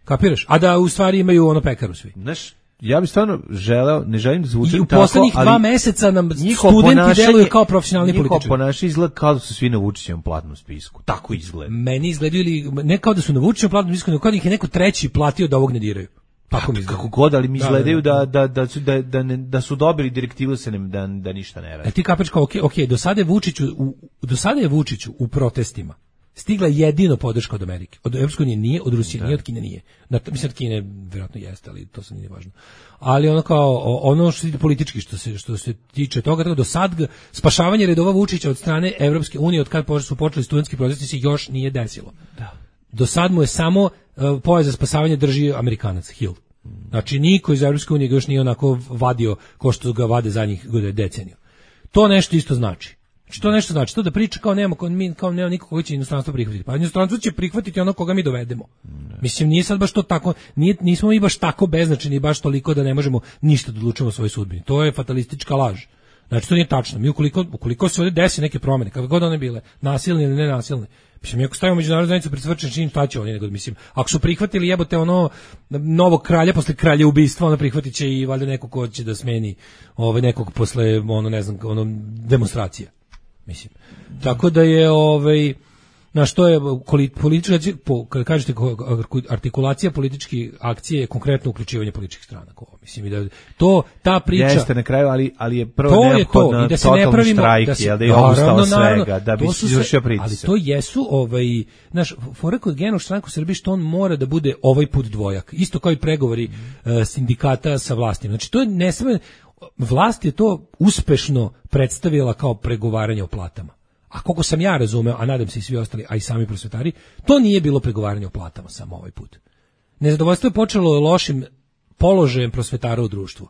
Kapiraš? A da u stvari imaju ono pekaru svi. Znaš, ja bih stvarno želeo, ne želim da zvučim tako, ali... I u poslednjih dva meseca nam studenti deluju kao profesionalni političari. Njihovo ponašanje izgleda kao da su svi na Vučićevom platnom spisku. Tako izgleda. Meni izgledaju ili, ne kao da su na Vučićevom platnom spisku, nego kao da ih je neko treći platio da ovog ne diraju. Tako mi kako god, ali mi izgledaju da, da, da, su, da, da, ne, da su dobili direktivu se ne, da, da ništa ne radi. E ti kapiš kao, ok, ok, do sada je Vučiću u, do sada je Vučiću u protestima stigla jedino podrška od Amerike. Od Evropske unije nije, od Rusije da. nije, od Kine nije. Da, mislim, od Kine vjerojatno jeste, ali to sad nije važno. Ali ono kao, ono što se politički, što se, što se tiče toga, tako do sad spašavanje redova Vučića od strane Evropske unije, od kad su počeli studentski protesti, se još nije desilo. Da. Do sad mu je samo uh, pojas za spasavanje drži Amerikanac, Hill. Znači, niko iz Evropske unije ga još nije onako vadio ko što ga vade zadnjih deceniju. To nešto isto znači. Znači, to nešto znači. To da priča kao nema, kao, mi, kao nema niko koji će inostranstvo prihvatiti. Pa inostranstvo će prihvatiti ono koga mi dovedemo. Ne. Mislim, nije sad baš to tako, nije, nismo mi baš tako beznačajni, baš toliko da ne možemo ništa da odlučimo o svojoj sudbini. To je fatalistička laž. Znači, to nije tačno. Mi ukoliko, ukoliko se ovdje desi neke promjene, kako god one bile, nasilne ili nenasilne, mislim, ako stavimo međunarodnu zajednicu pred svrčan čin, šta će oni nego, mislim, ako su prihvatili jebote ono novog kralja posle kralja ubistva, ono prihvatit će i valjda neko ko će da smeni ovaj nekog posle, ono, ne znam, ono, demonstracija. Mislim. Tako da je, ovaj, na što je politička, kada kažete artikulacija političke akcije je konkretno uključivanje političkih stranaka. Mislim, i da to, ta priča... Jeste na kraju, ali, ali je prvo neophodno da se ne pravimo, štrajk, da, se, da je obustao svega, da bi se izvršio pritisak. Ali to jesu, ovaj, naš, fora kod Genog štrajka u Srbiji što on mora da bude ovaj put dvojak. Isto kao i pregovori mm. uh, sindikata sa vlastima. Znači, to je nesme, vlast je to uspešno predstavila kao pregovaranje o platama. A koliko sam ja razumeo, a nadam se i svi ostali, a i sami prosvetari, to nije bilo pregovaranje o platama samo ovaj put. Nezadovoljstvo je počelo lošim položajem prosvetara u društvu.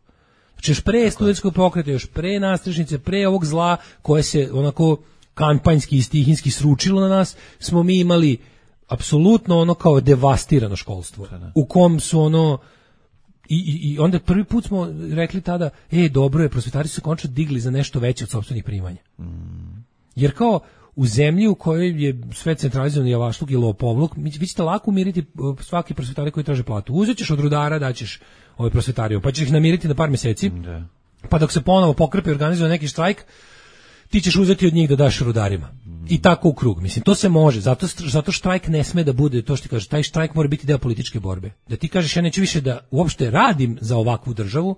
Znači još pre studentskog pokreta, još pre nastrešnice, pre ovog zla koje se onako kampanjski i stihinski sručilo na nas, smo mi imali apsolutno ono kao devastirano školstvo, u kom su ono... I, i, I onda prvi put smo rekli tada, e, dobro je, prosvetari su se končno digli za nešto veće od sopstvenih primanja. Mm. Jer kao u zemlji u kojoj je sve centralizovano javašluk i lopovluk, vi ćete lako umiriti svaki prosvetari koji traže platu. Uzet ćeš od rudara, daćeš ovaj prosvetariju, pa ćeš ih namiriti na par mjeseci, da. Pa dok se ponovo pokrpe i organizuje neki štrajk, ti ćeš uzeti od njih da daš rudarima. Mm. I tako u krug. Mislim, to se može. Zato, zato štrajk ne sme da bude, to što ti kažeš, taj štrajk mora biti deo političke borbe. Da ti kažeš, ja neću više da uopšte radim za ovakvu državu,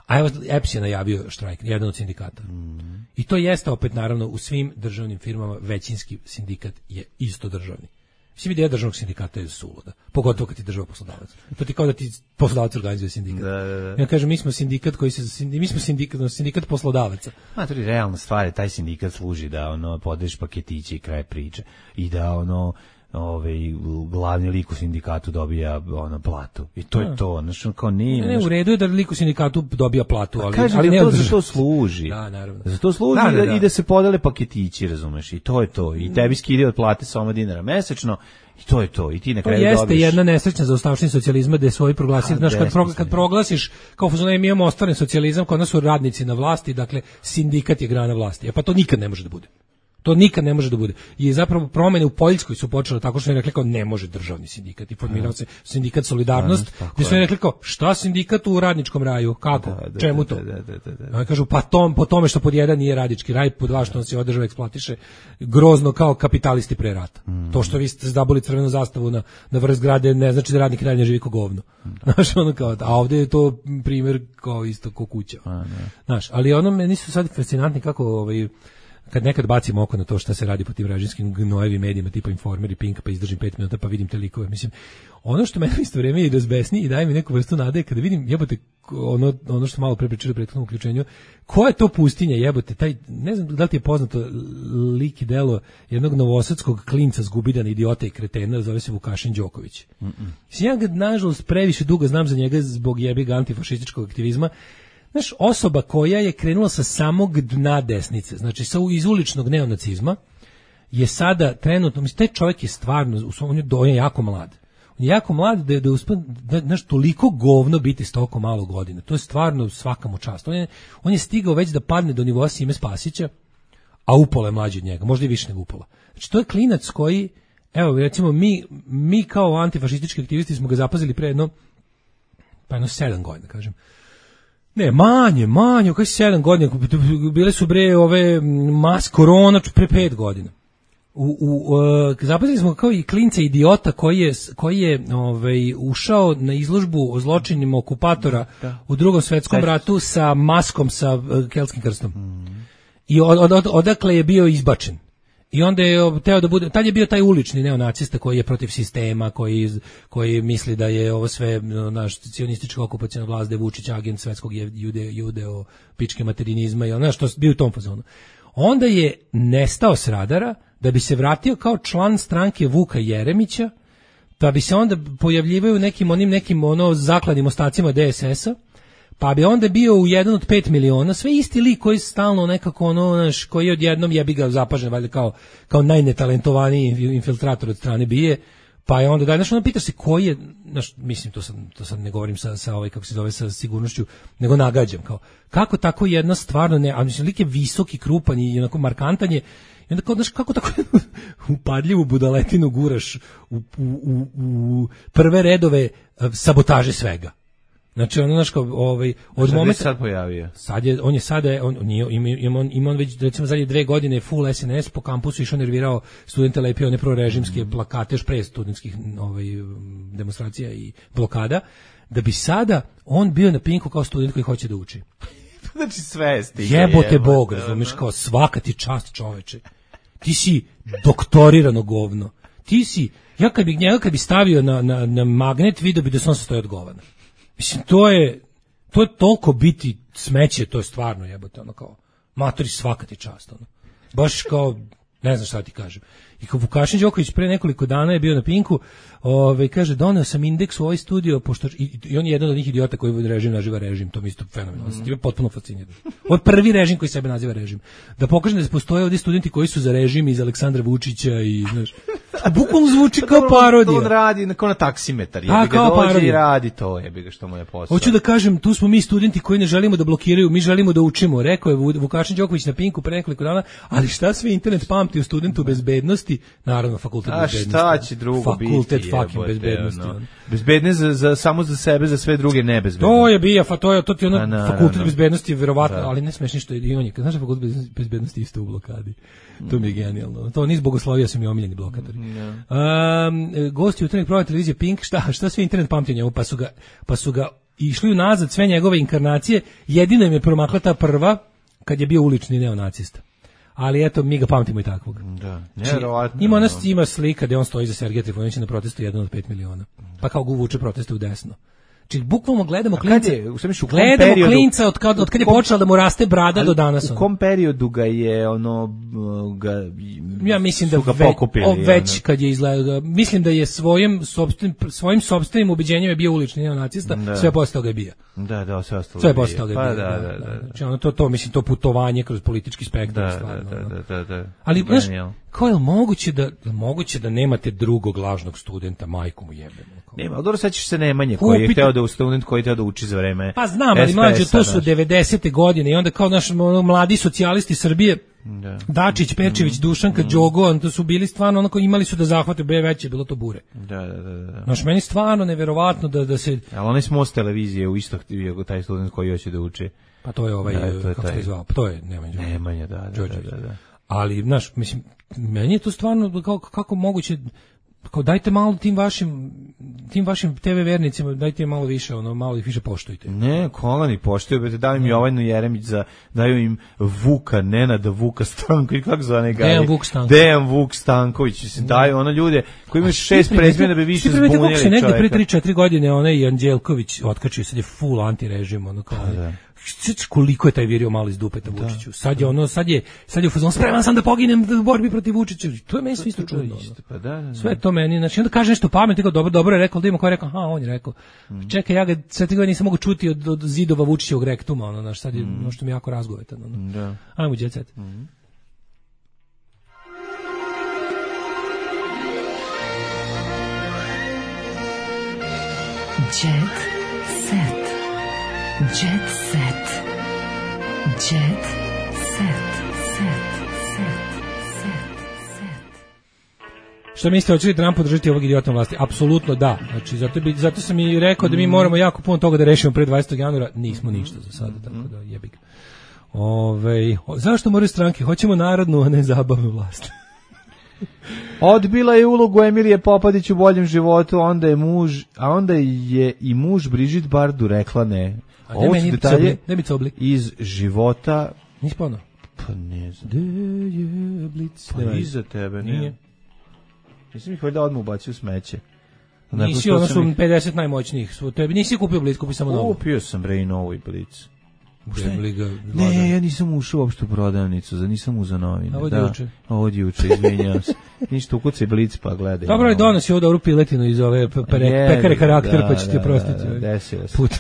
a evo E P S je najavio štrajk, jedan od sindikata. Mm. I to jeste opet, naravno, u svim državnim firmama većinski sindikat je isto državni. Mislim, ideja državnog sindikata je suluda, pogotovo kad ti država poslodavac. To ti kao da ti poslodavac organizuje sindikat. Da, da, da. Ja kažem, mi smo sindikat koji se, mi smo sindikat, sindikat poslodavaca. A to je realna stvar, taj sindikat služi da ono podeš paketiće i kraj priče i da ono ovaj glavni lik u sindikatu dobija ono platu. I to je to, znači kao nije. Ne, ne, u redu je da lik u sindikatu dobija platu, ali kažem, ali ne to za to služi. Da, naravno. Za to služi da, da, da. I da se podele paketići, razumeš? I to je to. I tebi skide od plate samo dinara mesečno. I to je to. I ti na kraju jeste dobiš. Jedna nesrećna zaostavština socijalizma da je svoj proglasili, znači kad, pro, kad proglasiš kao fuzone mi imamo ostvaren socijalizam, kod nas su radnici na vlasti, dakle sindikat je grana vlasti. E pa to nikad ne može da bude. To nikad ne može da bude. I zapravo promene u Poljskoj su počele tako što je rekli kao ne može državni sindikat i formirao se sindikat Solidarnost, gdje su rekli kao šta sindikat u radničkom raju, kako, da, da, čemu to? Da, da, da, da, da. Kažu pa tom, po tome što pod jedan nije radnički raj, pod dva što on se održava eksploatiše grozno kao kapitalisti pre rata. Mm. To što vi ste zdaboli crvenu zastavu na, na vrh zgrade ne znači da radnik dalje ne živi ko govno. Znaš, ono kao, a ovdje je to primjer kao isto ko kuća. Znaš, ali ono meni su sad fascinantni kako ovaj kad nekad bacim oko na to šta se radi po tim režimskim gnojevim medijima tipa Informer i Pink, pa izdržim pet minuta pa vidim te likove. Mislim, ono što mene isto vreme i razbesni i daje mi neku vrstu nade kada vidim jebote ono, ono što malo pre pričali u prethodnom uključenju, koja je to pustinja jebote, taj, ne znam da li ti je poznato lik i delo jednog novosadskog klinca zgubidana idiota i kretena, zove se Vukašin Đoković. Mm -mm. Ja ga nažalost previše dugo znam za njega zbog jebig antifašističkog aktivizma. Znaš, osoba koja je krenula sa samog dna desnice, znači sa iz uličnog neonacizma, je sada trenutno, mislim, taj čovjek je stvarno, on je, on je jako mlad. On je jako mlad da je da uspe, da, znaš, toliko govno biti s toliko malo godina. To je stvarno svaka mu čast. On je, on je stigao već da padne do nivoa Sime Spasića, a upola je mlađi od njega, možda i više nego upola. Znači, to je klinac koji, evo, recimo, mi, mi kao antifašistički aktivisti smo ga zapazili pre jedno, pa jedno sedam godina, kažem. Ne, manje, manje, kaj sedam godina, bile su bre ove mas korona pre pet godina. U, u, uh, zapazili smo kao i klinca idiota koji je, koji je ovaj, ušao na izložbu o zločinima okupatora da. U drugom svetskom ratu sa maskom sa uh, kelskim krstom. Mm. I od, od, od, odakle je bio izbačen. I onda je teo da bude, tad je bio taj ulični neonacista koji je protiv sistema, koji, koji misli da je ovo sve naš cionistička okupacijna vlast, da je Vučić agent svetskog jude, judeo, pičke materinizma i ono što bio u tom fazonu. Onda je nestao s radara da bi se vratio kao član stranke Vuka Jeremića, da bi se onda pojavljivaju nekim onim nekim ono zakladnim ostacima de es es a, pa bi onda bio u jedan od pet miliona, sve isti lik koji stalno nekako ono, naš, koji je odjednom jebi ga zapažen, valjda kao, kao najnetalentovaniji infiltrator od strane bije, pa je onda da, znaš, ono pitaš se koji je, znaš, mislim, to sad, to sad ne govorim sa, sa ovaj, kako se zove, sa sigurnošću, nego nagađam, kao, kako tako jedna stvarno ne, a mislim, lik je visok i krupan i onako markantan je, i onda kao, znaš, kako tako upadljivu budaletinu guraš u, u, u, u prve redove sabotaže svega. Znači ono naš kao ovaj od momenta sad pojavio. Sad je on je sada on nije ima ima on, ima on već recimo zadnje dve godine full es en es po kampusu išao nervirao studente, lepio one prorežimske mm. plakate još pre studentskih ovaj demonstracija i blokada, da bi sada on bio na Pinku kao student koji hoće da uči. Znači sve stiže. Jebote Bog, razumeš, kao svaka ti čast, čoveče. Ti si doktorirano govno. Ti si, ja kad bi njega kad bi stavio na na na magnet, video bi da se on sastoji od govana. Mislim, to je, to je toliko biti smeće, to je stvarno jebote, ono kao, matori svaka ti čast, ono. Baš kao, ne znam šta ti kažem. I kao Vukašin Đoković pre nekoliko dana je bio na Pinku, ovaj kaže, doneo sam indeks u ovaj studio, pošto, i, i on je jedan od njih idiota koji režim naziva režim, to mi isto fenomenalno, mm. Time potpuno fascinirano. Ovo je prvi režim koji sebe naziva režim. Da pokažem da se postoje ovdje studenti koji su za režim iz Aleksandra Vučića i, znaš, bukvalno zvuči kao parodija. On radi kao na taksimetar, jebi ga dođe i radi to, jebi ga što mu je posao. Hoću da kažem, tu smo mi studenti koji ne želimo da blokiraju, mi želimo da učimo, rekao je Vukašin Đoković na Pinku pre nekoliko dana, ali šta sve internet pamti u studentu bezbednosti, naravno fakultet a bezbednosti. A šta će drugo fakultet biti? Fakultet fucking bezbednosti. No. Bezbedne za, za, samo za sebe, za sve druge nebezbedne. To je bija, fa, to je, to ti ono, na, fakultet na, bezbednosti, verovatno, da. Ali ne smeš ništa, i on je, znaš da fakultet bezbednosti isto u blokadi. To mi je genijalno. To niz bogoslovija su mi omiljeni blokatori. Yeah. Um, gosti jutarnjeg programa televizije Pink, šta, šta sve internet pamti njemu, pa su ga, pa su ga išli unazad sve njegove inkarnacije, jedino im je promakla ta prva, kad je bio ulični neonacista. Ali eto, mi ga pamtimo i takvog. Da, nevjerovatno. Ima nas ima slika gde on stoji za Sergeja Trifunovića na protestu jedan od pet miliona. Pa kao ga uvuče proteste u desno. Znači, bukvalno gledamo klinca, gledamo periodu, klinca od kad, od kad je počela da mu raste brada do danas. U kom periodu ga je ono, ga, ja mislim da ga ve, pokupili, o, već ono. Kad je izgledao, mislim da je svojim sopstvenim, svojim sopstvenim ubeđenjem je bio ulični neonacista, da. Sve posle toga je bio. Da, da, sve ostalo. Sve posle toga je pa, bio. Da, da, da, da, da. Znači, ono, to, to, mislim, to putovanje kroz politički spektar. Da, stvarno, da, da, da, da. Ali, znaš, kao je moguće da, moguće da nemate drugog lažnog studenta, majku mu jebemo. Nema, ali dobro, sad ćeš se Nemanje koji je hteo da u student koji je hteo da uči za vreme. Pa znam, ali mlađe, to su devedesete godine i onda kao naš ono, mladi socijalisti Srbije, da. Dačić, Perčević, mm. Dušanka, mm. Đogo, to su bili stvarno onako, imali su da zahvate, be veće, bilo to bure. Da, da, da, da. Znaš, meni stvarno neverovatno da, da se... Ali onaj smo s televizije u isto taj student koji hoće da uči. Pa to je ovaj, da, to je kako taj... se zvao, pa to je Nemanja. Nemanja, da, da, da, da, da. Ali, znaš, mislim, meni je to stvarno, kako, kako moguće... Kao dajte malo tim vašim tim vašim te ve vernicima, dajte malo više, ono malo ih više poštujte. Ne, kolani poštuju, bete daju im Jovanu Jeremić za daju im Vuka Nenada Vuka Stanković, kako zove ga? Dejan Vuk Stanković. Dejan Vuk Stanković, se daju ono ljude koji imaju šest prezimena da bi više zbunili čoveka. Se negde pre tri četiri godine onaj Anđelković otkačio, sad je full antirežim, ono kao. Da. Koliko je taj virio malo iz dupeta Vučiću. Sad je ono, sad je, sad je u fazonu spreman sam da poginem u borbi protiv Vučića. To je meni sve isto čudno. Pa da, da, da. Sve to meni, znači onda kaže nešto pametno, kao dobro, dobro je rekao, da ima ko je rekao, aha, on je rekao. Mm. Čekaj, ja ga sve te godine nisam mogu čuti od, od zidova Vučićevog rektuma, ono, znači sad je mm. ono što mi jako razgovetano. Ono. Da. Ajmo, jet set. Mm. Jet set. Jet set. Jet set. Set. Set. Set. Set. Što mislite, hoće li Trump podržati ovog idiota vlasti? Apsolutno da. Znači, zato, bi, zato sam i rekao da mi moramo jako puno toga da rešimo pre dvadesetog januara. Nismo ništa za sada, tako da jebi ga. Ove, zašto moraju stranke? Hoćemo narodnu, a ne zabavnu vlast. Odbila je ulogu Emilije Popadić u boljem životu, onda je muž, a onda je i muž Brigitte Bardot rekla ne. Ovo su detalje iz života. Nisi pono? Pa ne znam. Gde je Blic? Pa iza tebe, nije. Nisam ih valjda odmah ubacio u smeće. Nisi, ono su pedeset najmoćnijih. Tebi nisi kupio Blic, kupi samo novu. Kupio sam bre i novu i Blic. Ga, ne, ja nisam ušao uopšte u prodavnicu, za nisam uzao novine. Ovo je juče. Ovo je juče, izvinjavam se. Ništa, ukucaj Blic pa gledaj. Dobro je, donosi ovo dobru piletinu iz ove pere, je, pekare karaktera, da, pa će ti oprostiti. Da, da, desio se. Put.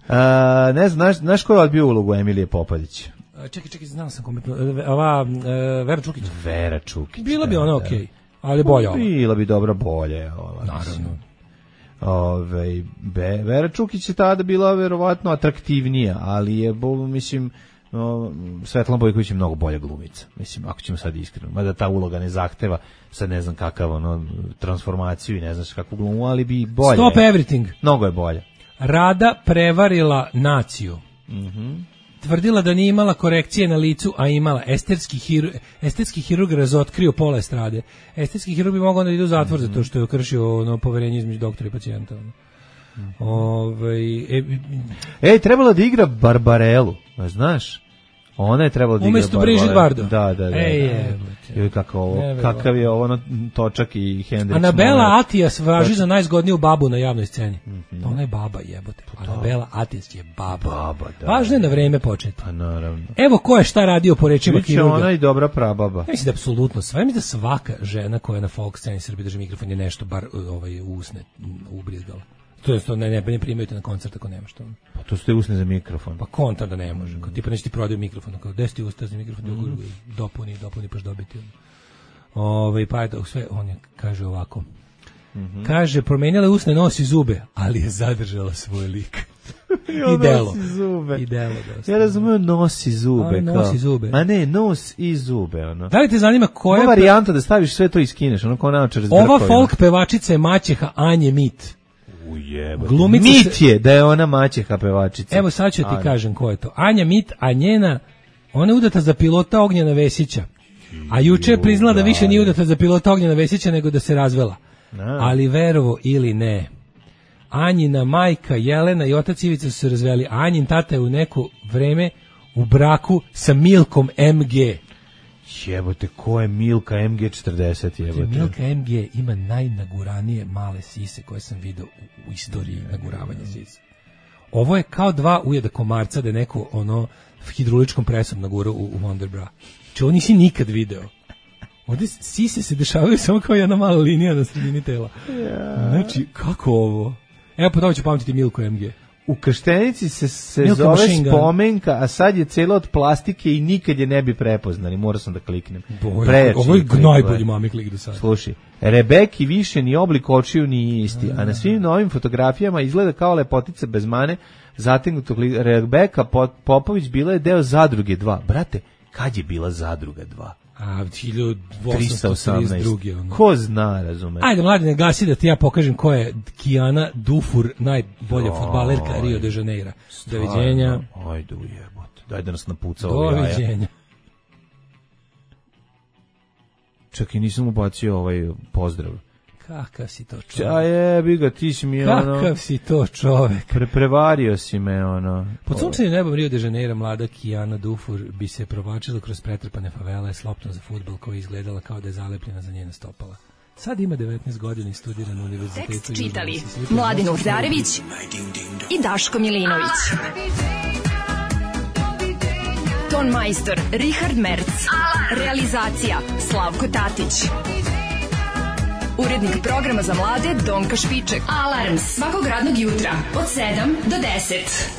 A, ne znam, znaš, znaš ko je odbio ulogu Emilije Popadić? Čekaj, čekaj, znao sam kome. Ova, uh, Vera Čukić. Vera Čukić. Bila bi ona okej, okay, ali bolja ova. Bila bi dobra bolje. Ova, naravno. Ove, Be, Vera Čukić je tada bila verovatno atraktivnija, ali je, bo, mislim, no, Svetlana Bojković je mnogo bolja glumica, mislim, ako ćemo sad iskreno, mada ta uloga ne zahteva, sad ne znam kakav, ono, transformaciju i ne znaš kakvu glumu, ali bi bolje. Stop everything. Mnogo je bolje. Rada prevarila naciju. Mhm. Mm tvrdila da nije imala korekcije na licu, a imala. Estetski hirurg, estetski hirurg razotkrio pola estrade. Estetski hirurg bi mogao da ide u zatvor mm-hmm. zato što je kršio ono poverenje između doktora i pacijenta. Mm-hmm. Ove, e, Ej, trebala da igra Barbarelu, znaš? Ona je trebala da igra umesto Brigitte Bardot. Da, da, da. Ej, da. Je, kako ovo, kakav je ovo točak i Hendrix. Anabela Atijas važi za najzgodniju babu na javnoj sceni. Mm-hmm. Ona je baba, jebote. Anabela Atijas je baba. Baba, da. Važno je da vreme početi. Pa naravno. Evo ko je šta radio po rečima hirurga. Ona i dobra prababa. Ja mislim da apsolutno sve. Mislim da svaka žena koja na folk sceni Srbije drži mikrofon je nešto bar ovaj, usne ubrizgala. To je to ne ne ne primaju te na koncert ako nemaš to. Pa to ste usne za mikrofon. Pa konta da ne može. Kao tipa neće ti prodaju mikrofon, kao deseti usta za mikrofon, mm. dopuni, dopuni paš dobiti. Ovaj pa eto sve on je kaže ovako. Mm-hmm. Kaže promenila usne, nos i zube, ali je zadržala svoj lik. I delo. I delo dosta. Ja razumem nos i zube. A, nos i zube. A ne, nos i zube. Ono. Da li te zanima koja je varijanta da staviš sve to i skineš? Ono kao naočar s ova folk pevačica je maćeha Anje Mit. Ujebate. Mit je da je ona maćeha pevačica. Evo sad ću ti kažem ko je to. Anja Mit, a njena, ona je udata za pilota Ognjena Vesića. A juče je priznala da više nije udata za pilota Ognjena Vesića nego da se razvela. Ali verovo ili ne, Anjina majka Jelena i otac Ivica su se razveli. Anjin tata je u neko vreme u braku sa Milkom M G. Jebote, ko je Milka M G četrdeset, jebote? Milka M G ima najnaguranije male sise koje sam vidio u, u istoriji naguravanja sisa. Ovo je kao dva ujeda komarca da je neko ono hidroličkom presom nagurao u, u Wonderbra. Če ovo nisi nikad video. Ovdje sise se dešavaju samo kao jedna mala linija na sredini tela. Yeah. Znači, kako ovo? Evo, po tome ću pamtiti Milku M G. U Krštenici se, se zove spomenka, a sad je cela od plastike i nikad je ne bi prepoznali. Morao sam da kliknem. Boje, ovo je najbolji mami klik do sada. Slušaj, Rebeki više ni oblik očiju ni isti, a na svim novim fotografijama izgleda kao lepotica bez mane, zategnutog lika. Rebeka Popović bila je deo Zadruge dva. Brate, kad je bila Zadruga dva? A hiljadu osamsto trideset druge Ono. Ko zna, razume. Ajde, mladine, gasi da ti ja pokažem ko je Kijana Dufur, najbolja fudbalerka Rio de Janeiro. Doviđenja. Ajde, ujebote. Daj da nas napuca ovaj jaja. Doviđenja. Čekaj, nisam ubacio ovaj pozdrav. Kakav si to čovek? Ja jebi ga, ti si mi Kakav ono... Kakav si to čovek? Pre, prevario si me, ono... Pod sunčanim nebom Rio de Janeiro mlada Kijana Dufur bi se provlačila kroz pretrpane favele s loptom za fudbal koja je izgledala kao da je zalepljena za njena stopala. Sad ima devetnaest godina i studira na univerzitetu. Tekst čitali Mladin Urdarević i Daško Milinović. Ton majstor Richard Merc. Realizacija Slavko Tatić. Urednik programa za mlade Donka Špiček. Alarms svakog radnog jutra od sedam do deset.